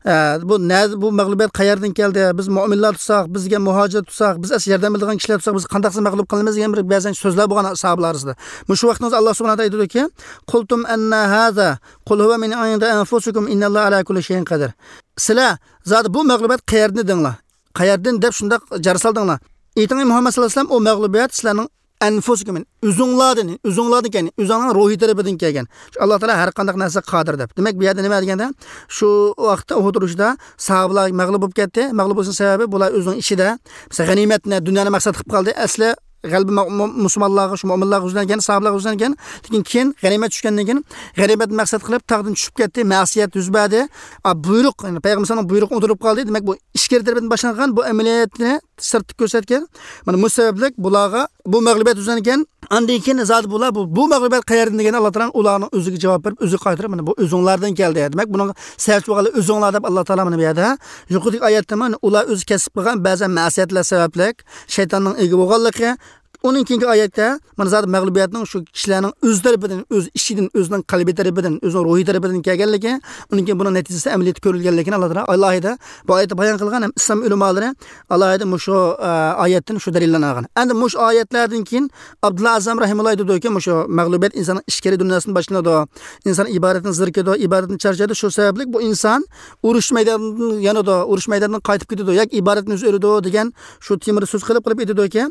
ئە، بۇ نە-، بۇ مەغلۇبىيەت قەيەردىن كەلدى؟ بىز مۆمىنلەر تۇتساق، بىزگە مۇھاجىر تۇتساق، بىز ئەسلى ياردەم بېرىدىغان كىشىلەر تۇتساق، بىز قانداقسىز مەغلۇپ قىلىنىمىز دېگەن بىر بەزەن سۆزلەر بولغان ساھابىلار ئارىسىدا. مۇشۇ ۋاقىتتا ئاللا سۇبھانەھۇ تائالا ئېيتىدۇكى، قۇلتۇم ئەننە ھازا، قۇل ھۇۋە مىن ئىندى ئەنفۇسىكۇم ئىننەللاھە ئەلا كۇللى شەيئىن قەدىر. سىلەر زادى بۇ مەغلۇبىيەت قەيەردىن دېدىڭلار؟ قەيەردىن دەپ شۇنداق جار سالدىڭلار؟ ئېيتىڭ، ئەي مۇھەممەد سەللەللاھۇ ئەلەيھى ۋەسەللەم، ئۇ مەغلۇبىيەت سىلەرنىڭ ئەنفۇسىكۇم، ئۆزۈڭلاردىن، ئۆزۈڭلاردىن كەلگەن، ئۆزۈڭنىڭ روھىي تەرىپىدىن كەلگەن. شۇ ئاللا تائالا ھەر قانداق نەرسىگە قادىر دەپ. دېمەك، بۇ يەردە نېمە دېگەندە، شۇ ۋاقىتتا ئۇھۇد ئۇرۇشىدا ساھابىلار مەغلۇپ بولۇپ كەتتى. مەغلۇپ بولۇشنىڭ سەۋەبى بۇلار ئۆزىنىڭ ئىچىدە، مەسىلەن، غەنىيمەتنى، دۇنيانى مەقسەت قىلىپ قالدى. ئەسلى غەلىبە مۇ-، مۇ-، مۇسۇلمانلارغا، شۇ مۆمىنلارغا يۈزلەنگەن، ساھابىلارغا يۈزلەنگەن. لېكىن كېيىن غەنىيمەت چۈشكەندىن كېيىن غەنىيمەتنى مەقسەت قىلىپ تاغدىن چۈشۈپ كەتتى، مەسىيەت يۈز بەردى. ئا، بۇيرۇق، يەنى پەيغەمبەر ئەلەيھىسسالامنىڭ بۇيرۇقى ئۇنتۇلۇپ قالدى. دېمەك، بۇ ئىچكىرى تەرىپىدىن باشلانغان بۇ ئەمەلىيەتنى سىرتتا كۆرسەتكەن. مانا بۇ سەۋەبلىك بۇلارغا بۇ مەغلۇبىيەت يۈزلەنگەن. ئاندىن كېيىن زادى بۇلار بۇ، بۇ مەغلۇبىيەت قەيەردىن دېگەن ئاللا تائالا ئۇلارنىڭ ئۆزىگە جاۋاب بېرىپ، ئۆزىگە قايتۇرۇپ، مانا بۇ ئۆزۈڭلاردىن كەلدى. دېمەك، بۇنىڭغا سەۋەبچى بولغانلار ئۆزۈڭلار دەپ ئاللا تائالا مانا بۇ يەردە يۇقىرىدىكى ئايەتتە مانا ئۇلار ئۆزى كەسىپ قىلغان بەزى مەسىيەتلەر سەۋەبلىك شەيتاننىڭ ئىگە بولغانلىقى، ئۇنىڭ كېيىنكى ئايەتتە مانا زادى مەغلۇبىيەتنىڭ شۇ كىشىلەرنىڭ ئۆز تەرىپىدىن، ئۆز ئىچىدىن، ئۆزىنىڭ قەلبى تەرىپىدىن، ئۆزىنىڭ روھى تەرىپىدىن كەلگەنلىكى، ئۇنىڭ كېيىن بۇنىڭ نەتىجىسى ئەمەلىيەتتە كۆرۈلگەنلىكىنى ئاللا تائالا ئالاھىدە بۇ ئايەتتە بايان قىلغان ھەم ئىسلام ئۆلىمالىرى ئالاھىدە مۇشۇ، ئە، ئايەتتىن شۇ دەلىللەرنى ئالغان. ئەمدى مۇشۇ ئايەتلەردىن كېيىن ئابدۇللا ئەزەم رەھىمۇللا ئېيتىدۇكى، مۇشۇ مەغلۇبىيەت ئىنساننىڭ ئىچكىرى دۇنياسىدىن باشلىنىدۇ. ئىنسان ئىبادەتتىن زېرىكىدۇ، ئىبادەتتىن چارچايدۇ. شۇ سەۋەبلىك بۇ ئىنسان ئۇرۇش مەيدانىدىن يانىدۇ، ئۇرۇش مەيدانىدىن قايتىپ كېتىدۇ ياكى ئىبادەتتىن يۈز ئۆرۈيدۇ دېگەن شۇ تېمىدا سۆز قىلىپ، قىلىپ ئېيتىدۇكى،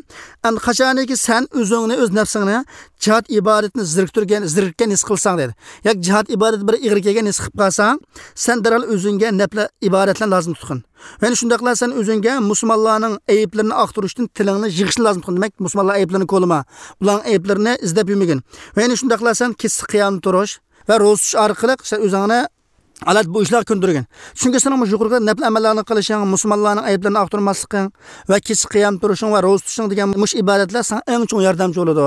ئەمدى قاچانكى سەن ئۆزۈڭنى، ئۆز نەپسىڭنى جىھاد ئىبادىتىنى زېرىكتۈرگەن، زېرىككەن ھېس قىلساڭ دېدى. ياكى جىھاد ئىبادىتى بىر ئىغىر كەلگەن ھېس قىلىپ قالساڭ، سەن دەرھال ئۆزۈڭگە نەپلە ئىبادەتلەرنى لازىم تۇتقىن. يەنە شۇنداقلا سەن ئۆزۈڭگە مۇسۇلمانلارنىڭ ئەيىبلىرىنى ئاختۇرۇشتىن تىلىڭنى يىغىشنى لازىم تۇتقىن. دېمەك، مۇسۇلمانلار ئەيىبلىرىنى كولىما، ئۇلارنىڭ ئەيىبلىرىنى ئىزدەپ يۈرمىگىن. ۋە يەنە شۇنداقلا سەن كېچىسى قىيامدا تۇرۇش ۋە روزا تۇتۇش ئارقىلىق سەن ئۆزۈڭنى ئاللاھ بۇ ئىشلارغا كۆندۈرگىن. چۈنكى سېنىڭ مۇشۇ يۇقىرىقى نەپلى ئەمەللەرنى قىلىشىڭ، مۇسۇلمانلارنىڭ ئەيىبلىرىنى ئاختۇرماسلىقىڭ ۋە كېچىسى قىيام تۇرۇشۇڭ ۋە روزا تۇتۇشۇڭ دېگەن مۇشۇ ئىبادەتلەر ساڭا ئەڭ چوڭ ياردەمچى بولىدۇ.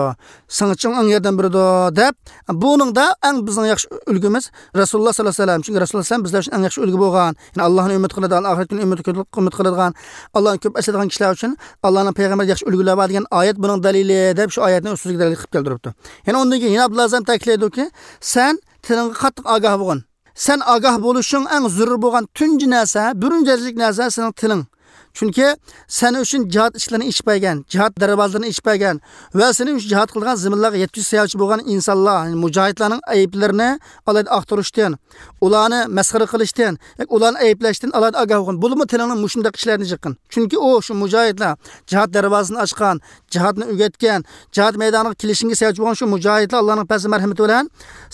ساڭا چوڭ ئەڭ ياردەم بېرىدۇ دەپ، بۇنىڭدا ئەڭ بىزنىڭ ياخشى ئۈلگىمىز رەسۇلۇللاھ سەللەللاھۇ ئەلەيھى ۋەسەللەم. چۈنكى رەسۇلۇللاھ سەللەللاھۇ ئەلەيھى ۋەسەللەم بىزلەر ئۈچۈن ئەڭ ياخشى ئۈلگە بولغان، يەنى ئاللاھنى ئۈمىد قىلىدىغان، ئاخىرەت كۈنىنى ئۈمىد، ئۈمىد قىلىدىغان، ئاللاھنى كۆپ ئەسلەيدىغان كىشىلەر ئۈچۈن ئاللاھنىڭ پەيغەمبىرىدە ياخشى ئۈلگىلەر بار دېگەن ئايەت بۇنىڭ دەلىلى دەپ شۇ ئايەتنى ئۆزىگە دەلىل قىلىپ كەلتۈرۈپتۇ. يەنە ئۇندىن كېيىن يەنە ئابدۇللا ئەزەم تەكىتلەيدۇكى، سەن تىلىڭغا قاتتىق ئاگاھ بولغىن. سەن ئاگاھ بولۇشۇڭ ئەڭ زۆرۈر بولغان تۇنجى نەرسە، بىرىنچى دەرىجىلىك نەرسە سېنىڭ تىلىڭ. چۈنكى سەن ئۈچۈن جىھاد ئىشىكلىرىنى ئېچىپ بەرگەن، جىھاد دەرۋازىلىرىنى ئېچىپ بەرگەن ۋە سېنىڭ ئۈچۈن جىھاد قىلىدىغان زېمىنلارغا يەتكۈزۈش سەۋەبچى بولغان ئىنسانلار، يەنى مۇجاھىدلارنىڭ ئەيىبلىرىنى ئالاھىدە ئاختۇرۇشتىن، ئۇلارنى مەسخىرە قىلىشتىن، ياكى ئۇلارنى ئەيىبلەشتىن ئالاھىدە ئاگاھ بولغىن. بولۇپمۇ تىلىڭنى مۇشۇنداق ئىشلارنى جىققىن. چۈنكى ئۇ، شۇ مۇجاھىدلار، جىھاد دەرۋازىسىنى ئاچقان، جىھادنى ئۆگەتكەن، جىھاد مەيدانىغا كېلىشىڭگە سەۋەبچى بولغان شۇ مۇجاھىدلار ئاللانىڭ پەزلى مەرھىمىتى بىلەن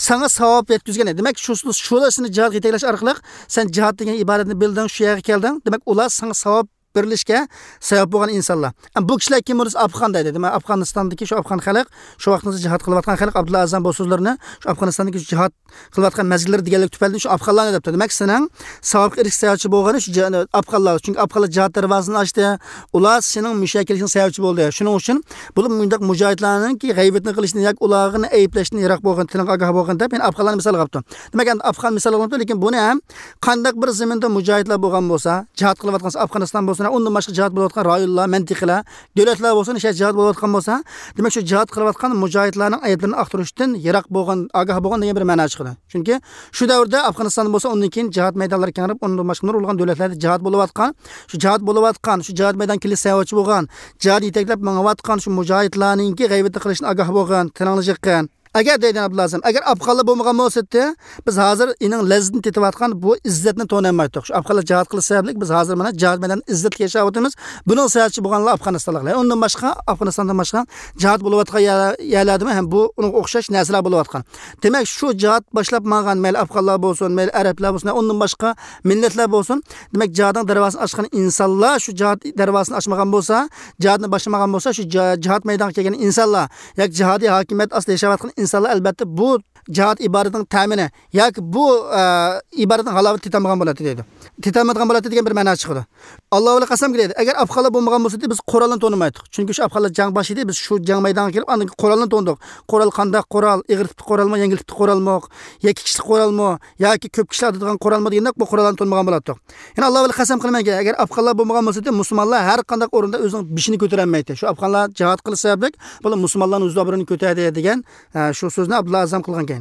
ساڭا ساۋاب يەتكۈزگەن. دېمەك، شۇ، شۇلار سېنى جىھادقا يېتەكلەش ئارقىلىق سەن جىھاد دېگەن ئىبادەتنى بىلدىڭ، شۇ يەرگە كەلدىڭ. دېمەك، ئۇلار ساڭا ساۋاب بېرىلىشكە سەۋەب بولغان ئىنسانلار. ئەمما بۇ كىشىلەر كىم بولسا ئافغان دەيدۇ. دېمەك، ئافغانىستاندىكى شۇ ئافغان خەلق، شۇ ۋاقىتتا جىھاد قىلىۋاتقان خەلق، ئابدۇللا ئەزەم بۇ سۆزلىرىنى شۇ ئافغانىستاندىكى جىھاد قىلىۋاتقان مەزگىللىرى دېگەنلىك تۈپەيلىدىن شۇ ئافغانلارنى دەپتۇ. دېمەك، سېنىڭ ساۋابقا ئېرىشىش سەۋەبچى بولغىنى شۇ جا-، ئافغانلار. چۈنكى ئافغانلار جىھاد دەرۋازىسىنى ئاچتى. ئۇلار سېنىڭ مۇشۇ يەرگە كېلىشىڭ سەۋەبچى بولدى. شۇنىڭ ئۈچۈن بولۇپ مۇنداق مۇجاھىدلارنىڭكى غەيۋىتىنى قىلىشتىن ياكى ئۇلارنى ئەيىبلەشتىن يىراق بولغىن، تىلىڭغا ئاگاھ بولغىن دەپ، يەنە ئافغانلارنى مىسالغا ئاپتۇ. دېمەك، ئەمدى ئافغان مىسالغا ئاپتۇ، لېكىن بۇنى ھەم قانداق بىر زېمىندا مۇجاھىدلار بولغان بولسا، جىھاد قىلىۋاتقان، ئافغانىستان بولسۇن، ئۇندىن باشقا جىھاد بولۇۋاتقان رايونلار، مەنتىقىلەر، دۆلەتلەر بولسۇن، شۇ يەردە جىھاد بولۇۋاتقان بولسا، دېمەك، شۇ جىھاد قىلىۋاتقان مۇجاھىدلارنىڭ ئەيىبلىرىنى ئاختۇرۇشتىن يىراق بولغىن، ئاگاھ بولغىن دېگەن بىر مەنا چىقىدۇ. چۈنكى شۇ دەۋردە ئافغانىستاندا بولسا، ئۇندىن كېيىن جىھاد مەيدانلىرى كېڭىيىپ، ئۇندىن باشقا نۇرغۇنلىغان دۆلەتلەردە جىھاد بولۇۋاتقان، شۇ جىھاد بولۇۋاتقان، شۇ جىھاد مەيدانغا كېلىش سەۋەبچى بولغان، جىھاد يېتەكلەپ مېڭىۋاتقان شۇ مۇجاھىدلارنىڭكى غەيۋىتىنى قىلىشتىن ئاگاھ بولغىن، تىلىڭنى جىققىن. ئەگەر دەيدۇ ئابدۇللا ئەزەم، ئەگەر ئافغانلار بولمىغان بولسىدى، بىز ھازىر ئېنىڭ لەززىتىنى تېتىۋاتقان بۇ ئىززەتنى تونۇيالمايتتۇق. شۇ ئافغانلار جىھاد قىلىش سەۋەبلىك بىز ھازىر مانا جىھاد مەيدانىدا ئىززەتلىك ياشاۋاتىمىز. بۇنىڭ سەۋەبچى بولغانلار ئافغانىستانلىقلار. ئۇندىن باشقا، ئافغانىستاندىن باشقا جىھاد بولۇۋاتقان يەر-، يەرلەردىمۇ ھەم بۇ، ئۇنىڭغا ئوخشاش نەرسىلەر بولۇۋاتقان. دېمەك، شۇ جىھاد باشلاپ ماڭغان، مەيلى ئافغانلار بولسۇن، مەيلى ئەرەبلەر بولسۇن، ئۇندىن باشقا مىللەتلەر بولسۇن، دېمەك، جىھادنىڭ دەرۋازىسىنى ئاچقان ئىنسانلار شۇ جىھاد دەرۋازىسىنى ئاچمىغان بولسا، جىھادنى باشلىمىغان بولسا، شۇ جا-، جىھاد مەيدانغا كەلگەن ئىنسانلار ياكى جىھادىي ھاكىمىيەت ئاستىدا ياشاۋاتقان ئىنسانلار، ئەلبەتتە، بۇ جىھاد ئىبادىتىنىڭ تەمىنى ياكى بۇ، ئە، ئىبادەتنىڭ ھالاۋىتىنى تېتىيالمىغان بولاتتى دەيدۇ. تېتىيالمايدىغان بولاتتى دېگەن بىر مەنا چىقىدۇ. ئاللا ۋەلى قەسەمكى دەيدۇ، ئەگەر ئافغانلار بولمىغان بولسىدى، بىز قورالنى تونۇمايتتۇق. چۈنكى شۇ ئافغانلار جەڭ باشلىدى، بىز شۇ جەڭ مەيدانىغا كېلىپ، ئاندىن كېيىن قورالنى تونۇدۇق. قورال قانداق قورال، ئېغىر تىپتىكى قورالمۇ، يەڭگىل تىپتىكى قورالمۇ، ياكى كىشىلىك قورالمۇ، ياكى كۆپ كىشىلەر ئاتىدىغان قورالمۇ دېگەندەك بۇ قوراللارنى تونۇمىغان بولاتتۇق. يەنە ئاللا ۋەلى قەسەم قىلىمەنكى، ئەگەر ئافغانلار بولمىغان بولسىدى، مۇسۇلمانلار ھەر قانداق ئورۇندا ئۆزىنىڭ بېشىنى كۆتۈرەلمەيتتى. شۇ ئافغانلار جىھاد قىلىش سەۋەبلىك بۇلار مۇسۇلمانلارنىڭ ئۆز ئابرۇيىنى كۆتەردى دېگەن، ئە، شۇ سۆزنى ئابدۇللا ئەزەم قىلغان.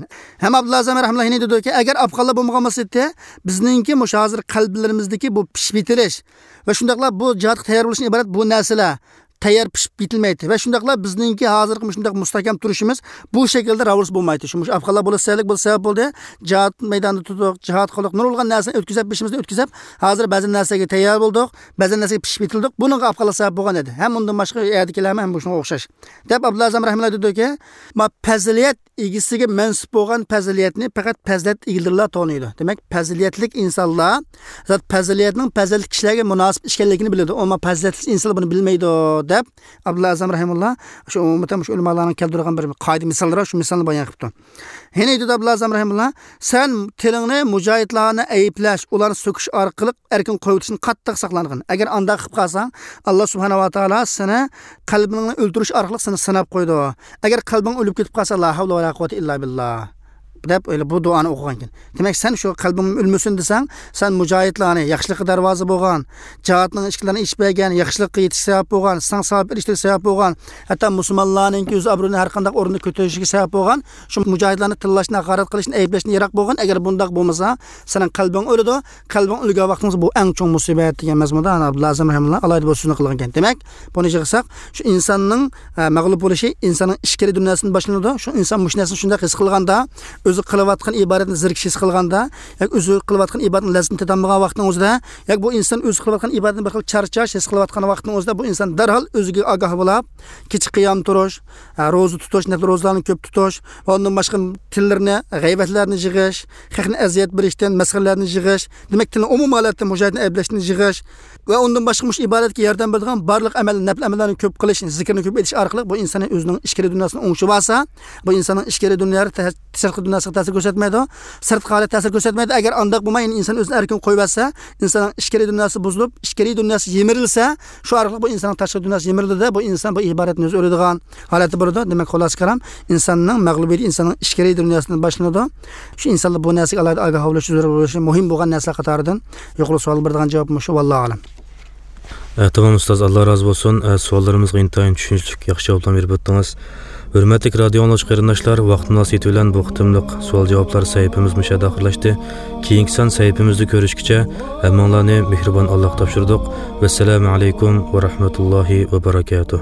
ھەم ئابدۇللا ئەزەم رەھىمۇللا يەنە دېدىكى، ئەگەر ئافغانلار بولمىغان بولسا ئىدى، بىزنىڭكى مۇشۇ ھازىر قەلبلىرىمىزدىكى بۇ پىشىپ يېتىلىش ۋە شۇنداقلا بۇ جىھادقا تەييار بولۇشتىن ئىبارەت بۇ نەرسىلەر، تەييار پىشىپ يېتىلمەيتتى. ۋە شۇنداقلا بىزنىڭكى ھازىرقى مۇشۇنداق مۇستەھكەم تۇرۇشىمىز بۇ شەكىلدە راۋۇرۇس بولمايتتى. شۇ مۇشۇ ئافغانلار بولۇش سەۋەبلىك بولۇش سەۋەب بولدى. جىھاد مەيدانىدا تۇردۇق، جىھاد قىلدۇق، نۇرغۇنلىغان نەرسىنى ئۆتكۈزۈپ، بېشىمىزدىن ئۆتكۈزۈپ، ھازىر بەزى نەرسىلەرگە تەييار بولدۇق، بەزى نەرسىگە پىشىپ يېتىلدۇق. بۇنىڭغا ئافغانلار سەۋەب بولغان ئىدى. ھەم ئۇندىن باشقا يەردىكىلەرمۇ ھەم شۇنىڭغا ئوخشاش. دەپ ئابدۇللا ئەزەم رەھىمۇللا دېدىكى، ما پەزىلىيەت ئىگىسىگە مەنسۇپ بولغان پەزىلىيەتنى پەقەت پەزىلەت ئىگىلىرىلا تونۇيدۇ. دېمەك، پەزىلەتلىك ئىنسانلار زات پەزىلىيەتنىڭ پەزىلەتلىك كىشىلەرگە مۇناسىپ ئىكەنلىكىنى بىلىدۇ. ئەمما پەزىلەتلىك ئىنسانلار بۇنى بىلمەيدۇ، دەپ ئابدۇللا ئەزەم رەھىمۇللا شۇ ئومۇمەن شۇ ئۆلىمالارنىڭ كەلتۈرگەن بىر قائىدە مىساللىرى، شۇ مىسالنى بايان قىپتۇ. يەنە ئابدۇللا ئەزەم رەھىمۇللا، سەن تىلىڭنى مۇجاھىدلارنى ئەيىبلەش، ئۇلارنى سۆكۈش ئارقىلىق ئەركىن قويۇۋېتىشتىن قاتتىق ساقلانغىن. ئەگەر ئانداق قىلىپ قالساڭ، ئاللا سۇبھانەھۇ ۋە تائالا سېنى قەلبىڭنى ئۆلتۈرۈش ئارقىلىق سېنى سىناپ قويىدۇ. ئەگەر قەلبىڭ ئۆلۈپ كېتىپ قالسا، لا ھەۋلە ۋە لا قۇۋۋەتە ئىللا بىللا، دەپ ئۆيلە بۇ دۇئانى ئوقۇغانكەن. دېمەك، سەن شۇ قەلبىڭ ئۆلمىسۇن دېسەڭ، سەن مۇجاھىدلارنى، ياخشىلىققا دەرۋازا بولغان، جىھادنىڭ ئىشىكلىرىنى ئېچىپ بەرگەن، ياخشىلىققا يېتىش سەۋەب بولغان، ساڭا ساۋاب ئېرىشتۈرۈش سەۋەب بولغان، ھەتتا مۇسۇلمانلارنىڭكى ئۆز ئابرۇيىنى ھەر قانداق ئورۇندا كۆتۈرۈشىگە سەۋەب بولغان، شۇ مۇجاھىدلارنى تىللاشتىن، ھاقارەت قىلىشتىن، ئەيىبلەشتىن يىراق بولغىن. ئەگەر بۇنداق بولمىسا، سېنىڭ قەلبىڭ ئۆلىدۇ. قەلبىڭ ئۆلگەن ۋاقتىڭىزدا بۇ ئەڭ چوڭ مۇسىبەت دېگەن مەزمۇندا ئابدۇللا ئەزەم رەھىمۇللا ئالاھىدە بۇ سۆزنى قىلغان ئىكەن. دېمەك، بۇنى يىغساق، شۇ ئىنساننىڭ، ئە، مەغلۇپ بولۇشى ئىنساننىڭ ئىچكىرى دۇنياسىدىن باشلىنىدۇ. شۇ ئىنسان مۇشۇ نەرسىنى شۇنداق ھېس قىلغاندا، ئۆزى قىلىۋاتقان ئىبادەتنى زېرىكىش ھېس قىلغاندا، ياكى ئۆزى قىلىۋاتقان ئىبادەتنىڭ لەززىتىنى تېتالمىغان ۋاقتىنىڭ ئۆزىدە، ياكى بۇ ئىنسان ئۆزى قىلىۋاتقان ئىبادەتنى بىر خىل چارچاش ھېس قىلىۋاتقان ۋاقتىنىڭ ئۆزىدە، بۇ ئىنسان دەرھال ئۆزىگە ئاگاھ بولاپ، كېچە قىيام تۇرۇش، ھە، روزا تۇتۇش، نەپلى روزىلارنى كۆپ تۇتۇش ۋە ئۇندىن باشقا تىللىرىنى غەيۋەتلەرنى يىغىش، خەقنى ئەزىيەت بېرىشتىن، مەسخىرىلەرنى يىغىش، دېمەك، تىلنى ئومۇمىي ھالەتتە مۇجاھىدنى ئەيىبلەشتىن يىغىش ۋە ئۇندىن باشقا مۇشۇ ئىبادەتكە ياردەم بېرىدىغان بارلىق ئەمەل، نەپلى ئەمەللەرنى كۆپ قىلىش، زىكىرنى كۆپ ئېيتىش ئارقىلىق بۇ ئىنساننى ئۆزىنىڭ ئىچكىرى دۇنياسىنى ئوڭشىۋالسا، بۇ ئىنساننىڭ ئىچكىرى دۇنيالىرى تە-، سىرتقى دۇنياسىغا تەسىر كۆرسەتمەيدۇ. سىرتقى ھالەت تەسىر كۆرسەتمەيدۇ. ئەگەر ئانداق بولماي، يەنە ئىنسان ئۆزىنى ئەركىن قويۇۋەتسە، ئىنساننىڭ ئىچكىرى دۇنياسى بۇزۇلۇپ، ئىچكىرى دۇنياسى يىمىرىلسە، شۇ ئارقىلىق بۇ ئىنساننىڭ تاشقى دۇنياسى يىمىرىلىدۇ-دە، بۇ ئىنسان بۇ ئىبادەتنى ئۆزى ئۆلىدىغان ھالەتتە بولىدۇ. دېمەك، خۇلاسە كالام، ئىنساننىڭ مەغلۇبىيىتى ئىنساننىڭ ئىچكىرى دۇنياسىدىن باشلىنىدۇ. شۇ ئىنسانلار بۇ نەرسىگە ئالاھىدە ئاگاھ بولۇشى زۆرۈر بولۇشى مۇھىم بولغان نەرسىلەر قاتارىدىن يۇقىرى سوئال بېرىدىغان جاۋاب مۇشۇ، ۋاللاھۇ ئەلەم. ئە، تامام ئۇستاز، ئاللا رازى بولسۇن. ئە، سوئاللىرىمىزغا ئىنتايىن چۈشىنىشلىك، ياخشى جاۋابلارنى بېرىپ ئۆتتىڭىز. ھۆرمەتلىك رادىيو ئاڭلىغۇچى قېرىنداشلار، ۋاقىت مۇناسىۋىتى بىلەن بۇ قېتىملىق سوئال جاۋابلار سەھىپىمىز مۇشۇ يەردە ئاخىرلاشتى. كېيىنكى سان سەھىپىمىزدە كۆرۈشكىچە، ھەممىڭلارنى مېھرىبان ئاللاغا تاپشۇردۇق. ۋەسسالامۇ ئەلەيكۇم ۋە رەھمەتۇللاھى ۋە بەرەكاتۇھ.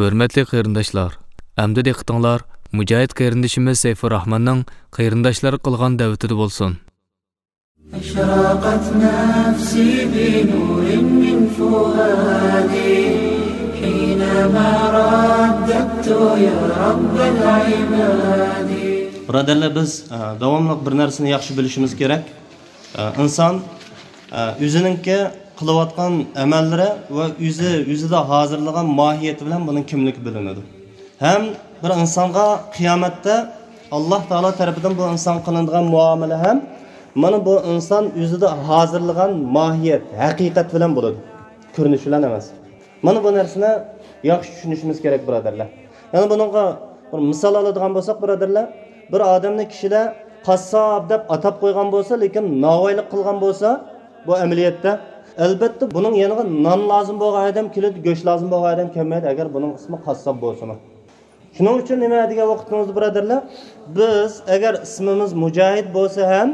ھۆرمەتلىك قېرىنداشلار، ئەمدى دىققىتىڭلار مۇجاھىد قېرىندىشىمىز سەيپۇرراھماننىڭ قېرىنداشلارغا قىلغان دەۋىتىدە بولسۇن. أشرقت نفسي بنور من فؤادي حينما رددت يا رب العباد. بۇرادەرلەر، بىز، ئە، داۋاملىق بىر نەرسىنى ياخشى بىلىشىمىز كېرەك. ئە، ئىنسان، ئە، ئۆزىنىڭكى قىلىۋاتقان ئەمەللىرى ۋە ئۆزى، ئۆزىدە ھازىرلىغان ماھىيىتى بىلەن بۇنىڭ كىملىكى بىلىنىدۇ. ھەم بىر ئىنسانغا قىيامەتتە ئاللا تائالا تەرىپىدىن بۇ ئىنسانغا قىلىنىدىغان مۇئامىلە ھەم مانا بۇ ئىنسان ئۆزىدە ھازىرلىغان ماھىيەت، ھەقىقەت بىلەن بولىدۇ. كۆرۈنۈش بىلەن ئەمەس. مانا بۇ نەرسىنى ياخشى چۈشىنىشىمىز كېرەك، بۇرادەرلەر. يەنە بۇنىڭغا بىر مىسال ئالىدىغان بولساق، بۇرادەرلەر، بىر ئادەمنى كىشىلەر قاسساپ دەپ ئاتاپ قويغان بولسا، لېكىن ناۋايلىق قىلغان بولسا، بۇ ئەمەلىيەتتە، ئەلبەتتە، بۇنىڭ يېنىغا نان لازىم بولغان ئادەم كېلىدۇ، گۆش لازىم بولغان ئادەم كەلمەيدۇ، ئەگەر بۇنىڭ ئىسمى قاسساپ بولسىمۇ. شۇنىڭ ئۈچۈن نېمە دېگەن ۋاقتىمىزدا، بۇرادەرلەر، بىز ئەگەر ئىسمىمىز مۇجاھىد بولسا ھەم،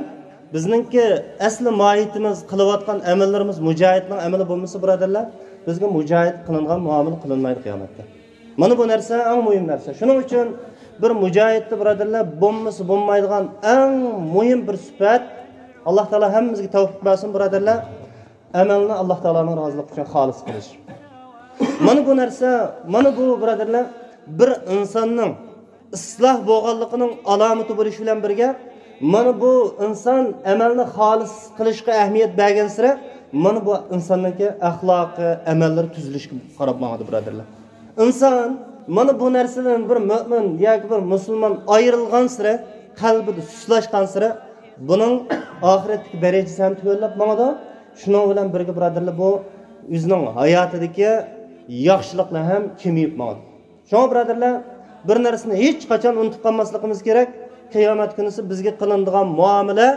بىزنىڭكى ئەسلى ماھىيىتىمىز، قىلىۋاتقان ئەمەللىرىمىز مۇجاھىدنىڭ ئەمىلى بولمىسا، بۇرادەرلەر، بىزگە مۇجاھىد قىلىنغان مۇئامىلە قىلىنمايدۇ قىيامەتتە. مانا بۇ نەرسە ئەڭ مۇھىم نەرسە. شۇنىڭ ئۈچۈن بىر مۇجاھىدتا، بۇرادەرلەر، بولمىسا بولمايدىغان ئەڭ مۇھىم بىر سۈپەت، ئاللا تائالا ھەممىمىزگە تەۋپىق بەرسۇن، بۇرادەرلەر، ئەمەلنى ئاللا تائالانىڭ رازىلىقى ئۈچۈن خالىس قىلىش. مانا بۇ نەرسە، مانا بۇ، بۇرادەرلەر، بىر ئىنساننىڭ ئىسلاھ بولغانلىقىنىڭ ئالامىتى بولۇش بىلەن بىرگە، مانا بۇ ئىنسان ئەمەلنى خالىس قىلىشقا ئەھمىيەت بەرگەنسېرى، مانا بۇ ئىنساننىڭكى ئەخلاقى، ئەمەللىرى تۈزۈلۈشكە قاراپ ماڭىدۇ، بۇرادەرلەر. ئىنسان مانا بۇ نەرسىدىن بىر مۆمىن ياكى بىر مۇسۇلمان ئايرىلغانسېرى، قەلبىدە سۇسلاشقانسېرى، بۇنىڭ ئاخىرەتتىكى دەرىجىسى ھەم تۆۋەنلەپ ماڭىدۇ. شۇنىڭ بىلەن بىرگە، بۇرادەرلەر، بۇ ئۆزىنىڭ ھاياتىدىكى ياخشىلىقلار ھەم كېمىيىپ ماڭىدۇ. شۇڭا بۇرادەرلەر، بىر نەرسىنى ھېچقاچان ئۇنتۇپ قالماسلىقىمىز كېرەك. قىيامەت كۈنىسى بىزگە قىلىنىدىغان مۇئامىلە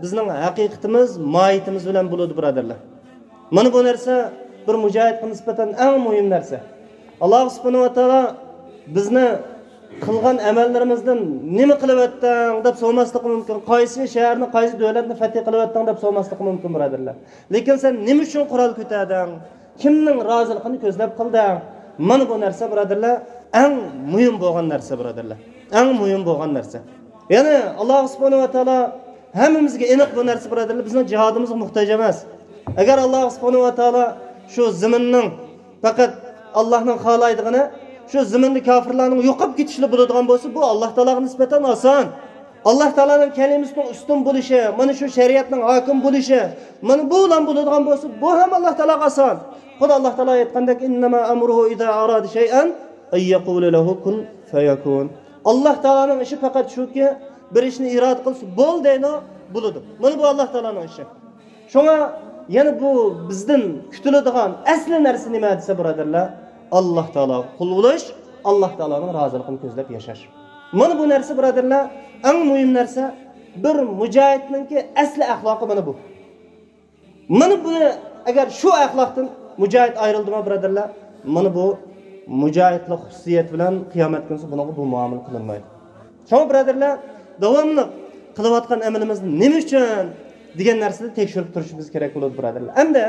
بىزنىڭ ھەقىقىتىمىز، ماھىيىتىمىز بىلەن بولىدۇ، بۇرادەرلەر. مانا بۇ نەرسە بىر مۇجاھىدقا نىسبەتەن ئەڭ مۇھىم نەرسە. ئاللاھ سۇبھانەھۇ ۋە تائالا بىزنى قىلغان ئەمەللىرىمىزدىن نېمە قىلىۋەتتىڭ دەپ سورىماسلىقى مۇمكىن. قايسى شەھەرنى، قايسى دۆلەتنى فەتھى قىلىۋەتتىڭ دەپ سورىماسلىقى مۇمكىن، بۇرادەرلەر. لېكىن سەن نېمە ئۈچۈن قورال كۆتەردىڭ؟ كىمنىڭ رازىلىقىنى كۆزلەپ قىلدىڭ؟ مانا بۇ نەرسە، بۇرادەرلەر، ئەڭ مۇھىم بولغان نەرسە، بۇرادەرلەر. ئەڭ مۇھىم بولغان نەرسە. يەنى ئاللاھ سۇبھانەھۇ ۋە تائالا ھەممىمىزگە ئېنىق بۇ نەرسە، بۇرادەرلەر، بىزنىڭ جىھادىمىزغا موھتاج ئەمەس. ئەگەر ئاللاھ سۇبھانەھۇ ۋە تائالا شۇ زېمىننىڭ پەقەت ئاللاھنىڭ خالايدىغىنى، شۇ زېمىندا كافىرلارنىڭ يوقاپ كېتىشلا بولىدىغان بولسا، بۇ ئاللاھ تائالاغا نىسبەتەن ئاسان. ئاللاھ تائالانىڭ كەلىمىسىنىڭ ئۈستۈن بولۇشى، مانا شۇ شەرىئەتنىڭ ھاكىم بولۇشى، مانا بۇ بىلەن بولىدىغان بولسا، بۇ ھەم ئاللاھ تائالاغا ئاسان. خۇددى ئاللاھ تائالا ئېيتقاندەك، «إنما أمره إذا أراد شيئا أن يقول له كن فيكون.» ئاللاھ تائالانىڭ ئىشى پەقەت شۇكى، بىر ئىشنى ئىرادە قىلسا، «بول» دەيدۇ، بولىدۇ. مانا بۇ ئاللاھ تائالانىڭ ئىشى. شۇڭا يەنە بۇ بىزدىن كۈتۈلىدىغان ئەسلى نەرسە نېمە دېسە، بۇرادەرلەر، ئاللاھ تائالاغا قۇل بولۇش، ئاللاھ تائالانىڭ رازىلىقىنى كۆزلەپ ياشاش. مانا بۇ نەرسە، بۇرادەرلەر، ئەڭ مۇھىم نەرسە. بىر مۇجاھىدنىڭكى ئەسلى ئەخلاقى مانا بۇ. مانا بۇنى، ئەگەر شۇ ئەخلاقتىن مۇجاھىد ئايرىلدىمۇ، بۇرادەرلەر، مانا بۇ مۇجاھىدلىق خۇسۇسىيەت بىلەن قىيامەت كۈنىسى بۇنىڭغا بۇ مۇئامىلە قىلىنمايدۇ. شۇڭا بۇرادەرلەر، داۋاملىق قىلىۋاتقان ئەمىلىمىز نېمە ئۈچۈن دېگەن نەرسىنى تەكشۈرۈپ تۇرۇشىمىز كېرەك بولىدۇ، بۇرادەرلەر. ئەمدى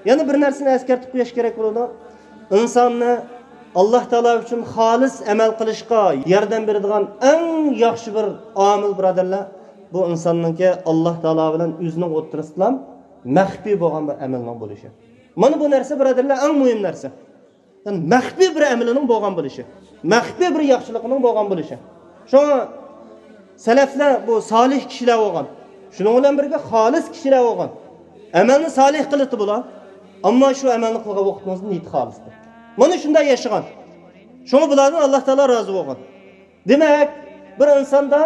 يەنە بىر نەرسىنى ئەسكەرتىپ قويۇش كېرەك بولىدۇ. ئىنساننى ئاللاھ تائالا ئۈچۈن خالىس ئەمەل قىلىشقا ياردەم بېرىدىغان ئەڭ ياخشى بىر ئامىل، بۇرادەرلەر، بۇ ئىنساننىڭكى ئاللاھ تائالا بىلەن ئۆزىنىڭ ئوتتۇرىسىدىلا مەخپىي بولغان بىر ئەمەلنىڭ بولۇشى. مانا بۇ نەرسە، بۇرادەرلەر، ئەڭ مۇھىم نەرسە. يەنى مەخپىي بىر ئەمىلىنىڭ بولغان بولۇشى، مەخپىي بىر ياخشىلىقىنىڭ بولغان بولۇشى. شۇڭا سەلەفلەر بۇ سالىھ كىشىلەر بولغان، شۇنىڭ بىلەن بىرگە خالىس كىشىلەر بولغان. ئەمەلنى سالىھ قىلىتتى بۇلار، ئەمما شۇ ئەمەلنى قىلغان ۋاقتىمىزدا نىيىتى خالىستى. مانا شۇنداق ياشىغان. شۇڭا بۇلاردىن ئاللاھ تائالا رازى بولغان. دېمەك، بىر ئىنساندا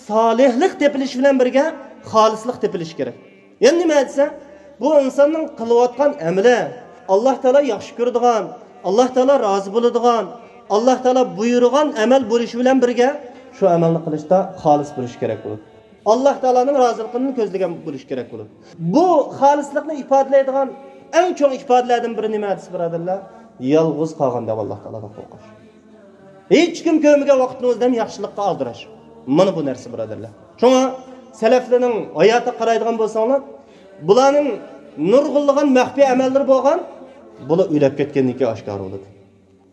سالىھلىق تېپىلىش بىلەن بىرگە خالىسلىق تېپىلىشى كېرەك. يەنى نېمە دېسە، بۇ ئىنساننىڭ قىلىۋاتقان ئەمىلى ئاللاھ تائالا ياخشى كۆرىدىغان، ئاللاھ تائالا رازى بولىدىغان، ئاللاھ تائالا بۇيرۇغان ئەمەل بولۇشى بىلەن بىرگە، شۇ ئەمەلنى قىلىشتا خالىس بولۇش كېرەك بولىدۇ. ئاللاھ تائالانىڭ رازىلىقىنى كۆزلىگەن بولۇش كېرەك بولىدۇ. بۇ خالىسلىقنى ئىپادىلەيدىغان ئەڭ چوڭ ئىپادىلەردىن بىرى نېمە دېسە، بۇرادەرلەر، يالغۇز قالغاندا ئاللاھ تائالادىن قورقۇش. ھېچكىم كۆرمىگەن ۋاقتىڭىزدا ھەم ياخشىلىققا ئالدىراش. مانا بۇ نەرسە، بۇرادەرلەر. شۇڭا سەلەفلەرنىڭ ھاياتىغا قارايدىغان بولساڭلار، بۇلارنىڭ نۇرغۇنلىغان مەخپىي ئەمەللىرى بولغان، بۇلار ئۆلۈپ كەتكەندىن كېيىن ئاشكارا بولىدۇ.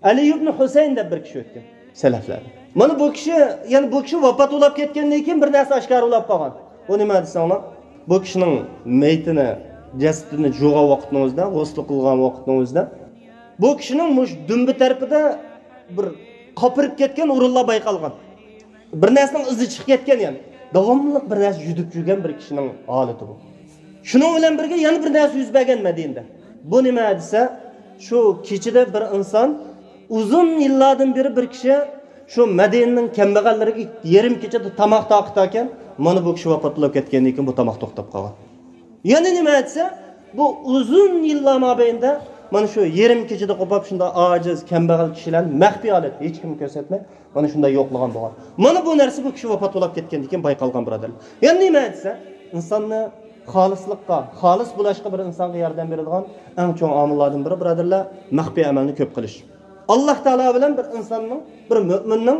ئەلى ئىبن ھۈسەيىن دەپ بىر كىشى ئۆتكەن سەلەفلەردىن. مانا بۇ كىشى، يەنى بۇ كىشى ۋاپات بولاپ كەتكەندىن كېيىن بىر نەرسە ئاشكارا بولاپ قالغان. بۇ نېمە دېسەڭلار، بۇ كىشىنىڭ مېيىتىنى، جەسىتىنى جۇغان ۋاقىتنىڭ ئۆزىدە، غۇسلى قىلغان ۋاقىتنىڭ ئۆزىدە، بۇ كىشىنىڭ مۇشۇ دۈمبە تەرىپىدە بىر قاپىرىپ كەتكەن ئورۇنلار بايقالغان. بىر نەرسىنىڭ ئىزى چىقىپ كەتكەن، يەنى داۋاملىق بىر نەرسە يۈدۈپ يۈرگەن بىر كىشىنىڭ ھالىتى بۇ. شۇنىڭ بىلەن بىرگە يەنە بىر نەرسە يۈز بەرگەن مەدىنىدە. بۇ نېمە دېسە، شۇ كېچىدە بىر ئىنسان، ئۇزۇن يىللاردىن بېرى بىر كىشى شۇ مەدىنىنىڭ كەمبەغەللىرىگە يېرىم كېچىدە تاماق تارقىتاركەن، مانا بۇ كىشى ۋاپات بولاپ كەتكەندىن كېيىن بۇ تاماق توختاپ قالغان. يەنە نېمە دېسە، بۇ ئۇزۇن يىللار مابەينىدە مانا شۇ يېرىم كېچىدە قوپاپ، شۇنداق ئاجىز، كەمبەغەل كىشىلەرنى مەخپىي ھالەتتە، ھېچكىمگە كۆرسەتمەي، مانا شۇنداق يوقلىغان بولغان. مانا بۇ نەرسە بۇ كىشى ۋاپات بولاپ كەتكەندىن كېيىن بايقالغان، بۇرادەرلەر. يەنە نېمە دېسە، ئىنساننى خالىسلىققا، خالىس بولۇشقا بىر ئىنسانغا ياردەم بېرىدىغان ئەڭ چوڭ ئامىللاردىن بىرى، بۇرادەرلەر، مەخپىي ئەمەلنى كۆپ قىلىش. ئاللاھ تائالا بىلەن بىر ئىنساننىڭ، بىر مۆمىننىڭ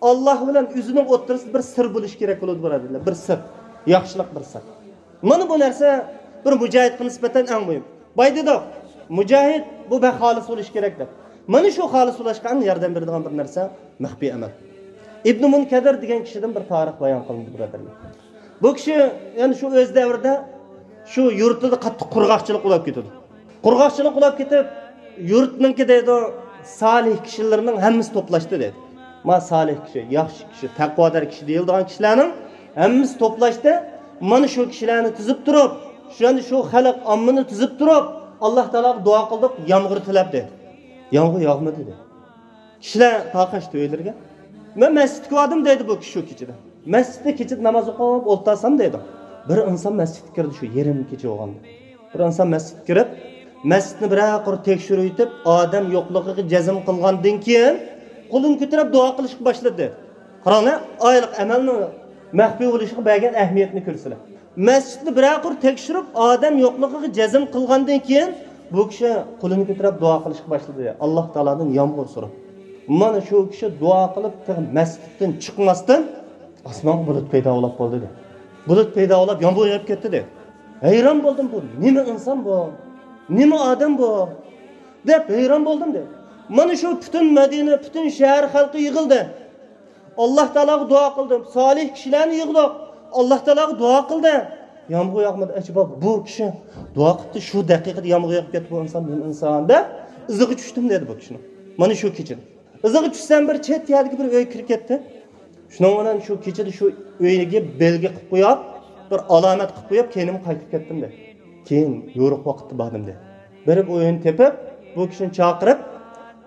ئاللاھ بىلەن ئۆزىنىڭ ئوتتۇرىسىدا بىر سىر بولۇشى كېرەك بولىدۇ، بۇرادەرلەر. بىر سىر، ياخشىلىق بىر سىر. مانا بۇ نەرسە بىر مۇجاھىدقا نىسبەتەن ئەڭ مۇھىم. بايا دېدۇق، مۇجاھىد بۇ بەك خالىس بولۇشى كېرەك دەپ. مانا شۇ خالىس بولۇشقا ئەڭ ياردەم بېرىدىغان بىر نەرسە مەخپىي ئەمەل. ئىبنى مۇنكەدىر دېگەن كىشىدىن بىر تارىخ بايان قىلىندى، بۇرادەرلەر. بۇ كىشى يەنە شۇ ئۆز دەۋرىدە شۇ يۇرتىدا قاتتىق قۇرغاقچىلىق بولاپ كېتىدۇ. قۇرغاقچىلىق بولاپ كېتىپ، يۇرتنىڭكى دەيدۇ، سالىھ كىشىلىرىنىڭ ھەممىسى توپلاشتى دەيدۇ. ما سالىھ كىشى، ياخشى كىشى، تەقۋادار كىشى دېيىلىدىغان كىشىلەرنىڭ ھەممىسى توپلاشتى. مانا شۇ كىشىلەرنى تىزىپ تۇرۇپ، شۇ، يەنى شۇ خەلق ئاممىنى تىزىپ تۇرۇپ، ئاللاھ تائالاغا دۇئا قىلدۇق، يامغۇر تىلەپ دەيدۇ. يامغۇر ياغمىدى دەيدۇ. كىشىلەر تارقاشتى ئۆيلىرىگە. مەن مەسچىتكە باردىم دەيدۇ بۇ كىشى شۇ كېچىدە. مەسچىتتە كېچىدە ناماز ئوقۇپ ئولتۇرسام دەيدۇ، بىر ئىنسان مەسچىتكە كىردى، شۇ يېرىم كېچە بولغاندا. بىر ئىنسان مەسچىتكە كىرىپ، مەسچىتنى بىرەر قۇر تەكشۈرۈۋېتىپ، ئادەم يوقلۇقىغا جەزم قىلغاندىن كېيىن، قولىنى كۆتۈرۈپ دۇئا قىلىشقا باشلىدى. قاراڭلار، ئايلىق ئەمەلنىڭ مەخپىي بولۇشىغا بەرگەن ئەھمىيەتنى كۆرسىلە. مەسچىتنى بىرەر قۇر تەكشۈرۈپ، ئادەم يوقلۇقىغا جەزم قىلغاندىن كېيىن، بۇ كىشى قولىنى كۆتۈرۈپ دۇئا قىلىشقا باشلىدى. ئاللاھ تائالادىن يامغۇر سوراپ. مانا شۇ كىشى دۇئا قىلىپ، تېخى مەسچىتتىن چىقماستىن، ئاسمانغا بۇلۇت پەيدا بولۇپ بولدى، دېدى. بۇلۇت پەيدا بولۇپ، يامغۇر يېغىپ كەتتى، دېدى. ھەيران بولدۇم، بۇ نېمە ئىنسان بۇ؟ نېمە ئادەم بۇ؟ دەپ ھەيران بولدۇم، دېدى. مانا شۇ پۈتۈن مەدىنە، پۈتۈن شەھەر خەلقى يىغىلدى. ئاللاھ تائالاغا دۇئا قىلدىم. سالىھ كىشىلەرنى يىغدۇق. ئاللاھ تائالاغا دۇئا قىلدى. يامغۇر ياغمىدى. ئەجەبا، بۇ كىشى دۇئا قىپتۇ، شۇ دەقىقىدە يامغۇر يېغىپ كەتتى، بۇ ئىنسان نېمە ئىنسان، دەپ ئىزىغا چۈشتۈم، دېدى بۇ كىشىنىڭ. مانا شۇ كېچىدە. ئىزىغا چۈشسەم، بىر چەت يەردىكى بىر ئۆيگە كىرىپ كەتتى. شۇنىڭ بىلەن شۇ كېچىدە شۇ ئۆيگە بەلگە قىلىپ قويۇپ، بىر ئالامەت قىلىپ قويۇپ، كەينىمگە قايتىپ كەتتىم، دېدى. كېيىن يورۇق ۋاقىتتا باردىم، دېدى. بېرىپ ئۆيىنى تېپىپ، بۇ كىشىنى چاقىرىپ،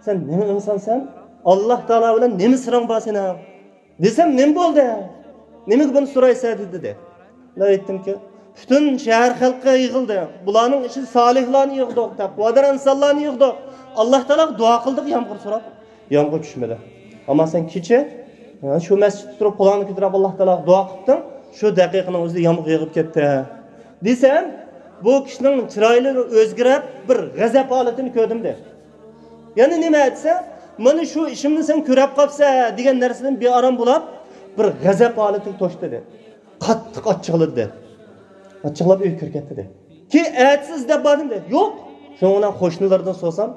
سەن نېمە ئىنسانسەن؟ ئاللاھ تائالا بىلەن نېمە سىرىڭ بار سېنىڭ؟ دېسەم، نېمە بولدى؟ نېمىگە بۇنى سورايسەن؟ دېدى. مەن ئېيتتىمكى، پۈتۈن شەھەر خەلقى يىغىلدى. بۇلارنىڭ ئىچىدە سالىھلارنى يىغدۇق، تەقۋادار ئىنسانلارنى يىغدۇق. ئاللاھ تائالاغا دۇئا قىلدۇق، يامغۇر سوراپ. يامغۇر چۈشمىدى. ئەمما سەن كېچە، ھە، شۇ مەسچىتتە تۇرۇپ، قولۇڭنى كۆتۈرۈپ، ئاللاھ تائالاغا دۇئا قىپتىڭ، شۇ دەقىقىنىڭ ئۆزىدە يامغۇر يېغىپ كەتتى، دېسەم، بۇ كىشىنىڭ چىرايلىرى ئۆزگىرىپ، بىر غەزەپ ھالىتىنى كۆردۈم، دېدى. يەنە نېمە دېسە، مانا شۇ ئىشىمنى سەن كۆرۈپ قاپسەن دېگەن نەرسىدىن بىئارام بولۇپ، بىر غەزەپ ھالىتىگە توشتى، دېدى. قاتتىق ئاچچىقلىدى، دېدى. ئاچچىقلاپ ئۆيگە كىرىپ كەتتى، دېدى. كېيىن ئەتىسى ئىزدەپ باردىم، دېدى. يوق. شۇنىڭ بىلەن قوشنىلاردىن سورىسام،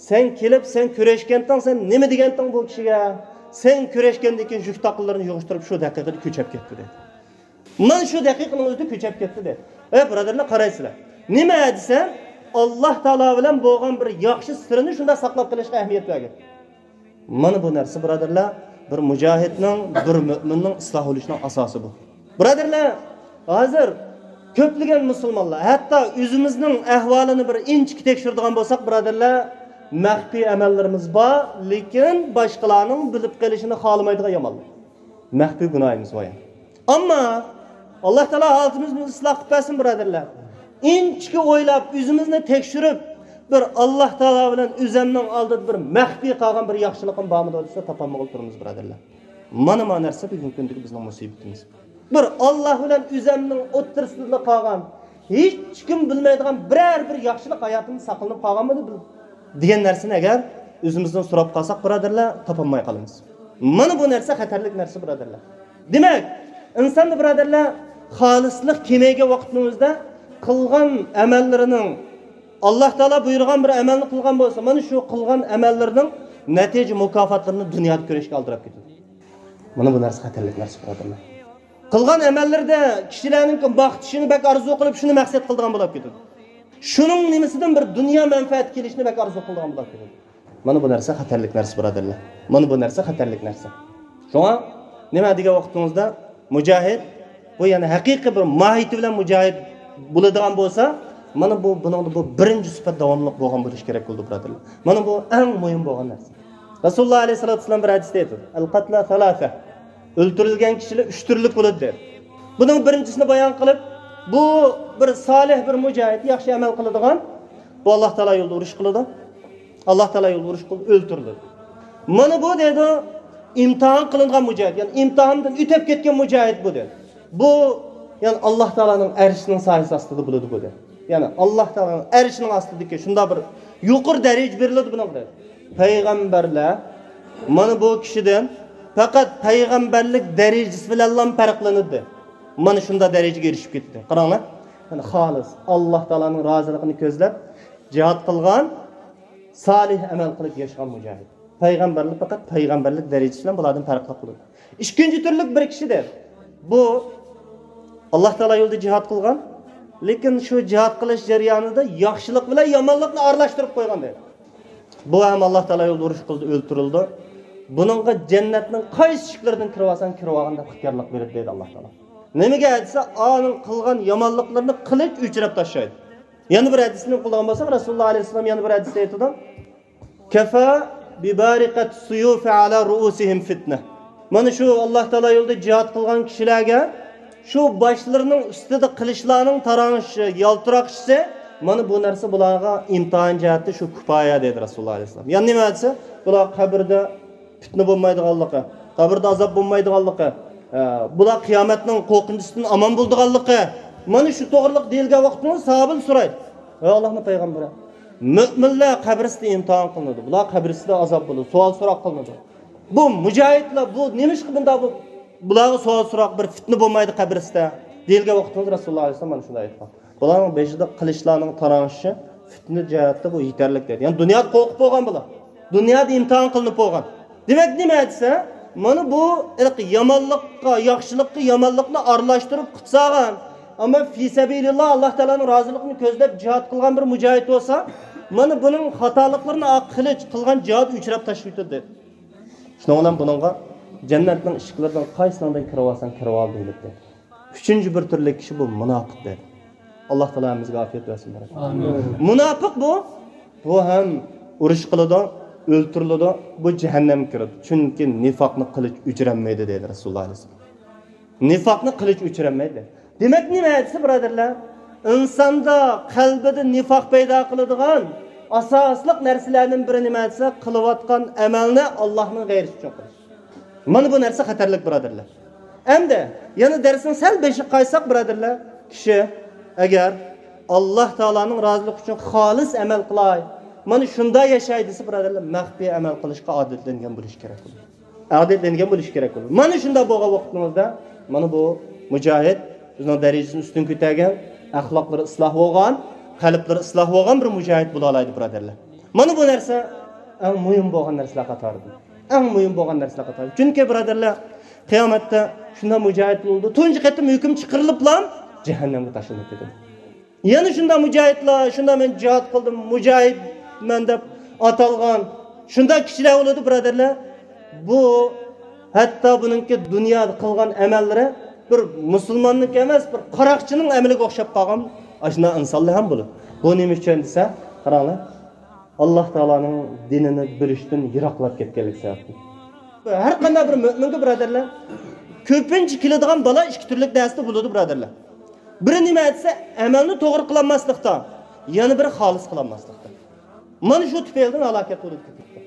سەن كېلىپ، سەن كۆرۈشكەنتىڭ، سەن نېمە دېگەنتىڭ بۇ كىشىگە؟ سەن كۆرۈشكەندىن كېيىن يۈك تاقىلىرىنى يىغىشتۇرۇپ، شۇ دەقىقىدە كۆچۈپ كەتتى، دېدى. مانا شۇ دەقىقىنىڭ ئۆزىدە كۆچۈپ كەتتى، دېدى. ئەي بۇرادەرلەر، قارايسىلەر. نېمە دېسەم، ئاللاھ تائالا بىلەن بولغان بىر ياخشى سىرنى شۇنداق ساقلاپ قېلىشقا ئەھمىيەت بەرگەن. مانا بۇ نەرسە، بۇرادەرلەر، بىر مۇجاھىدنىڭ، بىر مۆمىننىڭ ئىسلاھ بولۇشىنىڭ ئاساسى بۇ. بۇرادەرلەر، ھازىر كۆپلىگەن مۇسۇلمانلار، ھەتتا ئۆزىمىزنىڭ ئەھۋالىنى بىر ئىنچىكە تەكشۈرىدىغان بولساق، بۇرادەرلەر، مەخپىي ئەمەللىرىمىز بار، لېكىن باشقىلارنىڭ بىلىپ قېلىشىنى خالىمايدىغان يامانلىق. مەخپىي گۇناھىمىز بار يەنە. ئەمما ئاللاھ تائالا ھالىتىمىزنى ئىسلاھ قىلىپ بەرسۇن، بۇرادەرلەر. ئىنچىكە ئويلاپ، ئۆزىمىزنى تەكشۈرۈپ، بىر ئاللاھ تائالا بىلەن ئۆزەمنىڭ ئالدىدا بىر مەخپىي قالغان بىر ياخشىلىقىم بارمىدۇ دېسە، تاپالمىغىلى تۇرىمىز، بۇرادەرلەر. مانا، مانا نەرسە بۈگۈنكى كۈندىكى بىزنىڭ مۇسىبىتىمىز. بىر ئاللاھ بىلەن ئۆزەمنىڭ ئوتتۇرىسىدا قالغان، ھېچكىم بىلمەيدىغان بىرەر بىر ياخشىلىق ھاياتىمدا ساقلىنىپ قالغانمىدى بىل-، دېگەن نەرسىنى ئەگەر ئۆزىمىزدىن سوراپ قالساق، بۇرادەرلەر، تاپالماي قالىمىز. مانا بۇ نەرسە خەتەرلىك نەرسە، بۇرادەرلەر. دېمەك، ئىنساندا، بۇرادەرلەر، خالىسلىق كېمەيگەن ۋاقىتنىڭ ئۆزىدە قىلغان ئەمەللىرىنىڭ ئاللاھ تائالا بۇيرۇغان بىر ئەمەلنى قىلغان بولسا، مانا شۇ قىلغان ئەمەللىرىنىڭ نەتىجە مۇكاپاتلىرىنى دۇنيادا كۆرۈشكە ئالدىراپ كېتىدۇ. مانا بۇ نەرسە خەتەرلىك نەرسە، بۇرادەرلەر. قىلغان ئەمەللىرىدە كىشىلەرنىڭ ماختىشىنى بەك ئارزۇ قىلىپ، شۇنى مەقسەت قىلىدىغان بولۇپ كېتىدۇ. شۇنىڭ نېمىسىدىن بىر دۇنيا مەنپەئەت كېلىشىنى بەك ئارزۇ قىلىدىغان بولۇپ كېتىدۇ. مانا بۇ نەرسە خەتەرلىك نەرسە، بۇرادەرلەر. مانا بۇ نەرسە خەتەرلىك نەرسە. شۇڭا نېمە دېگەن ۋاقتىڭىزدا مۇجاھىد، بۇ يەنى ھەقىقىي بىر ماھىيىتى بىلەن مۇجاھىد بولىدىغان بولسا، مانا بۇ، بۇنىڭدا بۇ بىرىنچى سۈپەت داۋاملىق بولغان بولۇشى كېرەك بولىدۇ، بۇرادەرلەر. مانا بۇ ئەڭ مۇھىم بولغان نەرسە. رەسۇلۇللا ئەلەيھىسسالاتۇ ۋەسسالام بىر ھەدىستە ئېيتىدۇ، «ئەل قەتلا سالاتا.» ئۆلتۈرۈلگەن كىشىلەر ئۈچ تۈرلۈك بولىدۇ، دېدى. بۇنىڭ بىرىنچىسىنى بايان قىلىپ، بۇ بىر سالىھ، بىر مۇجاھىد، ياخشى ئەمەل قىلىدىغان، بۇ ئاللاھ تائالا يولىدا ئۇرۇش قىلىدۇ. ئاللاھ تائالا يولىدا ئۇرۇش قىلىدۇ، ئۆلتۈرۈلىدۇ. مانا بۇ، دەيدۇ، ئىمتىھان قىلىنغان مۇجاھىد، يەنى ئىمتىھاندىن ئۆتۈپ كەتكەن مۇجاھىد بۇ، دەيدۇ. بۇ، يەنى ئاللاھ تائالانىڭ ئەرشىنىڭ سايىسى ئاستىدا بولىدۇ بۇ، دەيدۇ. يەنى ئاللاھ تائالانىڭ ئەرشىنىڭ ئاستىدىكى شۇنداق بىر يۇقىرى دەرىجە بېرىلىدۇ بۇنىڭغا، دەيدۇ. پەيغەمبەرلەر مانا بۇ كىشىدىن پەقەت پەيغەمبەرلىك دەرىجىسى بىلەنلا پەرقلىنىدۇ. مانا شۇنداق دەرىجىگە ئېرىشىپ كېتىدۇ. قاراڭلار، يەنى خالىس ئاللاھ تائالانىڭ رازىلىقىنى كۆزلەپ جىھاد قىلغان، سالىھ ئەمەل قىلىپ ياشىغان مۇجاھىد. پەيغەمبەرلىك پەقەت پەيغەمبەرلىك دەرىجىسى بىلەن بۇلاردىن پەرقلىق بولىدۇ. ئىككىنچى تۈرلۈك بىر كىشىدە، بۇ ئاللاھ تائالا يولىدا جىھاد قىلغان، لېكىن شۇ جىھاد قىلىش جەريانىدا ياخشىلىق بىلەن يامانلىقنى ئارىلاشتۇرۇپ قويغان، دەيدۇ. بۇ ھەم ئاللاھ تائالا يولىدا ئۇرۇش قىلدى، ئۆلتۈرۈلدى. بۇنىڭغا جەننەتنىڭ قايسى ئىشىكلىرىدىن كىرىۋالساڭ كىرىۋالغان دەپ ئىختىيارلىق بېرىدۇ، دەيدۇ ئاللاھ تائالا. نېمىگە دېسە، ئانىڭ قىلغان يامانلىقلىرىنى قىلىچ ئۆچۈرۈپ تاشلايدۇ. يەنە بىر ھەدىسنى قىلىدىغان بولساق، رەسۇلۇللا ئەلەيھىسسالام يەنە بىر ھەدىستە ئېيتىدۇ، «كەفا بىبارىقەتى سۇيۇفى ئالا رۇئۇسىھىم فىتنە.» مانا شۇ ئاللاھ تائالا يولىدا جىھاد قىلغان كىشىلەرگە شۇ باشلىرىنىڭ ئۈستىدە قىلىچلارنىڭ تاراڭشىشى، يالتىراقشىسى مانا بۇ نەرسە بۇلارغا ئىمتىھان جەھەتتە شۇ كۇپايە دەيدۇ رەسۇلۇللا ئەلەيھىسسالام. يەنە نېمە دېسە، بۇلار قەبرىدە پىتنە بولمايدىغانلىقى، قەبرىدە ئازاب بولمايدىغانلىقى، ئە، بۇلار قىيامەتنىڭ قورقۇنچىسىدىن ئامان بولىدىغانلىقى، مانا شۇ توغرىلىق دېيىلگەن ۋاقىتتا ساھابىلەر سورايدۇ: ئەي ئاللاھنىڭ پەيغەمبىرى، مۆمىنلەر قەبرىسىدە ئىمتىھان قىلىنىدۇ، بۇلار قەبرىسىدە ئازاب بولىدۇ، سوئال سوراق قىلىنىدۇ. بۇ مۇجاھىدلار، بۇ نېمىشقا بۇنداق بۇ، بۇلارغا سوئال سوراق، بىر پىتنە بولمايدۇ قەبرىسىدە دېيىلگەن ۋاقتىمىزدا رەسۇلۇللا ئەلەيھىسسالام مانا شۇنداق ئېيتقان. بۇلارنىڭ بېشىدا قىلىچلارنىڭ تاراڭشىشى پىتنە جەھەتتە بۇ يېتەرلىك دەيدۇ. يەنى دۇنيادا قورقۇپ بولغان بۇلار. دۇنيادا ئىمتىھان قىلىنىپ بولغان. دېمەك، نېمە دېسە، مانا بۇ ھېلىقى يامانلىققا، ياخشىلىققا يامانلىقنى ئارىلاشتۇرۇپ قۇتسالغان، ئەمما فى سەبىلىللا، ئاللا تائالانىڭ رازىلىقىنى كۆزلەپ جىھاد قىلغان بىر مۇجاھىد بولسا، مانا بۇنىڭ خاتالىقلىرىنى ئاق قىلىچ قىلغان جىھاد ئۆچرەپ تاشلىۋېتىلدى. شۇنىڭ بىلەن بۇنىڭغا جەننەتنىڭ ئىشىكلىرىدىن قايسىڭدىن كىرىۋالساڭ كىرىۋال دېيىلىپتۇ. ئۈچىنچى بىر تۈرلۈك كىشى بۇ مۇناپىق دېدى. ئاللا تائالا ھەممىمىزگە ئاپىيەت بەرسۇن، بەرەكەت. ئامىن. مۇناپىق بۇ، بۇ ھەم ئۇرۇش قىلىدۇ، ئۆلتۈرۈلىدۇ، بۇ جەھەننەمگە كىرىدۇ. چۈنكى نىفاقنى قىلىچ ئۆچۈرەلمەيدۇ دېدى رەسۇلۇللا ئەلەيھىسسالام. نىفاقنى قىلىچ ئۆچۈرەلمەيدۇ. دېمەك، نېمە دېسە، بۇرادەرلەر، ئىنساندا، قەلبىدە نىفاق پەيدا قىلىدىغان ئاساسلىق نەرسىلەرنىڭ بىرى نېمە دېسە، قىلىۋاتقان ئەمەلنى ئاللانىڭ غەيرىسى ئۈچۈن قىلىش. مانا بۇ نەرسە خەتەرلىك، بۇرادەرلەر. ئەمدى يەنە دەرسنىڭ سەل بېشىغا قايتساق، بۇرادەرلەر، كىشى ئەگەر ئاللا تائالانىڭ رازىلىقى ئۈچۈن خالىس ئەمەل قىلاي، مانا شۇنداق ياشاي دېسە، بۇرادەرلەر، مەخپىي ئەمەل قىلىشقا ئادەتلەنگەن بولۇش كېرەك بولىدۇ. ئادەتلەنگەن بولۇش كېرەك بولىدۇ. مانا شۇنداق بولغان ۋاقتىمىزدا مانا بۇ مۇجاھىد ئۆزىنىڭ دەرىجىسىنى ئۈستۈن كۆتەرگەن، ئەخلاقلىرى ئىسلاھ بولغان، قەلبلىرى ئىسلاھ بولغان بىر مۇجاھىد بولالايدۇ، بۇرادەرلەر. مانا بۇ نەرسە ئەڭ مۇھىم بولغان نەرسىلەر قاتارىدىن. ئەڭ مۇھىم بولغان نەرسىلەر قاتارىدىن. چۈنكى، بۇرادەرلەر، قىيامەتتە شۇنداق مۇجاھىد بولىدۇ، تۇنجى قېتىم ھۆكۈم چىقىرىلىپلا جەھەننەمگە تاشلىنىپ كېتىدۇ. يەنە شۇنداق مۇجاھىدلار، شۇنداق مەن جىھاد قىلدىم، مۇجاھىدمەن دەپ ئاتالغان شۇنداق كىشىلەر بولىدۇ، بۇرادەرلەر. بۇ ھەتتا بۇنىڭكى دۇنيادا قىلغان ئەمەللىرى بىر مۇسۇلماننىڭكى ئەمەس، بىر قاراقچىنىڭ ئەمىلىگە ئوخشاپ قالغان ئاشۇنداق ئىنسانلار ھەم بولىدۇ. بۇ نېمە ئۈچۈن دېسە، قاراڭلار، ئاللا تائالانىڭ دىنىنى بىلىشتىن يىراقلاپ كەتكەنلىكى سەۋەبتىن. ھەر قانداق بىر مۆمىنگە، بۇرادەرلەر، كۆپىنچە كېلىدىغان بالا ئىككى تۈرلۈك نەرسىدە بولىدۇ، بۇرادەرلەر. بىرى نېمە دېسە، ئەمەلنى توغرا قىلالماسلىقتا، يەنە بىرى خالىس قىلالماسلىقتا. مانا شۇ تۈپەيلىدىن ھالاكەت بولىدۇ كۆپىنچە.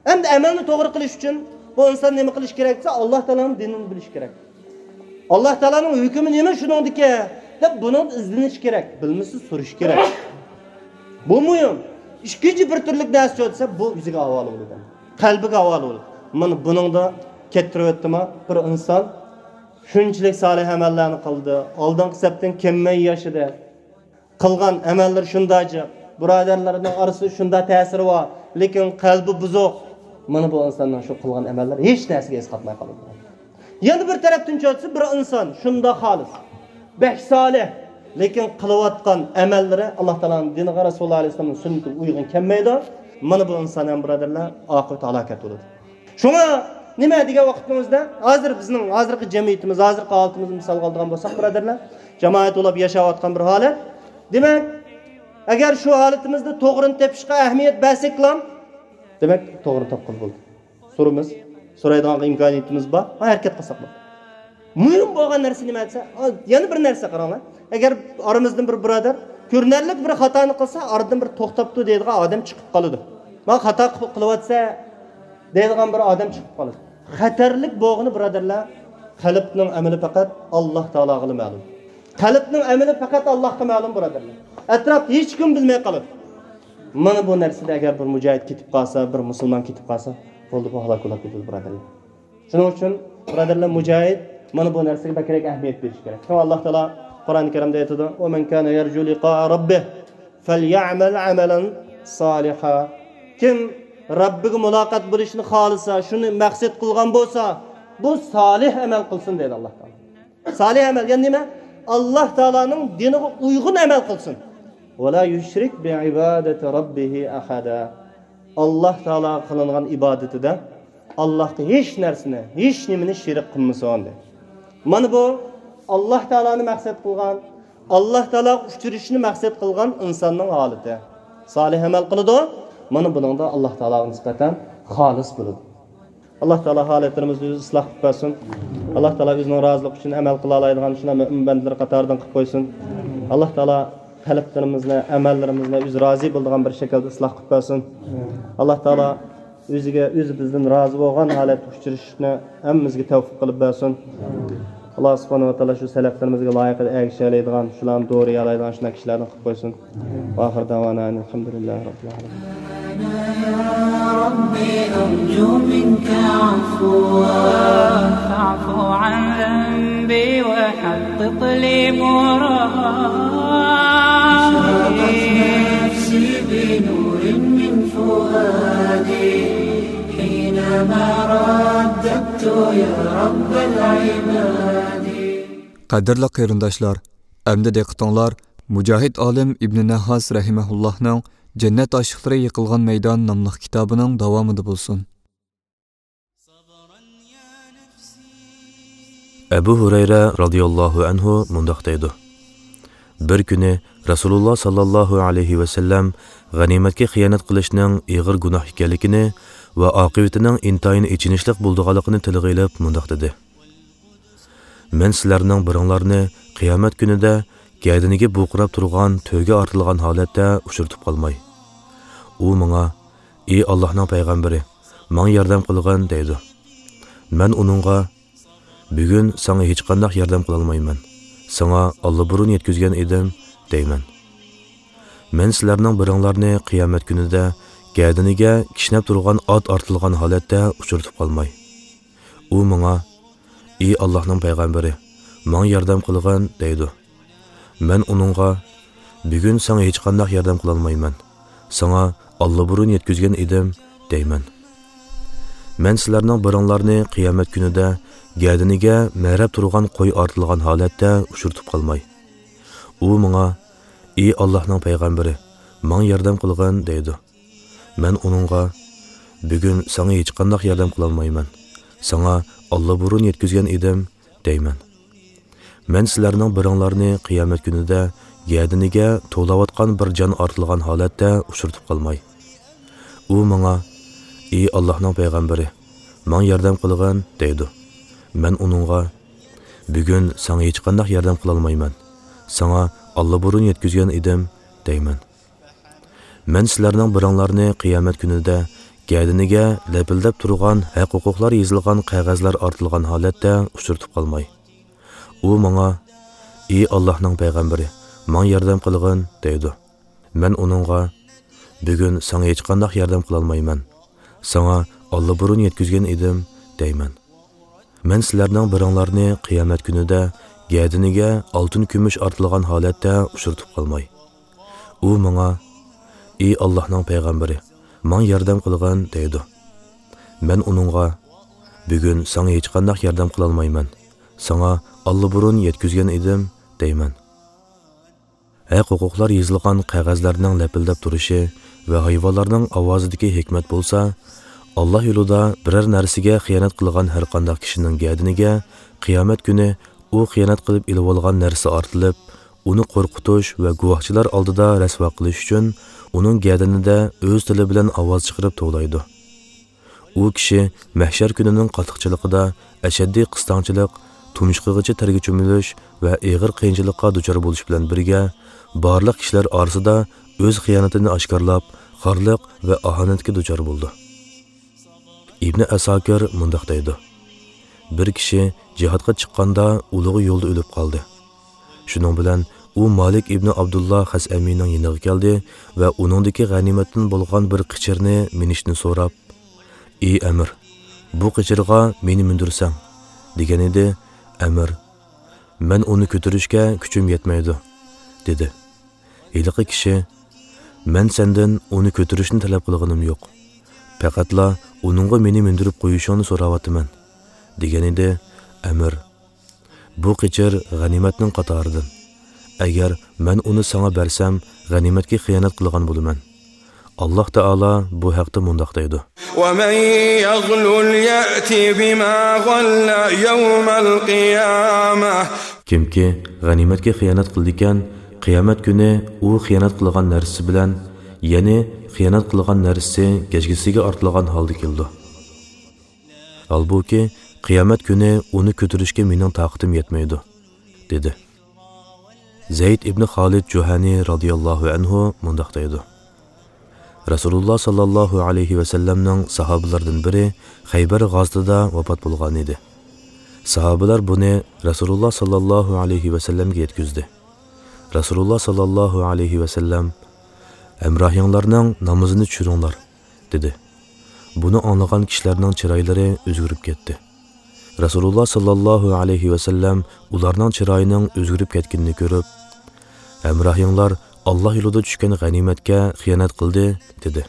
ئەمدى ئەمەلنى توغرا قىلىش ئۈچۈن بۇ ئىنسان نېمە قىلىشى كېرەك دېسە، ئاللا تائالانىڭ دىنىنى بىلىشى كېرەك. ئاللا تائالانىڭ ھۆكمى نېمە شۇنىڭدىكى دەپ بۇنىڭدا ئىزدىنىش كېرەك. بىلمىسە سورىشى كېرەك. بۇ مۇھىم. ئىككىنچى بىر تۈرلۈك نەرسە دېسە، بۇ ئۆزىگە ھاۋالە بولىدۇ. قەلبىگە ھاۋالە بولىدۇ. مانا بۇنىڭدا كەتتۈرۈۋەتتىما بىر ئىنسان شۇنچىلىك سالىھ ئەمەللەرنى قىلدى، ئالدىنقى سەپتىن كەممەي ياشىدى. قىلغان ئەمەللىرى شۇنداق جىق، بۇرادەرلىرىنىڭ ئارىسىدا شۇنداق تەسىرى بار، لېكىن قەلبى بۇزۇق. مانا بۇ ئىنساننىڭ شۇ قىلغان ئەمەللىرى ھېچ نەرسىگە ئەسقاتماي قالىدۇ. يەنە بىر تەرەپتىن چۆتسە، بىر ئىنسان شۇنداق خالىس، بەك سالىھ، لېكىن قىلىۋاتقان ئەمەللىرى ئاللا تائالانىڭ دىنىغا، رەسۇلۇللا ئەلەيھىسسالامنىڭ سۈننىتىگە ئۇيغۇن كەلمەيدۇ. مانا بۇ ئىنسان ھەم، بۇرادەرلەر، ئاقىۋىتى ھالاكەت بولىدۇ. شۇڭا نېمە دېگەن ۋاقتىمىزدا، ھازىر بىزنىڭ ھازىرقى جەمئىيىتىمىز، ھازىرقى ھالىتىمىزنى مىسالغا ئالىدىغان بولساق، بۇرادەرلەر، جامائەت بولۇپ ياشاۋاتقان بىر ھالەت. دېمەك، ئەگەر شۇ ھالىتىمىزدە توغرىنى تېپىشقا ئەھمىيەت بەرسەكلا، دېمەك، توغرىنى تاپقىلى بولدى. سورىمىز، سورايدىغان ئىمكانىيىتىمىز بار، ھەرىكەت قىلساق بولدى. مۇھىم بولغان نەرسە نېمە دېسە، يەنە بىر نەرسە قاراڭلار. ئەگەر ئارىمىزدىن بىر بۇرادەر كۆرۈنەرلىك بىر خاتانى قىلسا، ئارىدىن بىر توختاپتۇ دەيدىغان ئادەم چىقىپ قالىدۇ. مانا خاتا قىلىپ قىلىۋاتسا دەيدىغان بىر ئادەم چىقىپ قالىدۇ. خەتەرلىك بولغىنى، بۇرادەرلەر، قەلبنىڭ ئەمىلى پەقەت ئاللا تائالاغىلا مەلۇم. قەلبنىڭ ئەمىلى پەقەت ئاللاغا مەلۇم، بۇرادەرلەر. ئەتراپتا ھېچكىم بىلمەي قالىدۇ. مانا بۇ نەرسىدە ئەگەر بىر مۇجاھىد كېتىپ قالسا، بىر مۇسۇلمان كېتىپ قالسا، بولدى، بۇ ھالاك بولاپ كېتىدۇ، بۇرادەرلەر. شۇنىڭ ئۈچۈن، بۇرادەرلەر، مۇجاھىد مانا بۇ نەرسىگە بەكرەك ئەھمىيەت بېرىشى كېرەك. شۇڭا ئاللا تائالا قۇرئان كەرىمدە ئېيتىدۇ: «ومن كان يرجو لقاء ربه فليعمل عملا صالحا.» كىم رەببىگە مۇلاقات بولۇشنى خالىسا، شۇنى مەقسەت قىلغان بولسا، بۇ سالىھ ئەمەل قىلسۇن دەيدۇ ئاللا تائالا. سالىھ ئەمەل، يەنى نېمە؟ ئاللا تائالانىڭ دىنىغا ئۇيغۇن ئەمەل قىلسۇن. «ولا يشرك بعبادة ربه أحدا.» ئاللا تائالاغا قىلىنغان ئىبادىتىدە ئاللاغا ھېچ نەرسىنى، ھېچ نېمىنى شېرىك قىلمىسۇن، دەيدۇ. مانا بۇ ئاللا تائالانى مەقسەت قىلغان، ئاللا تائالاغا ئۇچرىشىشنى مەقسەت قىلغان ئىنساننىڭ ھالىتى. سالىھ ئەمەل قىلىدۇ، مانا بۇنىڭدا ئاللا تائالاغا نىسبەتەن خالىس بولىدۇ. ئاللا تائالا ھالەتلىرىمىزنى ئۆزى ئىسلاھ قىلىپ بەرسۇن. ئاللا تائالا ئۆزىنىڭ رازىلىقى ئۈچۈن ئەمەل قىلالايدىغان شۇنداق مۆمىن بەندىلىرى قاتارىدىن قىلىپ قويسۇن. ئاللا تائالا قەلبلىرىمىزنى، ئەمەللىرىمىزنى ئۆزى رازى بولىدىغان بىر شەكىلدە ئىسلاھ قىلىپ بەرسۇن. ئاللا تائالا ئۆزىگە، ئۆزى بىزدىن رازى بولغان ھالەتتە ئۇچرىشىشنى ھەممىمىزگە تەۋپىق قىلىپ بەرسۇن. ئاللا سۇبھانەھۇ ۋە تائالا شۇ سەلەفلىرىمىزگە لايىقىدا ئەگىشەلەيدىغان، شۇلارنى دورىيالايدىغان شۇنداق كىشىلەردىن قىلىپ قويسۇن. ۋە ئاخىر دەۋانا ئەنىل ھەمدۇلىللاھى رەببىل ئالەمىن. يا رب أرجو منك عفوا، فاعف عن ذنبي وحقق لي مرادي. أشرقت نفسي بنور من فؤادي حينما رددت يا رب العباد. قەدىرلىك قېرىنداشلار، ئەمدى دىققىتىڭلار مۇجاھىد ئالىم ئىبنى نەھھاس رەھىمەھۇللاھنىڭ جەننەت ئاشىقلىرى يىقىلغان مەيدان ناملىق كىتابىنىڭ داۋامىدا بولسۇن. ئەبۇ ھۇرەيرە رازىياللاھۇ ئەنھۇ مۇنداق دەيدۇ: بىر كۈنى رەسۇلۇللا ساللاللاھۇ ئەلەيھى ۋەسەللەم غەنىيمەتكە خىيانەت قىلىشنىڭ ئېغىر گۇناھ ئىكەنلىكىنى ۋە ئاقىۋىتىنىڭ ئىنتايىن ئېچىنىشلىق بولىدىغانلىقىنى تىلغا ئېلىپ مۇنداق دېدى: مەن سىلەرنىڭ بىرىڭلارنى قىيامەت كۈنىدە گەدىنىگە بۇرقىراپ تۇرغان تۆگە ئارتىلغان ھالەتتە ئۇچرىتىپ قالماي. ئۇ ماڭا: ئى ئاللاھنىڭ پەيغەمبىرى، ماڭا ياردەم قىلغىن، دەيدۇ. مەن ئۇنىڭغا: بۈگۈن ساڭا ھېچقانداق ياردەم قىلالمايمەن، ساڭا ئاللىبۇرۇن يەتكۈزگەن ئىدىم، دەيمەن. مەن سىلەرنىڭ بىرىڭلارنى قىيامەت كۈنىدە گەدىنىگە كىشنەپ تۇرغان ئات ئارتىلغان ھالەتتە ئۇچرىتىپ قالماي. ئۇ ماڭا: ئى ئاللاھنىڭ پەيغەمبىرى، ماڭا ياردەم قىلغىن، دەيدۇ. مەن ئۇنىڭغا: بۈگۈن ساڭا ھېچقانداق ياردەم قىلالمايمەن، ساڭا ئاللىبۇرۇن يەتكۈزگەن ئىدىم، دەيمەن. مەن سىلەرنىڭ بىرىڭلارنى قىيامەت كۈنىدە گەدىنىگە مەرەپ تۇرغان قوي ئارتىلغان ھالەتتە ئۇچرىتىپ قالماي. ئۇ ماڭا: ئى ئاللاھنىڭ پەيغەمبىرى، ماڭا ياردەم قىلغىن، دەيدۇ. مەن ئۇنىڭغا: بۈگۈن ساڭا ھېچقانداق ياردەم قىلالمايمەن، ساڭا ئاللىبۇرۇن يەتكۈزگەن ئىدىم، دەيمەن. مەن سىلەرنىڭ بىرىڭلارنى قىيامەت كۈنىدە گەدىنىگە توۋلاۋاتقان بىر جان ئارتىلغان ھالەتتە ئۇچرىتىپ قالماي. ئۇ ماڭا: ئى ئاللاھنىڭ پەيغەمبىرى، ماڭا ياردەم قىلغىن، دەيدۇ. مەن ئۇنىڭغا: بۈگۈن ساڭا ھېچقانداق ياردەم قىلالمايمەن، ساڭا ئاللىبۇرۇن يەتكۈزگەن ئىدىم، دەيمەن. مەن سىلەرنىڭ بىرىڭلارنى قىيامەت كۈنىدە گەدىنىگە لەپىلدەپ تۇرغان ھەق-ھوقۇقلار يېزىلغان قەغەزلەر ئارتىلغان ھالەتتە ئۇچرىتىپ قالماي. ئۇ ماڭا: ئى ئاللاھنىڭ پەيغەمبىرى، ماڭا ياردەم قىلغىن، دەيدۇ. مەن ئۇنىڭغا: بۈگۈن ساڭا ھېچقانداق ياردەم قىلالمايمەن، ساڭا ئاللىبۇرۇن يەتكۈزگەن ئىدىم، دەيمەن. مەن سىلەرنىڭ بىرىڭلارنى قىيامەت كۈنىدە گەدىنىگە ئالتۇن-كۈمۈش ئارتىلغان ھالەتتە ئۇچرىتىپ قالماي. ئۇ ماڭا: ئى ئاللاھنىڭ پەيغەمبىرى، ماڭا ياردەم قىلغىن، دەيدۇ. مەن ئۇنىڭغا: بۈگۈن ساڭا ھېچقانداق ياردەم قىلالمايمەن، ساڭا ئاللىبۇرۇن يەتكۈزگەن ئىدىم، دەيمەن. ھەق-ھوقۇقلار يېزىلغان قەغەزلەرنىڭ لەپىلدەپ تۇرۇشى ۋە ھايۋانلارنىڭ ئاۋازىدىكى ھېكمەت بولسا، ئاللا يولىدا بىرەر نەرسىگە خىيانەت قىلغان ھەرقانداق كىشىنىڭ گەدىنىگە قىيامەت كۈنى ئۇ خىيانەت قىلىپ ئېلىۋالغان نەرسە ئارتىلىپ، ئۇنى قورقۇتۇش ۋە گۇۋاھچىلار ئالدىدا رەسۋا قىلىش ئۈچۈن ئۇنىڭ گەدىنىدە ئۆز تىلى بىلەن ئاۋاز چىقىرىپ توۋلايدۇ. ئۇ كىشى مەھشەر كۈنىنىڭ قاتتىقچىلىقىدا ئەشەددىي قىستاڭچىلىق، تۇمشۇقىغىچە تەرگە چۆمۈلۈش ۋە ئېغىر قىيىنچىلىققا دۇچار بولۇش بىلەن بىرگە، بارلىق كىشىلەر ئارىسىدا ئۆز خىيانىتىنى ئاشكارىلاپ، خارلىق ۋە ئاھانەتكە دۇچار بولىدۇ. ئىبنى ئەساكىر مۇنداق دەيدۇ: بىر كىشى جىھادقا چىققاندا ئۇلىغا يولدا ئۆلۈپ قالدى. شۇنىڭ بىلەن ئۇ مالىك ئىبنى ئابدۇللا خەسئەمىنىڭ يېنىغا كەلدى ۋە ئۇنىڭدىكى غەنىيمەتتىن بولغان بىر قېچىرنى مىنىشنى سوراپ، ئى ئەمىر، بۇ قېچىرغا مېنى مىندۈرسەڭ، دېگەن ئىدى. ئەمىر، مەن ئۇنى كۆتۈرۈشكە كۈچۈم يەتمەيدۇ، دېدى. ھېلىقى كىشى، مەن سەندىن ئۇنى كۆتۈرۈشنى تەلەپ قىلغىنىم يوق. پەقەتلا ئۇنىڭغا مېنى مىندۈرۈپ قويۇشۇڭنى سوراۋاتىمەن، دېگەن ئىدى. ئەمىر، بۇ قېچىر غەنىيمەتنىڭ قاتارىدىن. ئەگەر مەن ئۇنى ساڭا بەرسەم، غەنىيمەتكە خىيانەت قىلغان بولىمەن. ئاللاھ تائالا بۇ ھەقتە مۇنداق دەيدۇ: ومن يغلل يأت بما غل يوم القيامة. كىمكى غەنىيمەتكە خىيانەت قىلىدىكەن، قىيامەت كۈنى ئۇ خىيانەت قىلغان نەرسىسى بىلەن، يەنى خىيانەت قىلغان نەرسىسى گەجگىسىگە ئارتىلغان ھالدا كېلىدۇ. ھالبۇكى، قىيامەت كۈنى ئۇنى كۆتۈرۈشكە مېنىڭ تاقىتىم يەتمەيدۇ، دېدى. زەيد ئىبنى خالىد جۇھەنى رازىياللاھۇ ئەنھۇ مۇنداق دەيدۇ: رەسۇلۇللا ساللاللاھۇ ئەلەيھى ۋەسەللەمنىڭ ساھابىلىرىدىن بىرى خەيبەر غازىتىدا ۋاپات بولغان ئىدى. ساھابىلەر بۇنى رەسۇلۇللا ساللاللاھۇ ئەلەيھى ۋەسەللەمگە يەتكۈزدى. رەسۇلۇللا ساللاللاھۇ ئەلەيھى ۋەسەللەم: «ھەمراھىڭلارنىڭ نامىزىنى چۈشۈرۈڭلار» دېدى. بۇنى ئاڭلىغان كىشىلەرنىڭ چىرايلىرى ئۆزگىرىپ كەتتى. رەسۇلۇللا ساللاللاھۇ ئەلەيھى ۋەسەللەم ئۇلارنىڭ چىرايىنىڭ ئۆزگىرىپ كەتكىنىنى كۆرۈپ، «ھەمراھىڭلار ئاللا يولىدا چۈشكەن غەنىيمەتكە خىيانەت قىلدى» دېدى.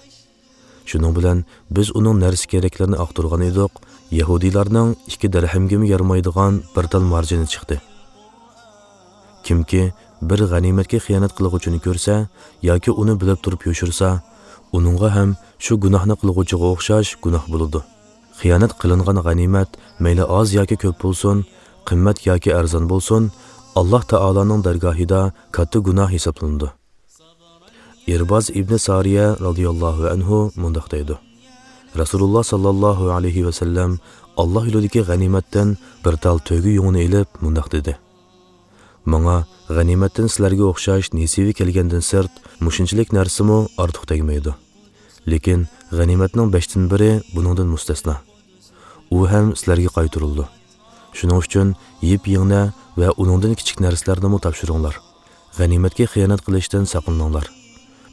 شۇنىڭ بىلەن بىز ئۇنىڭ نەرسە-كېرەكلىرىنى ئاختۇرغان ئىدۇق، يەھۇدىيلارنىڭ ئىككى دىرھەمگىمۇ يارىمايدىغان بىر تال مارجىنى چىقتى. كىمكى بىر غەنىيمەتكە خىيانەت قىلغۇچىنى كۆرسە ياكى ئۇنى بىلىپ تۇرۇپ يوشۇرسا، ئۇنىڭغا ھەم شۇ گۇناھنى قىلغۇچىغا ئوخشاش گۇناھ بولىدۇ. خىيانەت قىلىنغان غەنىيمەت مەيلى ئاز ياكى كۆپ بولسۇن، قىممەت ياكى ئەرزان بولسۇن، ئاللا تائالانىڭ دەرگاھىدا كاتتا گۇناھ ھېسابلىنىدۇ. ئىرباز ئىبنى سارىيە رازىياللاھۇ ئەنھۇ مۇنداق دەيدۇ: رەسۇلۇللا ساللاللاھۇ ئەلەيھى ۋەسەللەم ئاللا يولىدىكى غەنىيمەتتىن بىر تال تۆگە يۇڭىنى ئېلىپ مۇنداق دېدى: «ماڭا غەنىيمەتتىن سىلەرگە ئوخشاش نېسىۋە كەلگەندىن سىرت مۇشۇنچىلىك نەرسىمۇ ئارتۇق تەگمەيدۇ. لېكىن غەنىيمەتنىڭ بەشتىن بىرى بۇنىڭدىن مۇستەسنا. ئۇ ھەم سىلەرگە قايتۇرۇلىدۇ. شۇنىڭ ئۈچۈن يىپ-يىڭنە ۋە ئۇنىڭدىن كىچىك نەرسىلەرنىمۇ تاپشۇرۇڭلار. غەنىيمەتكە خىيانەت قىلىشتىن ساقلىنىڭلار.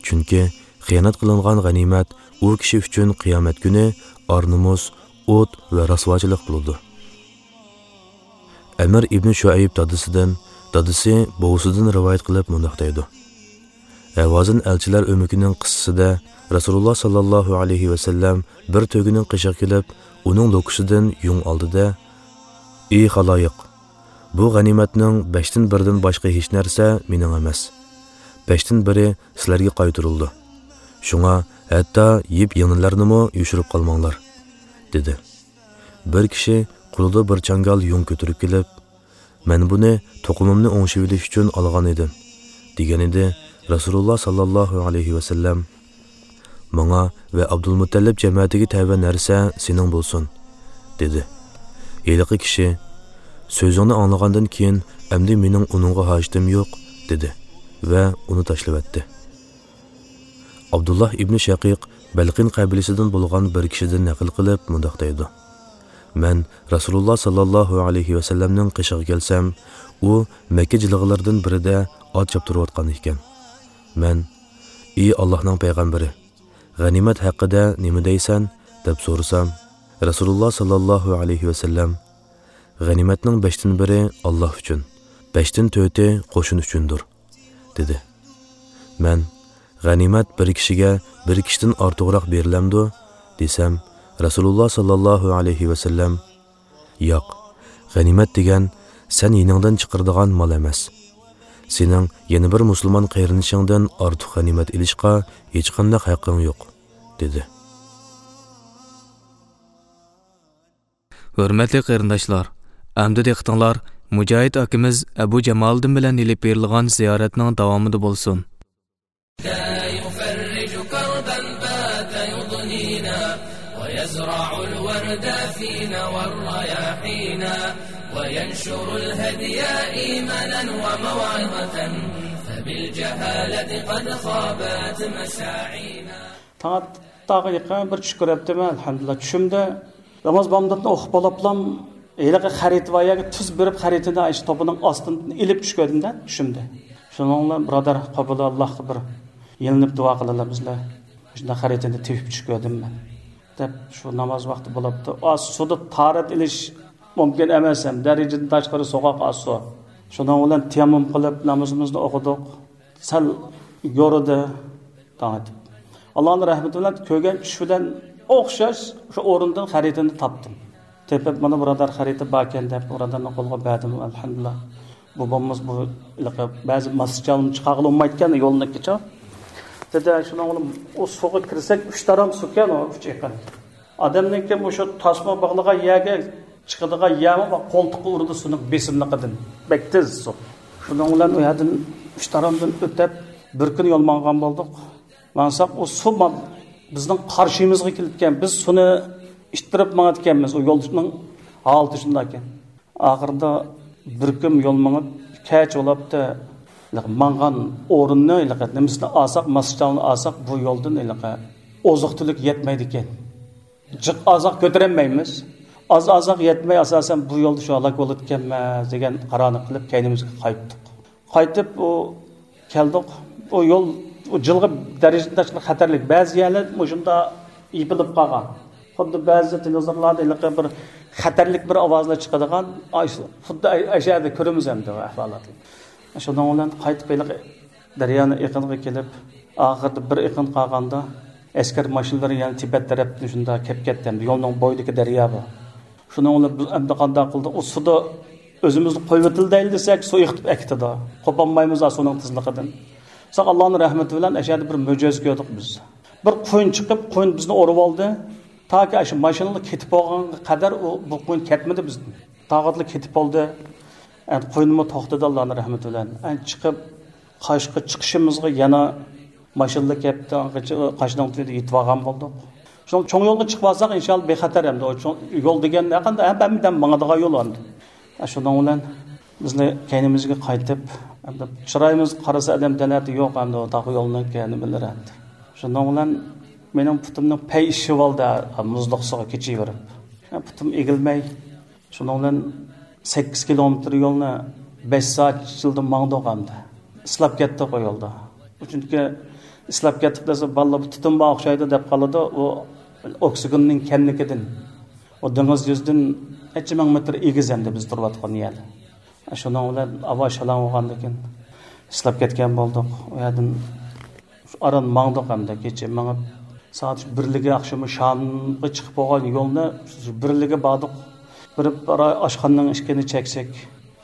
چۈنكى خىيانەت قىلىنغان غەنىيمەت ئۇ كىشى ئۈچۈن قىيامەت كۈنى ئار-نومۇس، ئوت ۋە رەسۋاچىلىق بولىدۇ.» ئەمىر ئىبنى شۇئەيب دادىسىدىن، دادىسى بوۋىسىدىن رىۋايەت قىلىپ مۇنداق دەيدۇ: ھەۋازىن ئەلچىلەر ئۆمىكىنىڭ قىسسىسىدە رەسۇلۇللا ساللاللاھۇ ئەلەيھى ۋەسەللەم بىر تۆگىنىڭ قېشىغا كېلىپ، ئۇنىڭ لوكىسىدىن يۇڭ ئالدى-دە، «ئى خالايىق، بۇ غەنىيمەتنىڭ بەشتىن بىرىدىن باشقا ھېچ نەرسە مېنىڭ ئەمەس. بەشتىن بىرى سىلەرگە قايتۇرۇلىدۇ. شۇڭا ھەتتا يىپ-يىڭنىلەرنىمۇ يوشۇرۇپ قالماڭلار» دېدى. بىر كىشى قولىدا بىر چاڭگال يۇڭ كۆتۈرۈپ كېلىپ، «مەن بۇنى توقۇمۇمنى ئوڭشىۋېلىش ئۈچۈن ئالغان ئىدىم» دېگەنىدى. رەسۇلۇللا ساللاللاھۇ ئەلەيھى ۋەسەللەم: «ماڭا ۋە ئابدۇلمۇتەللىپ جەمەتىگە تەۋە نەرسە سېنىڭ بولسۇن» دېدى. ھېلىقى كىشى: «سۆزۈڭنى ئاڭلىغاندىن كېيىن ئەمدى مېنىڭ ئۇنىڭغا ھاجىتىم يوق» دېدى ۋە ئۇنى تاشلىۋەتتى. ئابدۇللاھ ئىبنى شەقىق بەلقىن قەبىلىسىدىن بولغان بىر كىشىدىن نەقىل قىلىپ مۇنداق دەيدۇ: مەن رەسۇلۇللا ساللاللاھۇ ئەلەيھى ۋەسەللەمنىڭ قېشىغا كەلسەم، ئۇ مەككە جىلغىلىرىدىن بىرىدە ئات چاپتۇرۇۋاتقان ئىكەن. مەن: «ئى ئاللاھنىڭ پەيغەمبىرى، غەنىيمەت ھەققىدە نېمە دەيسەن؟» دەپ سورىسام، رەسۇلۇللا ساللاللاھۇ ئەلەيھى ۋەسەللەم: «غەنىيمەتنىڭ بەشتىن بىرى ئاللاھ ئۈچۈن، بەشتىن تۆتى قوشۇن ئۈچۈندۇر» دېدى. مەن: «غەنىيمەت بىر كىشىگە بىر كىشىدىن ئارتۇقراق بېرىلەمدۇ؟» دېسەم، رەسۇلۇللا ساللاللاھۇ ئەلەيھى ۋەسەللەم: «ياق، غەنىيمەت دېگەن سەن يېنىڭدىن چىقىرىدىغان مال ئەمەس. سېنىڭ يەنە بىر مۇسۇلمان قېرىندىشىڭدىن ئارتۇق غەنىيمەت ئېلىشقا ھېچقانداق ھەققىڭ يوق» دېدى. ھۆرمەتلىك قېرىنداشلار، ئەمدى دىققىتىڭلار مۇجاھىد ئاكىمىز ئەبۇ جامالىدىن بىلەن ئېلىپ بېرىلغان زىيارەتنىڭ داۋامىدا بولسۇن. لا يفرج كربا بات يضنينا، ويزرع الورد فينا والرياحينا، وينشر الهدي إيمانا وموعظة، فبالجهالة قد خابت مساعينا. تاڭ ئاتقانغا يېقىن بىر چۈش كۆرۈپتىمەن، ئەلھەمدۇلىللا، چۈشۈمدە. ناماز بامداتنى ئوقۇپ بولۇپلام، ھېلىقى خەرىتە بار يەرگە تۈز بېرىپ، خەرىتىنى ئاشۇ توپىنىڭ ئاستىدىن ئېلىپ چۈش كۆردۈم-دە، چۈشۈمدە. شۇنىڭ بىلەن بۇرادەر قابىلى ئاللاھقا بىر يېلىنىپ دۇئا قىلىلا بىزلەر. شۇنداق خەرىتىنى تېپىپ چۈش كۆردۈم مەن، دەپ شۇ ناماز ۋاقتى بولۇپتۇ. ئا، سۇدا تاھارەت ئېلىش مۇمكىن ئەمەس ھەم، دەرىجىدىن تاشقىرى سوغۇق ئاز سۇ. شۇنىڭ بىلەن تەيەممۇم قىلىپ نامىزىمىزنى ئوقۇدۇق. سەل يورۇدى تاڭ ئېتىپ. ئاللانىڭ رەھمىتى بىلەن كۆرگەن چۈش بىلەن ئوخشاش شۇ ئورۇندىن خەرىتىنى تاپتىم. تېپىپ، مانا بۇرادەر خەرىتە باركەن دەپ، بۇرادەرنىڭ قولىغا بەردىم، ئەلھەمدۇلىللا. بوۋاممىز بۇ ھېلىقى بەزى ماسچالنى چىقارغىلى بولمايدىكەن، يولنىڭكىچە. دېدى، شۇنىڭ بىلەن ئۇ سۇغا كىرسەك، ئۈچ تارام سۇكەن ئۇ، ئۈچ ئېقىن. ئادەمنىڭكى مۇشۇ تاسما باغلىغان يەرگە چىقىدىغان يەرمۇ بار، قولتۇققا ئۇرىدۇ سۇنىڭ بېسىملىقىدىن. بەك تېز سۇ. شۇنىڭ بىلەن ئۇ يەردىن ئۈچ تارامدىن ئۆتۈپ، بىر كۈن يول ماڭغان بولدۇق. ماڭساق، ئۇ سۇ ما-، بىزنىڭ قارشىمىزغا كېلىدىكەن. بىز سۇنى ئىتتىرىپ ماڭىدىكەنمىز. ئۇ يولنىڭ ھالىتى شۇنداق ئىكەن. ئاخىرىدا بىر كۈن يول مېڭىپ، كەچ بولاپتۇ. ماڭغان ئورۇننى، نېمىسىنى ئالساق، ماسچاۋنى ئالساق، بۇ يولدىن ئوزۇق تۈلۈك يەتمەيدىكەن. جىق ئازاق كۆتۈرەلمەيمىز. ئاز ئازاق يەتمەي، ئاساسەن بۇ يولدا شۇ ھالاك بولىدىكەنمەن دېگەن قارارنى قىلىپ، كەينىمىزگە قايتتۇق. قايتىپ، ئۇ كەلدۇق. ئۇ يول، ئۇ جىلغا دەرىجىدە خەتەرلىك. بەزى يەرلەر مۇشۇنداق يېپىلىپ قالغان. خۇددى بەزى تېلېۋىزورلاردا ھېلىقى بىر خەتەرلىك بىر ئاۋازلار چىقىدىغان، ئاي، خۇددى ئەشەدە كۆرىمىز ئەمدى ئۇ ئەھۋالاتنى. شۇنىڭ بىلەن قايتىپ ھېلىقى دەريانىڭ ئېقىنىغا كېلىپ، ئاخىرىدا بىر ئېقىن قالغاندا، ئەسكەر ماشىنىلىرى يەنە تىبەت تەرەپتىن شۇنداق كەپ كەتتى. ئەمدى يولنىڭ بويىدىكى دەريا بۇ. شۇنىڭ بىلەن بىز ئەمدى قانداق قىلدۇق؟ ئۇ سۇدا ئۆزىمىزنى قويۇۋېتىلدەيلى دېسەك، سۇ ئېقىتىپ ئەكېتىدۇ. قوپالمايمىز سۇنىڭ تېزلىكىدىن. بىراق ئاللانىڭ رەھمىتى بىلەن ئەشەدە بىر مۆجىزە كۆردۇق بىز. بىر قۇيۇن چىقىپ، قۇيۇن بىزنى ئورىۋالدى. تاكى ئاشۇ ماشىنىلا كېتىپ بولغانغا قەدەر ئۇ، بۇ قۇيۇن كەتمىدى بىزدىن. تاغۇتلا كېتىپ بولدى. ئەمدى قۇيۇنمۇ توختىدى ئاللانىڭ رەھمىتى بىلەن. ئەمدى چىقىپ، قاشقا چىقىشىمىزغا يەنە ماشىنىلا كەپتۇ، قاشنىڭ تۈۋىدە يېتىۋالغان بولدۇق. شۇڭا چوڭ يولغا چىقىپ ئالساق، ئىنشاللا بىخەتەر ئەمدى. ئۇ چوڭ يول دېگەن ھەققىدە ھەممىدىن ماڭىدىغان يول ئەمدى. شۇنىڭ بىلەن بىزنى كەينىمىزگە قايتىپ، ئەمدى چىرايىمىزغا قارىسا، ئادەم دەلەتى يوق ئەمدى، ئۇ تاغ يولنىڭ نېمىلىرى ئەمدى. شۇنىڭ بىلەن مېنىڭ پۇتۇمنىڭ پەي ئىششىۋالدى، مۇزلۇق سۇغا كېچىۋېرىپ. پۇتۇم ئېگىلمەي، شۇنىڭ بىلەن سەككىز كىلومېتىر يولنى بەش سائەت ئىچىدە ماڭدۇق ئەمدى. ئىسلاپ كەتتۇق ئۇ يولدا. چۈنكى ئىسلاپ كەتتۇق دېسە، بالىلار بۇ تۇتۇن بار ئوخشايدۇ دەپ قالىدۇ. ئۇ ئوكسىگېننىڭ كەملىكىدىن. ئۇ دېڭىز يۈزىدىن نەچچە مىڭ مېتىر ئېگىز ئەمدى بىز تۇرۇۋاتقان يەر. شۇنىڭ بىلەن ھاۋا شالاڭ بولغاندىكىن ئىسلاپ كەتكەن بولدۇق. ئۇ يەردىن ئاران ماڭدۇق ئەمدى، كېچە مېڭىپ، سائەت بىرلىكى ئاخشىمى شامغا چىقىپ بولغان يولنى بىرلىكى باردۇق. بېرىپ ئاشخانىنىڭ ئىشىكىنى چەكسەك،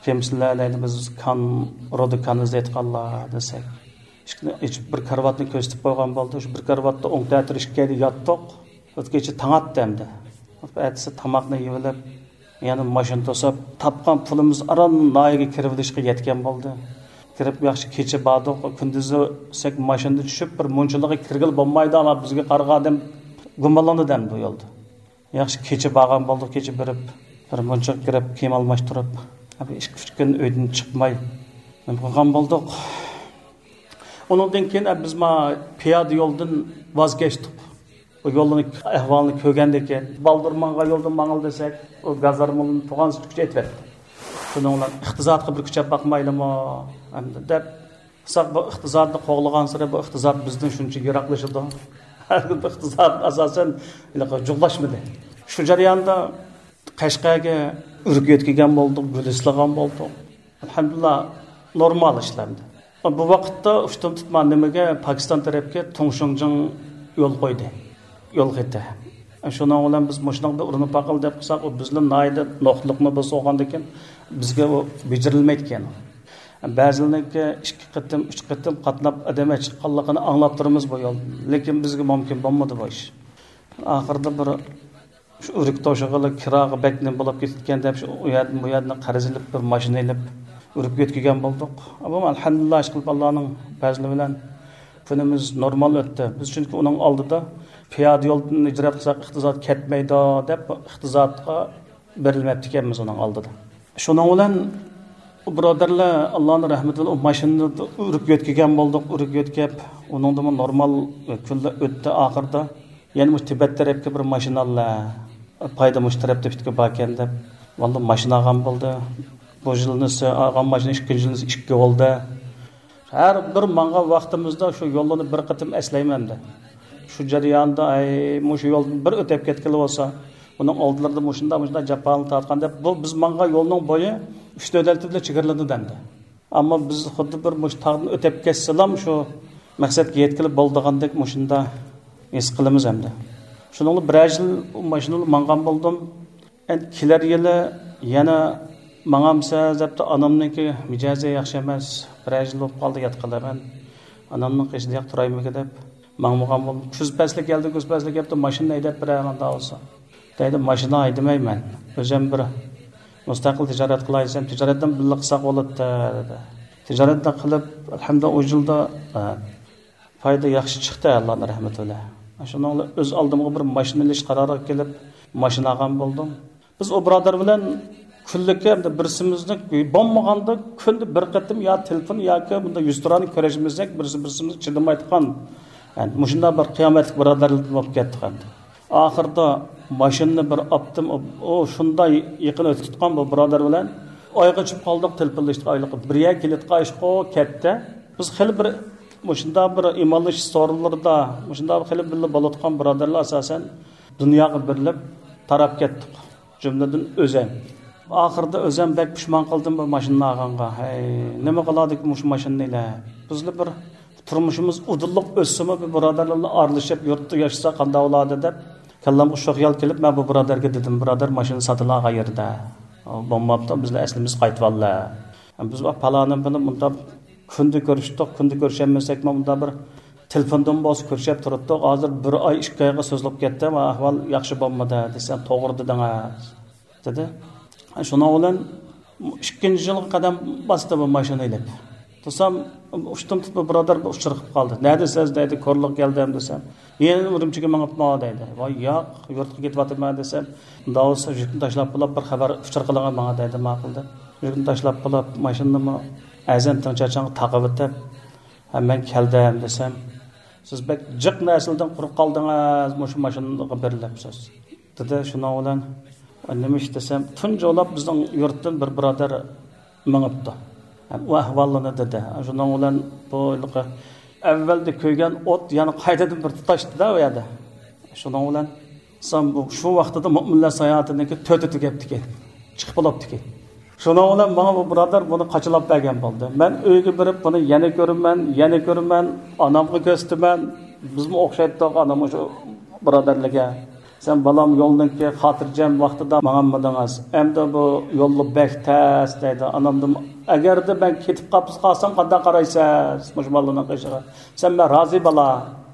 كىمسىلەر دەيدۇ، بىز كان، رودا كان ئىزدەيدىغانلار دېسەك، ئىشىكنى ئېچىپ بىر كارىۋاتنى كۆرسىتىپ قويغان بولدى. شۇ بىر كارىۋاتتا ئوڭ تەتۈر ئىككىيلەن ياتتۇق. ئۆتكەچە تاڭ ئاتتى ئەمدى. ئەتىسى تاماقنى يېۋېلىپ، يەنە ماشىنا توساپ، تاپقان پۇلىمىز ئاران ناھىيەگە كىرىۋېلىشقا يەتكەن بولدى. كىرىپ ياخشى كېچە باردۇق، كۈندۈزسەك ماشىنىدا چۈشۈپ، بىر مۇنچىلىغا كىرگىلى بولمايدۇ، ئەمما بىزگە قارىغان ئادەم گۇمانلىنىدۇ ئەمدى بۇ يولدا. ياخشى كېچە بارغان بولدۇق، كېچە بېرىپ، بىر مۇنچىغا كىرىپ، كىيىم ئالماشتۇرۇپ، بىر ئىككى ئۈچ كۈن ئۆيدىن چىقماي، نېمە قىلغان بولدۇق. ئۇنىڭدىن كېيىن، ئە، بىز ما پىيادە يولدىن ۋاز كەچتۇق. ئۇ يولنىڭ ئەھۋالىنى كۆرگەندىن كېيىن، بالدۇر ماڭغان يولدىن ماڭىلى دېسەك، ئۇ گازارمىلىنى تۇغان سۈتكۈچە ئېتىۋەتتى. شۇنىڭ بىلەن ئىقتىسادقا بىر كۈچەپ باقمايلىمۇ ئەمدى دەپ، بىراق بۇ ئىقتىسادنى قوغلىغانسېرى بۇ ئىقتىساد بىزدىن شۇنچە يىراقلىشىدۇ. بۇ ئىقتىساد ئاساسەن ھېلىقى جۇغلاشمىدى. شۇ جەرياندا قەشقەرگە ئۆرۈك يۆتكىگەن بولدۇق، گۈل ئىسلىغان بولدۇق. ئەلھەمدۇلىللا، نورمال ئىشلەندى. بۇ ۋاقىتتا ئۇشتۇمتۇت ما نېمىگە، پاكىستان تەرەپكە تۇڭشۇڭجىڭ يول قويدى. يول خېتى. شۇنىڭ بىلەن بىز مۇشۇنىڭدا ئۇرۇنۇپ باقىلى دەپ قىلساق، ئۇ بىزدىن ناھايىتى نوقۇتلۇقنى بولسا بولغاندىكىن، بىزگە ئۇ بېجىرىلمەيدىكەن. بەزىلىرىنىڭكى ئىككى قېتىم، ئۈچ قېتىم قاتناپ ئادەم چىققانلىقىنى ئاڭلاپ تۇرىمىز بۇ يول. لېكىن بىزگە مۇمكىن بولمىدى بۇ ئىش. ئاخىرىدا بىر شۇ ئۆرۈك توشۇغىلى كىراغا بەك نېمە بولۇپ كېتىدىكەن دەپ، شۇ ئۇ يەردىن بۇ يەردىن قەرز ئېلىپ، بىر ماشىنا ئېلىپ، ئۆرۈك يۆتكىگەن بولدۇق. ئەمما ئەلھەمدۇلىللا، ئىشقىلىپ ئاللانىڭ پەزلى بىلەن كۈنىمىز نورمال ئۆتتى. بىز چۈنكى ئۇنىڭ ئالدىدا پىيادە يولدىن ھىجرەت قىلساق، ئىقتىساد كەتمەيدۇ دەپ، ئىقتىسادقا بېرىلمەپتىكەنمىز ئۇنىڭ ئالدىدا. شۇنىڭ بىلەن ئۇ بۇرادەرلەر ئاللانىڭ رەھمىتى بىلەن ئۇ ماشىنىدا ئۆرۈك يۆتكىگەن بولدۇق، ئۆرۈك يۆتكەپ، ئۇنىڭدىمۇ نورمال كۈنلەر ئۆتتى. ئاخىرىدا يەنە مۇشۇ تىبەت تەرەپكە بىر ماشىنا ئاللا، پايدا مۇشۇ تەرەپتە پۈتكۈل باركەن دەپ، ۋاللا ماشىنا ئالغان بولدى. بۇ يىلنىسى ئالغان ماشىنا ئىككىنچى يىلنىسى ئىككى بولدى. ھەر بىر ماڭغان ۋاقتىمىزدا شۇ يوللارنى بىر قېتىم ئەسلەيمەن ئەمدى. شۇ جەرياندا، ئەي، مۇشۇ يولدىن بىر ئۆتۈپ كەتكىلى بولسا، بۇنىڭ ئالدىلىرىدا مۇشۇنداق، مۇشۇنداق جاپالارنى تارتقان دەپ، بۇ بىز ماڭغان يولنىڭ بويى ئۈچ دۆلەت بىلەن چېگرىلىنىدۇ ئەمدى. ئەمما بىز خۇددى بىر مۇشۇ تاغدىن ئۆتۈپ كەتسىلام، شۇ مەقسەتكە يەتكىلى بولىدىغاندەك مۇشۇنداق ھېس قىلىمىز ئەمدى. شۇنىڭ بىلەن بىرەر يىل ئۇ ماشىنىدا ماڭغان بولدۇم. ئەمدى كېلەر يىلى يەنە ماڭامسىز دەپتۇ، ئانامنىڭكى مىجەزى ياخشى ئەمەس، بىرەر يىل بولۇپ قالدى ياتقىلى، مەن ئانامنىڭ قېشىدا ياق تۇرايمىكىن دەپ ماڭمىغان بولدۇم. كۈز پەسلى كەلدى، كۈز پەسلى كەپتۇ، ماشىنا ھەيدەپ بېرەي مۇنداق بولسا دەيدۇ، ماشىنا ھەيدىمەيمەن. ئۆزۈم بىر مۇستەقىل تىجارەت قىلاي دېسەم، تىجارەتنى بىللە قىلساق بولاتتى دېدى. تىجارەتنى قىلىپ، ئەلھەمدۇلىللا، ئۇ يىلدا، ئە، پايدا ياخشى چىقتى، ئاللانىڭ رەھمىتى بىلەن. شۇنىڭ بىلەن ئۆز ئالدىمغا بىر ماشىنا ئېلىش قارارىغا كېلىپ، ماشىنا ئالغان بولدۇم. بىز ئۇ بۇرادەر بىلەن كۈنلۈككە ئەمدى بىرسىمىزنىڭ بولمىغاندا، كۈندە بىر قېتىم يا تېلېفون ياكى بۇنداق يۈزتۇرانە كۆرۈشمىسەك، بىرسى بىرسىمىزگە چىدىمايدىغان، يەنى مۇشۇنداق بىر قىيامەتلىك بۇرادەرلەردىن بولۇپ كەتتۇق ئەمدى. ئاخىرىدا ماشىنىنى بىر ئاپتىم، ئۇ شۇنداق يېقىن ئۆتۈپ تۇتقان بۇ بۇرادەر بىلەن ئايغا چۈشۈپ قالدۇق، تېلېفونلىشىپ ئايلىقى بىر يەرگە كېلىدىغان ئىشقۇ كەتتى. بىز خېلى بىر مۇشۇنداق بىر ئىمانلىشىش سورۇنلىرىدا، مۇشۇنداق خېلى بىللە بولۇۋاتقان بۇرادەرلەر ئاساسەن دۇنياغا بېرىلىپ تاراپ كەتتۇق. جۈملىدىن ئۆزەم. ئاخىرىدا ئۆزەم بەك پۇشمان قىلدىم بۇ ماشىنىنى ئالغانغا. ھەي، نېمە قىلادىكى مۇشۇ ماشىنىنى ئىلە؟ بىزلا بىر تۇرمۇشىمىز ئۇدۇللۇق ئۆتسىمۇ، بىر بۇرادەرلەر بىلەن ئارىلىشىپ يۇرتتا ياشىسا قانداق بولادى دەپ، كاللامغا شۇ خىيال كېلىپ، مەن بۇ بۇرادەرگە دېدىم، بۇرادەر، ماشىنا ساتىلا قەيەردە؟ بولماپتۇ، بىزلەر ئەسلىمىز قايتىۋاللا. بىز پالانىم بىلەن مۇنداق كۈندە كۆرۈشتۇق، كۈندە كۆرۈشەلمىسەكمۇ، مۇنداق بىر تېلېفوندىن بولسا كۆرۈشۈپ تۇرۇپتۇق. ھازىر بىر ئاي، ئىككى ئايغا سوزۇلۇپ كەتتى، ئەھۋال ياخشى بولمىدى دېسەم، توغرا دېدىڭىز دېدى. شۇنىڭ بىلەن ئىككىنچى يىلغا قەدەم باستى بۇ ماشىنا ئېلىپ. تۇرسام، ئۇشتۇمتۇت بۇ بۇرادەر بىر ئۇچۇر قىلىپ قالدى. نەدىسىز دەيدۇ، كورلىغا كەلدىم دېسەم، يەنە ئۈرۈمچىگە مېڭىپمۇ دەيدۇ. ۋاي ياق، يۇرتقا كېتىۋاتىمەن دېسەم، مۇنداق بولسا يۈكنى تاشلاپ بولاپ بىر خەۋەر ئۇچۇر قىلىڭە ماڭا دەيدۇ، ماقۇل دەپ. يۈكنى تاشلاپ بولاپ ماشىنىنىمۇ ئەزەن تىڭ چاچاڭغا تاقىۋېتىپ، ھە، مەن كەلدىم دېسەم، سىز بەك جىق نەرسىلەردىن قۇرۇق قالدىڭىز، مۇشۇ ماشىنىغا بېرىلىپسىز دېدى. شۇنىڭ بىلەن نېمە ئىش دېسەم، تۇنجى بولۇپ بىزنىڭ يۇرتتىن بىر بۇرادەر مېڭىپتۇ. ئۇ ئەھۋاللىرىنى دېدى. شۇنىڭ بىلەن بۇ ھېلىقى ئەۋۋەلدە كۆيگەن ئوت يەنە قايتىدىن بىر تۇتاشتىدا ئۇ يەردە. شۇنىڭ بىلەن سام-، شۇ ۋاقتىدا مۆمىنلەر ساياھىتىنىڭكى تۆتى تۈگەپتىكەن، چىقىپ بولاپتىكەن. شۇنىڭ بىلەن ماڭا بۇ بۇرادەر بۇنى قاچىلاپ بەرگەن بولدى. مەن ئۆيگە بېرىپ بۇنى يەنە كۆرىمەن، يەنە كۆرىمەن، ئانامغا كۆرسىتىمەن. بىزمۇ ئوخشايتتۇق ئانام شۇ بۇرادەرلىككە. سەن بالام يولنىڭكى خاتىرجەم ۋاقتىدا ماڭالمىدىڭىز. ئەمدى بۇ يوللا بەك تەس دەيدۇ. ئانامدىن ئەگەردە مەن كېتىپ قاپسىز قالسام قانداق قارايسىز مۇشۇ بالىنىڭ قېشىغا؟ سەن مەن رازى بالا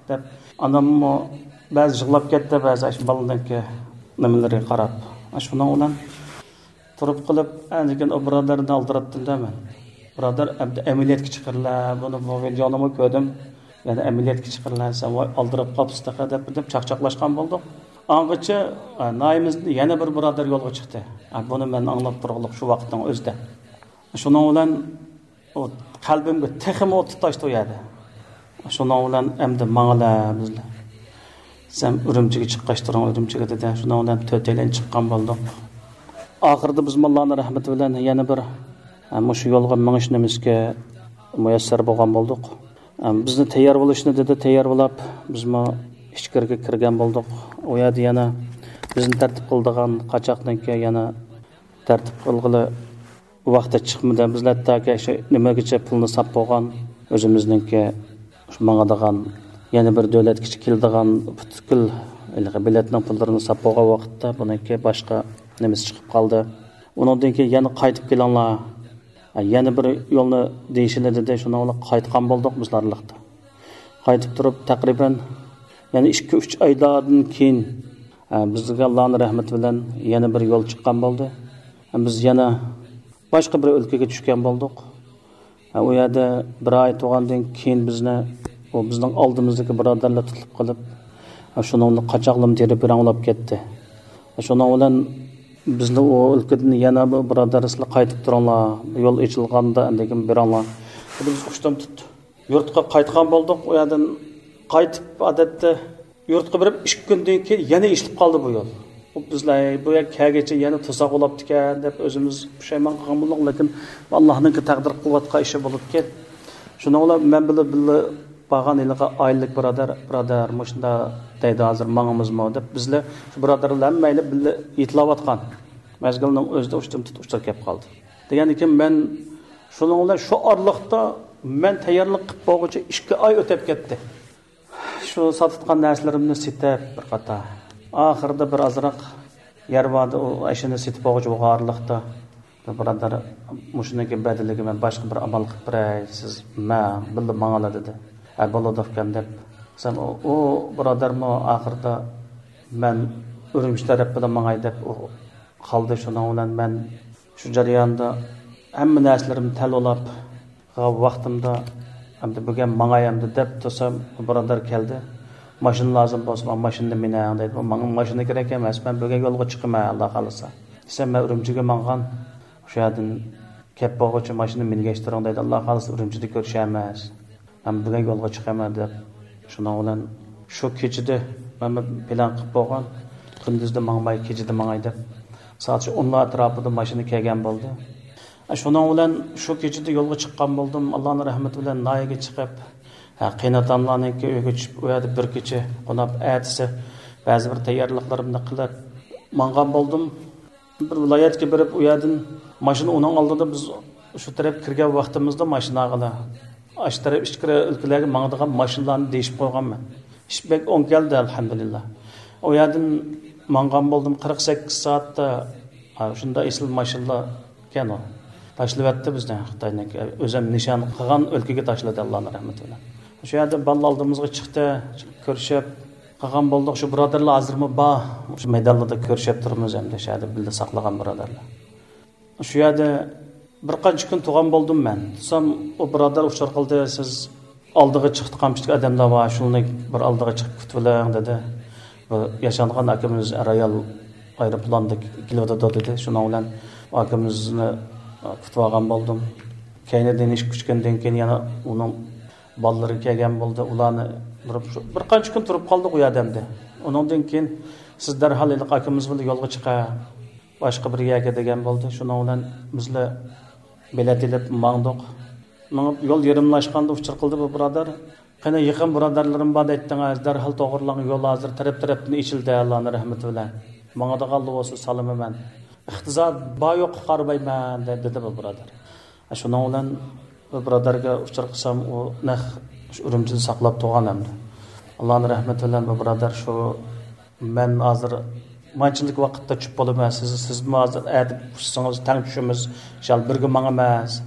دەپ ئاناممۇ بەزى يىغلاپ كەتتى، بەزى ئاشۇ بالىنىڭكى نېمىلىرىگە قاراپ. شۇنىڭ بىلەن تۇرۇپ قېلىپ، ئاندىن كېيىن ئۇ بۇرادەرنى ئالدىراتتىم-دە مەن. بۇرادەر، ئەمدى ئەمەلىيەتكە چىقىرلا، بۇنى بۇ ۋىدېونىمۇ كۆردۈم. يەنە ئەمەلىيەتكە چىقىرلا، سەن ۋاي ئالدىراپ قاپسىز تېخى دەپ بىردەم چاقچاقلاشقان بولدۇق. ئاڭغىچە، ئە، ناھىيىمىزدىن يەنە بىر بۇرادەر يولغا چىقتى. ئە، بۇنى مەن ئاڭلاپ تۇرغۇلۇق شۇ ۋاقىتنىڭ ئۆزىدە. شۇنىڭ بىلەن ئۇ قەلبىمگە تېخىمۇ ئوت تۇتاشتى ئۇ يەردە. شۇنىڭ بىلەن ئەمدى ماڭىلا بىزلەر. سەن ئۈرۈمچىگە چىققاچ تۇرۇڭ، ئۈرۈمچىگە دېدى. شۇنىڭ بىلەن تۆتەيلەن چىققان بولدۇق. ئاخىرىدا بىزمۇ ئاللانىڭ رەھمىتى بىلەن يەنە بىر، ھە، مۇشۇ يولغا مېڭىش نېمىسىگە مۇيەسسەر بولغان بولدۇق. ھە، بىزنى تەييار بولۇشنى دېدى، تەييار بولاپ بىزمۇ ئىچكىرىگە كىرگەن بولدۇق. ئۇ يەردە يەنە بىزنى تەرتىپ قىلىدىغان قاچاقنىڭكى يەنە تەرتىپ قىلغىلى ۋاقتى چىقمىدى. بىز ھەتتاكى شۇ نېمىگىچە پۇلنى ساپ بولغان، ئۆزىمىزنىڭكى شۇ ماڭىدىغان، يەنە بىر دۆلەتكىچە كېلىدىغان پۈتكۈل ھېلىقى بېلەتنىڭ پۇللىرىنى ساپ بولغان ۋاقىتتا بۇنىڭكى باشقا نېمىسى چىقىپ قالدى. ئۇنىڭدىن كېيىن يەنە قايتىپ كېلىڭلار، يەنە بىر يولنى دېيىشىلى دېدى. شۇنىڭ بىلەن قايتقان بولدۇق بىز ئارىلىقتا. قايتىپ تۇرۇپ تەقرىبەن يەنە ئىككى، ئۈچ ئايلاردىن كېيىن، ئە، بىزگە ئاللانىڭ رەھمىتى بىلەن يەنە بىر يول چىققان بولدى. بىز يەنە باشقا بىر ئۆلكىگە چۈشكەن بولدۇق. ئۇ يەردە بىر ئاي تۇرغاندىن كېيىن بىزنى ئۇ بىزنىڭ ئالدىمىزدىكى بۇرادەرلەر تۇتۇپ قېلىپ، شۇنىڭ بىلەن قاچاقلىرىمۇ تېرە پىراڭ بولاپ كەتتى. شۇنىڭ بىلەن بىزنى ئۇ ئۆلكىدىن يەنە بىر بۇرادەر سىلەر قايتىپ تۇرۇڭلار، يول ئېچىلغاندا ئاندىن كېيىن بېرىڭلار. بىز ئۇشتۇم تۇتتى. يۇرتقا قايتقان بولدۇق. ئۇ يەردىن قايتىپ، ئادەتتە يۇرتقا بېرىپ ئىككى كۈندىن كېيىن يەنە ئېچىلىپ قالدى بۇ يول. بىزلەر بۇ يەر كەلگىچە يەنە توساق بولاپتىكەن دەپ ئۆزىمىز پۇشايمان قىلغان بولدۇق، لېكىن ئاللانىڭكى تەقدىر قىلىۋاتقان ئىشى بولۇپكەن. شۇنىڭ بىلەن مەن بىلەن بىللە بارغان ھېلىقى ئائىلىلىك بۇرادەر، بۇرادەر، مۇشۇنداق دەيدۇ، ھازىر ماڭىمىزمۇ دەپ بىزلەر شۇ بۇرادەر بىلەن ھەممەيلى بىللە يېتىلىۋاتقان مەزگىلنىڭ ئۆزىدە ئۇشتۇمتۇت ئۇچۇر كەپ قالدى. دېگەندىكىن مەن شۇنىڭ بىلەن شۇ ئارىلىقتا مەن تەييارلىق قىلىپ بولغۇچە ئىككى ئاي ئۆتۈپ كەتتى. شۇ ساتىدىغان نەرسىلىرىمنى سېتىپ بىر قاتار. ئاخىرىدا بىر ئازراق يەر باردا ئۇ ئەشۇنى سېتىپ بولغۇچە بولغان ئارىلىقتا بىر بۇرادەر مۇشۇنىڭكى بەدىلىگە مەن باشقا بىر ئامال قىلىپ بېرەي، سىز مەن بىللە ماڭالا دېدى. ھە، بولىدۇ ئۇكام دەپ. سەن ئۇ، ئۇ بۇرادەرمۇ ئاخىرىدا مەن ئۈرۈمچى تەرەپ بىلەن ماڭاي دەپ ئۇ قالدى. شۇنىڭ بىلەن مەن شۇ جەرياندا ھەممە نەرسىلىرىمنى تەلۋىلاپ، ۋاقتىمدا ئەمدى بۈگۈن ماڭاي ئەمدى دەپ تۇرسام، بۇرادەر كەلدى. ماشىنا لازىم بولسا، ماڭا ماشىنىدا مىنەڭ دەيدۇ. ماڭا ماشىنا كېرەك ئەمەس، مەن بۈگۈن يولغا چىقىمەن، ئاللا خالىسا. دېسەم، مەن ئۈرۈمچىگە ماڭغان. شۇ يەردىن كەپ بولغۇچە ماشىنا مىنگەشتۈرۈڭ دەيدۇ، ئاللا خالىسا ئۈرۈمچىدە كۆرۈشەرمىز. مەن بۈگۈن يولغا چىقىمەن دەپ، شۇنىڭ بىلەن شۇ كېچىدە مەن بىر پىلان قىلىپ بولغان، كۈندۈزدە ماڭماي، كېچىدە ماڭاي دەپ، سائەت شۇ ئونلار ئەتراپىدا ماشىنا كەلگەن بولدى. شۇنىڭ بىلەن شۇ كېچىدە يولغا چىققان بولدۇم. ئاللانىڭ رەھمىتى بىلەن ناھىيەگە چىقىپ، ھە، قېيىنئاتاملارنىڭكى ئۆيىگە چۈشۈپ، ئۇ يەردە بىر كېچە قوناپ، ئەتىسى بەزى بىر تەييارلىقلىرىمنى قىلىپ ماڭغان بولدۇم. بىر ۋىلايەتكە بېرىپ، ئۇ يەردىن ماشىنا ئۇنىڭ ئالدىدا، بىز شۇ تەرەپ كىرگەن ۋاقتىمىزدا ماشىناغىلا، ئاشۇ تەرەپ ئىچكىرى ئۆلكىلەرگە ماڭىدىغان ماشىنىلارنى دېيىشىپ قويغانمەن. ئىش بەك ئوڭ كەلدى، ئەلھەمدۇلىللا. ئۇ يەردىن ماڭغان بولدۇم، قىرىق سەككىز سائەتتە. ھا، شۇنداق ئېسىل ماشىنىلار ئىكەن ئۇ. تاشلىۋەتتى بىزنى خىتاينىڭكى. ئۆزۈم نىشان قىلغان ئۆلكىگە تاشلىدى، ئاللانىڭ رەھمىتى بىلەن. شۇ يەردە بالىلار ئالدىمىزغا چىقتى، كۆرۈشۈپ قالغان بولدۇق. شۇ بۇرادەرلەر ھازىرمۇ بار. شۇ مەيدانلاردا كۆرۈشۈپ تۇرىمىز ئەمدى، شۇ يەردە بىللە ساقلىغان بۇرادەرلەر. شۇ يەردە بىر قانچە كۈن تۇرغان بولدۇم مەن. تۇرسام، ئۇ بۇرادەر ئۇچۇر قىلدى، سىز ئالدىغا چىقىپ قالمىشتىكى ئادەملەر بار، شۇنى بىر ئالدىغا چىقىپ كۈتۈۋېلىڭ، دېدى. بۇ ياشانغان ئاكىمىز ئەر-ئايال ئايروپىلاندا كېلىۋاتىدۇ، دېدى. شۇنىڭ بىلەن ئۇ ئاكىمىزنى كۈتۈۋالغان بولدۇم. كەينىدىن ئىش كۈتكەندىن كېيىن يەنە ئۇنىڭ بالىلىرى كەلگەن بولدى. ئۇلارنى بىر، بىر قانچە كۈن تۇرۇپ قالدۇق ئۇ يەردە ئەمدى. ئۇنىڭدىن كېيىن سىز دەرھال ھېلىقى ئاكىمىز بىلەن يولغا چىقىڭ، باشقا بىر يەرگە دېگەن بولدى. شۇنىڭ بىلەن بىزلەر بېلەت ئېلىپ ماڭدۇق. مېڭىپ يول يېرىملاشقاندا ئۇچۇر قىلدى بۇ بۇرادەر. قېنى يېقىن بۇرادەرلىرىم بار دەيتتىڭىز، دەرھال توغرىلاڭ، يول ھازىر تەرەپ-تەرەپتىن ئېچىلدى، ئاللانىڭ رەھمىتى بىلەن. ماڭىدىغانلا بولسا سالىمەن. ئىقتىساد بار يوققا قارىمايمەن، دە-، دېدى بۇ بۇرادەر. شۇنىڭ بىلەن بۇ بۇرادەرگە ئۇچۇر قىلسام، ئۇ نەق شۇ ئۈرۈمچىدە ساقلاپ تۇرغان ئەمدى. ئاللانىڭ رەھمىتى بىلەن بۇ بۇرادەر شۇ مەن ھازىر مانچىلىك ۋاقىتتا چۈشۈپ بولىمەن، سىز، سىزمۇ ھازىر ئەتە ئۇچسىڭىز تەڭ چۈشىمىز، ئىنشاللا بىرگە ماڭىمىز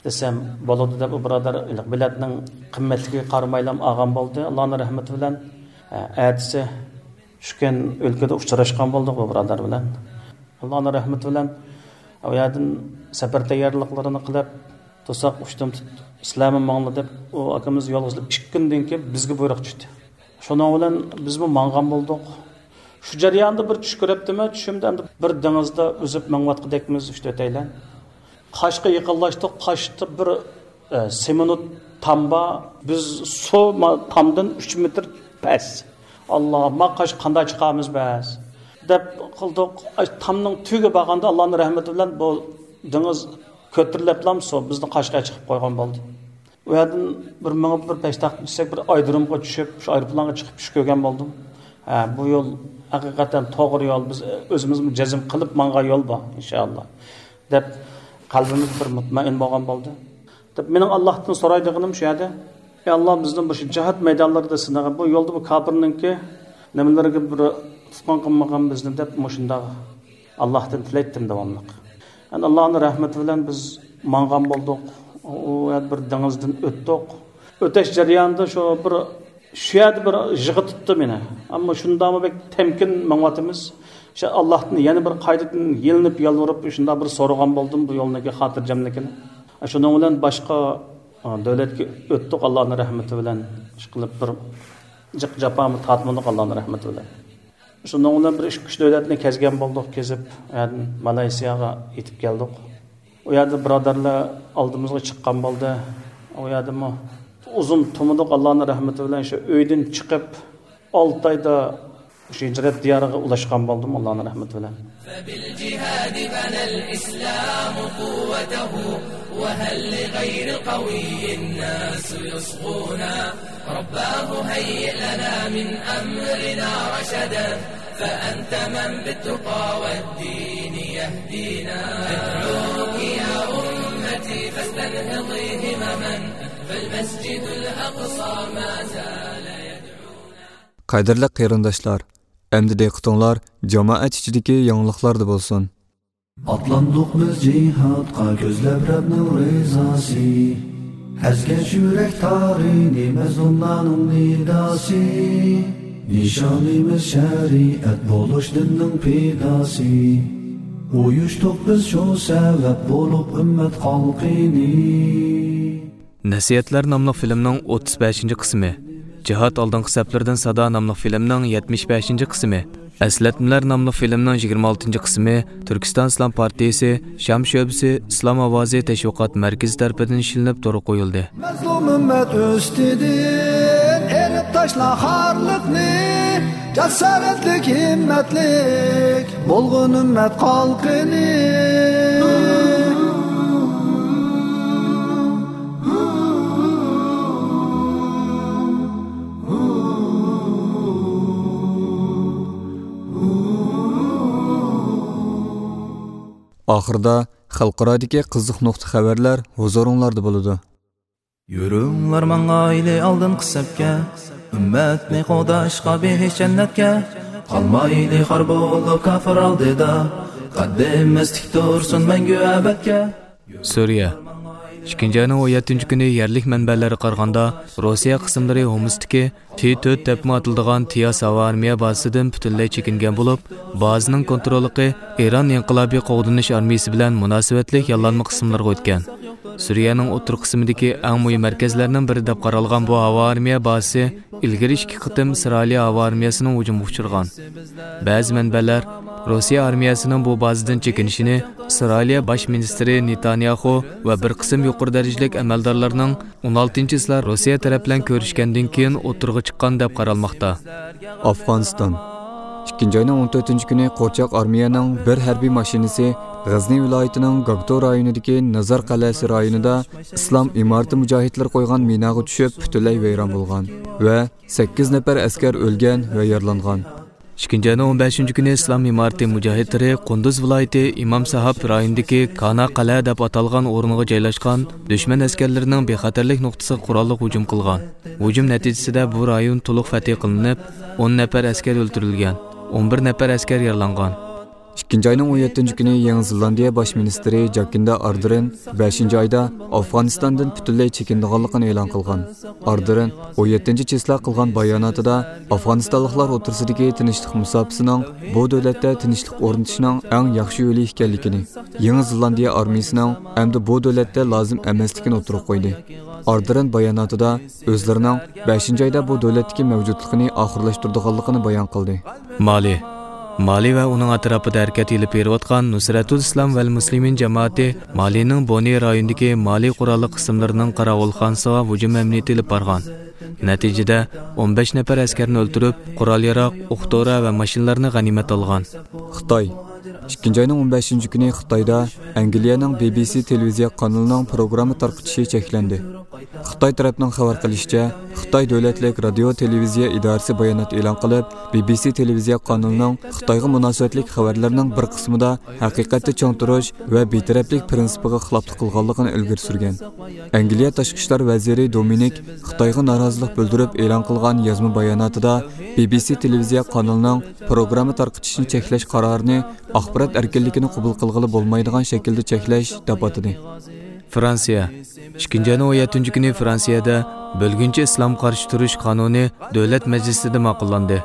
دېسەم، بولىدۇ دەپ، ئۇ بۇرادەر بېلەتنىڭ قىممەتلىكىگە قارىمايلا ئالغان بولدى. ئاللانىڭ رەھمىتى بىلەن، ئە، ئەتىسى چۈشكەن ئۆلكىدە ئۇچراشقان بولدۇق بۇ بۇرادەر بىلەن. ئاللانىڭ رەھمىتى بىلەن ئۇ يەردىن سەپەر تەييارلىقلىرىنى قىلىپ، تۇرساق ئۇشتۇمتۇت سىلەرمۇ ماڭلا دەپ، ئۇ ئاكىمىز يولغا سېلىپ ئىككى كۈندىن كېيىن بىزگە بۇيرۇق چۈشتى. شۇنىڭ بىلەن بىزمۇ ماڭغان بولدۇق. شۇ جەرياندا بىر چۈش كۆرۈپتىمەن، چۈشۈمدە ئەمدى بىر دېڭىزدا ئۈزۈپ مېڭىۋاتقۇدەكمىز، ئۈچ-تۆتەيلەن. قاشقا يېقىنلاشتۇق، قاشتا بىر، ئە، سېمونت تام بار. بىز سۇ ما-، تامدىن ئۈچ مېتىر پەس. ئاللا، ما قاش قانداق چىقارمىز بەس؟ دەپ قىلدۇق. ئاي، تامنىڭ تۈۋىگە بارغاندا ئاللانىڭ رەھمىتى بىلەن بۇ دېڭىز كۆتۈرۈلۈپلا سۇ بىزنى قاشقا چىقىپ قويغان بولدى. ئۇ يەردىن بىر مېڭىپ، بىر پەشتاق چۈشسەك، بىر ئايرودرومغا چۈشۈپ، شۇ ئايروپىلانغا چىقىپ چۈش كۆرگەن بولدۇم. ھە، بۇ يول ھەقىقەتەن توغرا يول، بىز ئۆزىمىزمۇ جەزم قىلىپ ماڭغان يول بۇ، ئىنشائاللا، دەپ قەلبىمىز بىر مۇتمەئىن بولغان بولدى. دەپ مېنىڭ ئاللاھتىن سورايدىغىنىم شۇ يەردە، ئەي ئاللا، بىزنى بۇ شۇ جىھاد مەيدانلىرىدا سىنىغىن، بۇ يولدا بۇ كاپىرنىڭكى نېمىلىرىگە بىر تۇتقۇن قىلمىغىن بىزنى دەپ مۇشۇنداق ئاللاھتىن تىلەيتتىم داۋاملىق. ئەنە ئاللانىڭ رەھمىتى بىلەن بىز ماڭغان بولدۇق. ئۇ يەردە بىر دېڭىزدىن ئۆتتۇق. ئۆتۈش جەريانىدا شۇ بىر، شۇ يەردە بىر يىغا تۇتتى مېنى. ئەمما شۇنداقمۇ بەك تەمكىن ماڭىۋاتىمىز. شۇ ئاللاھتىن يەنە بىر قايتىدىن يېلىنىپ يالۋۇرۇپ شۇنداق بىر سورىغان بولدۇم بۇ يولنىڭكى خاتىرجەملىكىنى. شۇنىڭ بىلەن باشقا، ئا، دۆلەتكە ئۆتتۇق ئاللانىڭ رەھمىتى بىلەن. ئىشقىلىپ بىر جىق جاپامۇ تارتمىدۇق ئاللانىڭ رەھمىتى بىلەن. شۇنىڭ بىلەن بىر ئىككى ئۈچ دۆلەتنى كەزگەن بولدۇق، كېزىپ، ئۇ يەردىن مالايسىياغا يېتىپ كەلدۇق. ئۇ يەردە بۇرادەرلەر ئالدىمىزغا چىققان بولدى. ئۇ يەردىمۇ ئۇزۇن تۇرمىدۇق، ئاللانىڭ رەھمىتى بىلەن شۇ ئۆيدىن چىقىپ، ئالتە ئايدا شۇ ھىجرەت دىيارىغا ئۇلاشقان بولدۇم، ئاللانىڭ رەھمىتى بىلەن. فبالجهاد بنى الإسلام قوته، وهل لغير القوي الناس يصغون؟ رباه هيئ لنا من أمرنا رشدا، فأنت من بالتقى والدين يهدينا. أدعوك يا أمتي فاستنهضي همما، فالمسجد الأقصى ما زال يدعونا. قەدىرلىك قېرىنداشلار، ئەمدى دىققىتىڭلار جامائەت ئىچىدىكى يېڭىلىقلاردا بولسۇن. ئاتلاندۇق بىز جىھادقا كۆزلەپ رەبنىڭ رىزاسى. ئەزگەش يۈرەك تارىنى مەزلۇملارنىڭ نىداسى. نىشانىمىز شەرىئەت بولۇش دىننىڭ پىداسى. ئۇيۇشتۇق بىز شۇ سەۋەب بولۇپ ئۈممەت خەلقىنى. نەسىھەتلەر ناملىق فىلىمنىڭ ئوتتۇز بەشىنچى قىسمى، جىھاد ئالدىنقى سەپلىرىدىن سادا ناملىق فىلىمنىڭ يەتمىش بەشىنچى قىسمى، ئەسلەتمىلەر ناملىق فىلىمنىڭ يىگىرمە ئالتىنچى قىسمى تۈركىستان ئىسلام پارتىيىسى، شام شۆبىسى، ئىسلام ئاۋازى تەشۋىقات مەركىزى تەرىپىدىن ئىشلىنىپ تورغا قويۇلدى. مەزلۇم ئۈممەت ئۈستىدىن ئېلىپ تاشلا خارلىقنى، جاسارەتلىك، ھىممەتلىك بولغىن ئۈممەت قالقىنى. ئاخىرىدا خەلقئارادىكى قىزىق نۇقتا خەۋەرلەر ھۇزۇرۇڭلاردا بولىدۇ. يۈرۈڭلار ماڭايلى ئالدىنقى سەپكە، ئۈممەتنى قوغداشقا بېھىش جەننەتكە. قالمايلى خار بولۇپ كاپىر ئالدىدا، قەددىمىز تىك تۇرسۇن مەڭگۈ ئەبەدكە. سۈرىيە. ئىككىنچى ئاينىڭ ئون يەتتىنچى كۈنى يەرلىك مەنبەلەرگە قارىغاندا، روسىيە قىسىملىرى ھومۇستىكى تى تۆت دەپمۇ ئاتىلىدىغان تىياس ھاۋا ئارمىيە بازىسىدىن پۈتۈنلەي چېكىنگەن بولۇپ، بازىنىڭ كونتروللۇقى ئىران ئىنقىلابىي قوغدىنىش ئارمىيىسى بىلەن مۇناسىۋەتلىك ياللانما قىسىملارغا ئۆتكەن. سۈرىيەنىڭ ئوتتۇرا قىسمىدىكى ئەڭ مۇھىم مەركەزلەرنىڭ بىرى دەپ قارالغان بۇ ھاۋا ئارمىيە بازىسى ئىلگىرى ئىككى قېتىم ئىسرائىلىيە ھاۋا ئارمىيەسىنىڭ ھۇجۇمىغا ئۇچرىغان. بەزى مەنبەلەر روسىيە ئارمىيەسىنىڭ بۇ بازىدىن چېكىنىشىنى ئىسرائىلىيە باش مىنىستىرى نېتانياخۇ ۋە بىر قىسىم يۇقىرى دەرىجىلىك ئەمەلدارلارنىڭ ئون ئالتىنچى چىسلا روسىيە تەرەپ بىلەن كۆرۈشكەندىن كېيىن ئوتتۇرىغا چىققان دەپ قارالماقتا. ئافغانىستان. ئىككىنچى ئاينىڭ ئون تۆتىنچى كۈنى قورچاق ئارمىيەنىڭ بىر ھەربىي ماشىنىسى غەزنى ۋىلايىتىنىڭ گاگتو رايونىدىكى نازار قەلئەسى رايونىدا ئىسلام ئىمارىتى مۇجاھىدلىرى قويغان مىناغا چۈشۈپ پۈتۈنلەي ۋەيران بولغان ۋە سەككىز نەپەر ئەسكەر ئۆلگەن ۋە يارىلانغان. ئىككىنچى ئاينىڭ ئون بەشىنچى كۈنى ئىسلام ئىمارىتى مۇجاھىدلىرى قۇندۇز ۋىلايىتى ئىمام ساھاب رايونىدىكى كانا قەلئە دەپ ئاتالغان ئورۇنغا جايلاشقان دۈشمەن ئەسكەرلىرىنىڭ بىخەتەرلىك نۇقتىسىغا قوراللىق ھۇجۇم قىلغان. ھۇجۇم نەتىجىسىدە بۇ رايون تولۇق فەتھى قىلىنىپ، ئون نەپەر ئەسكەر ئۆلتۈرۈلگەن، ئون بىر نەپەر ئەسكەر يارىلانغان. ئىككىنچى ئاينىڭ ئون يەتتىنچى كۈنى يېڭى زېلاندىيە باش مىنىستىرى جاكىندا ئاردېرن بەشىنچى ئايدا ئافغانىستاندىن پۈتۈنلەي چېكىنىدىغانلىقىنى ئېلان قىلغان. ئاردېرن ئون يەتتىنچى چىسلا قىلغان باياناتىدا ئافغانىستانلىقلار ئوتتۇرىسىدىكى تىنچلىق مۇساپىسىنىڭ بۇ دۆلەتتە تىنچلىق ئورنىتىشنىڭ ئەڭ ياخشى يولى ئىكەنلىكىنى، يېڭى زېلاندىيە ئارمىيىسىنىڭ ئەمدى بۇ دۆلەتتە لازىم ئەمەسلىكىنى ئوتتۇرىغا قويدى. ئاردېرن باياناتىدا ئۆزلىرىنىڭ بەشىنچى ئايدا بۇ دۆلەتتىكى مەۋجۇتلۇقىنى ئاخىرلاشتۇرىدىغانلىقىنى بايان قىلدى. مالى. مالى ۋە ئۇنىڭ ئەتراپىدا ھەرىكەت ئېلىپ بېرىۋاتقان نۇسرەتۇل ئىسلام ۋەل مۇسلىمىن جامائىتى مالىنىڭ بونى رايونىدىكى مالى قوراللىق قىسىملىرىنىڭ قاراۋۇلخانىسىغا ھۇجۇم ئەمەلىيىتى ئېلىپ بارغان. نەتىجىدە، ئون بەش نەپەر ئەسكەرنى ئۆلتۈرۈپ، قورال-ياراغ، ئوق-دورا ۋە ماشىنىلارنى غەنىيمەت ئالغان. خىتاي. ئىككىنچى ئاينىڭ ئون بەشىنچى كۈنى خىتايدا ئەنگلىيەنىڭ بى بى سى تېلېۋىزىيە قانىلىنىڭ پروگرامما تارقىتىشى چەكلەندى. خىتاي تەرەپنىڭ خەۋەر قىلىشىچە، خىتاي دۆلەتلىك رادىيو تېلېۋىزىيە ئىدارىسى بايانات ئېلان قىلىپ، بى بى سى تېلېۋىزىيە قانىلىنىڭ خىتايغا مۇناسىۋەتلىك خەۋەرلەرنىڭ بىر قىسمىدا ھەقىقەتتە چىڭ تۇرۇش ۋە بىتەرەپلىك پىرىنسىپىغا خىلاپلىق قىلغانلىقىنى ئىلگىرى سۈرگەن. ئەنگلىيە تاشقى ئىشلار ۋەزىرى دومىنىك خىتايغا نارازىلىق بىلدۈرۈپ ئېلان قىلغان يازما باياناتىدا، بى بى سى تېلېۋىزىيە قانىلىنىڭ پروگرامما تارقىتىشنى چەكلەش قارارىنى ئاخبارات ئەركىنلىكىنى قوبۇل قىلغىلى بولمايدىغان شەكىلدە چەكلەش دەپ ئاتىدى. فرانسىيە. ئىككىنچى ئاينىڭ ئون يەتتىنچى كۈنى فرانسىيەدە بۆلگۈنچى ئىسلام قارشى تۇرۇش قانۇنى دۆلەت مەجلىسىدە ماقۇللاندى.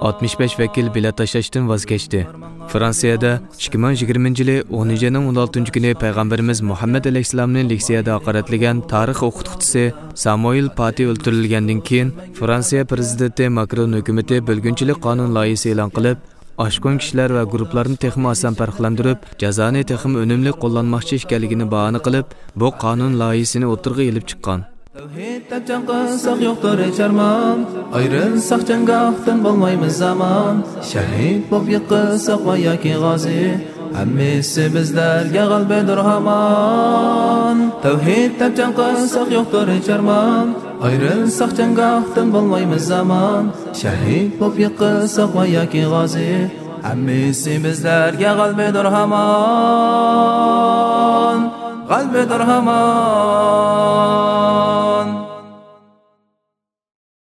ئاتمىش بەش ۋەكىل بېلەت تاشلاشتىن ۋاز كەچتى. فرانسىيەدە ئىككى مىڭ يىگىرمىنچى يىلى ئونىنچى ئاينىڭ ئون ئالتىنچى كۈنى پەيغەمبىرىمىز مۇھەممەد ئەلەيھىسسالامنى لېكسىيەدە ھاقارەتلىگەن تارىخ ئوقۇتقۇچىسى سامۇئېل پاتى ئۆلتۈرۈلگەندىن كېيىن، فرانسىيە پىرېزىدېنتى ماكرون ھۆكۈمىتى بۆلگۈنچىلىك قانۇن لايىھىسى ئېلان قىلىپ، ئاشقۇن كىشىلەر ۋە گۇرۇپپىلارنى تېخىمۇ ئاسان پەرقلەندۈرۈپ، جازانى تېخىمۇ ئۈنۈملۈك قوللانماقچى ئىكەنلىكىنى باھانە قىلىپ، بۇ قانۇن لايىھىسىنى ئوتتۇرىغا ئېلىپ چىققان. تەۋھىد دەپ جەڭ قىلساق يوقتۇر ھېچ ئارمان، ئايرىلساق جەڭگاھتىن بولمايمىز ئامان، شەھىد بولۇپ يىقىلساق ۋە ياكى غازى، ھەممىسى بىزلەرگە غەلىبىدۇر ھامان. تەۋھىد دەپ جەڭ قىلساق يوقتۇر ھېچ ئارمان، ئايرىلساق جەڭگاھتىن بولمايمىز ئامان، شەھىد بولۇپ يىقىلساق ۋە ياكى غازى، ھەممىسى بىزلەرگە غەلىبىدۇر ھامان، غەلىبىدۇر ھامان.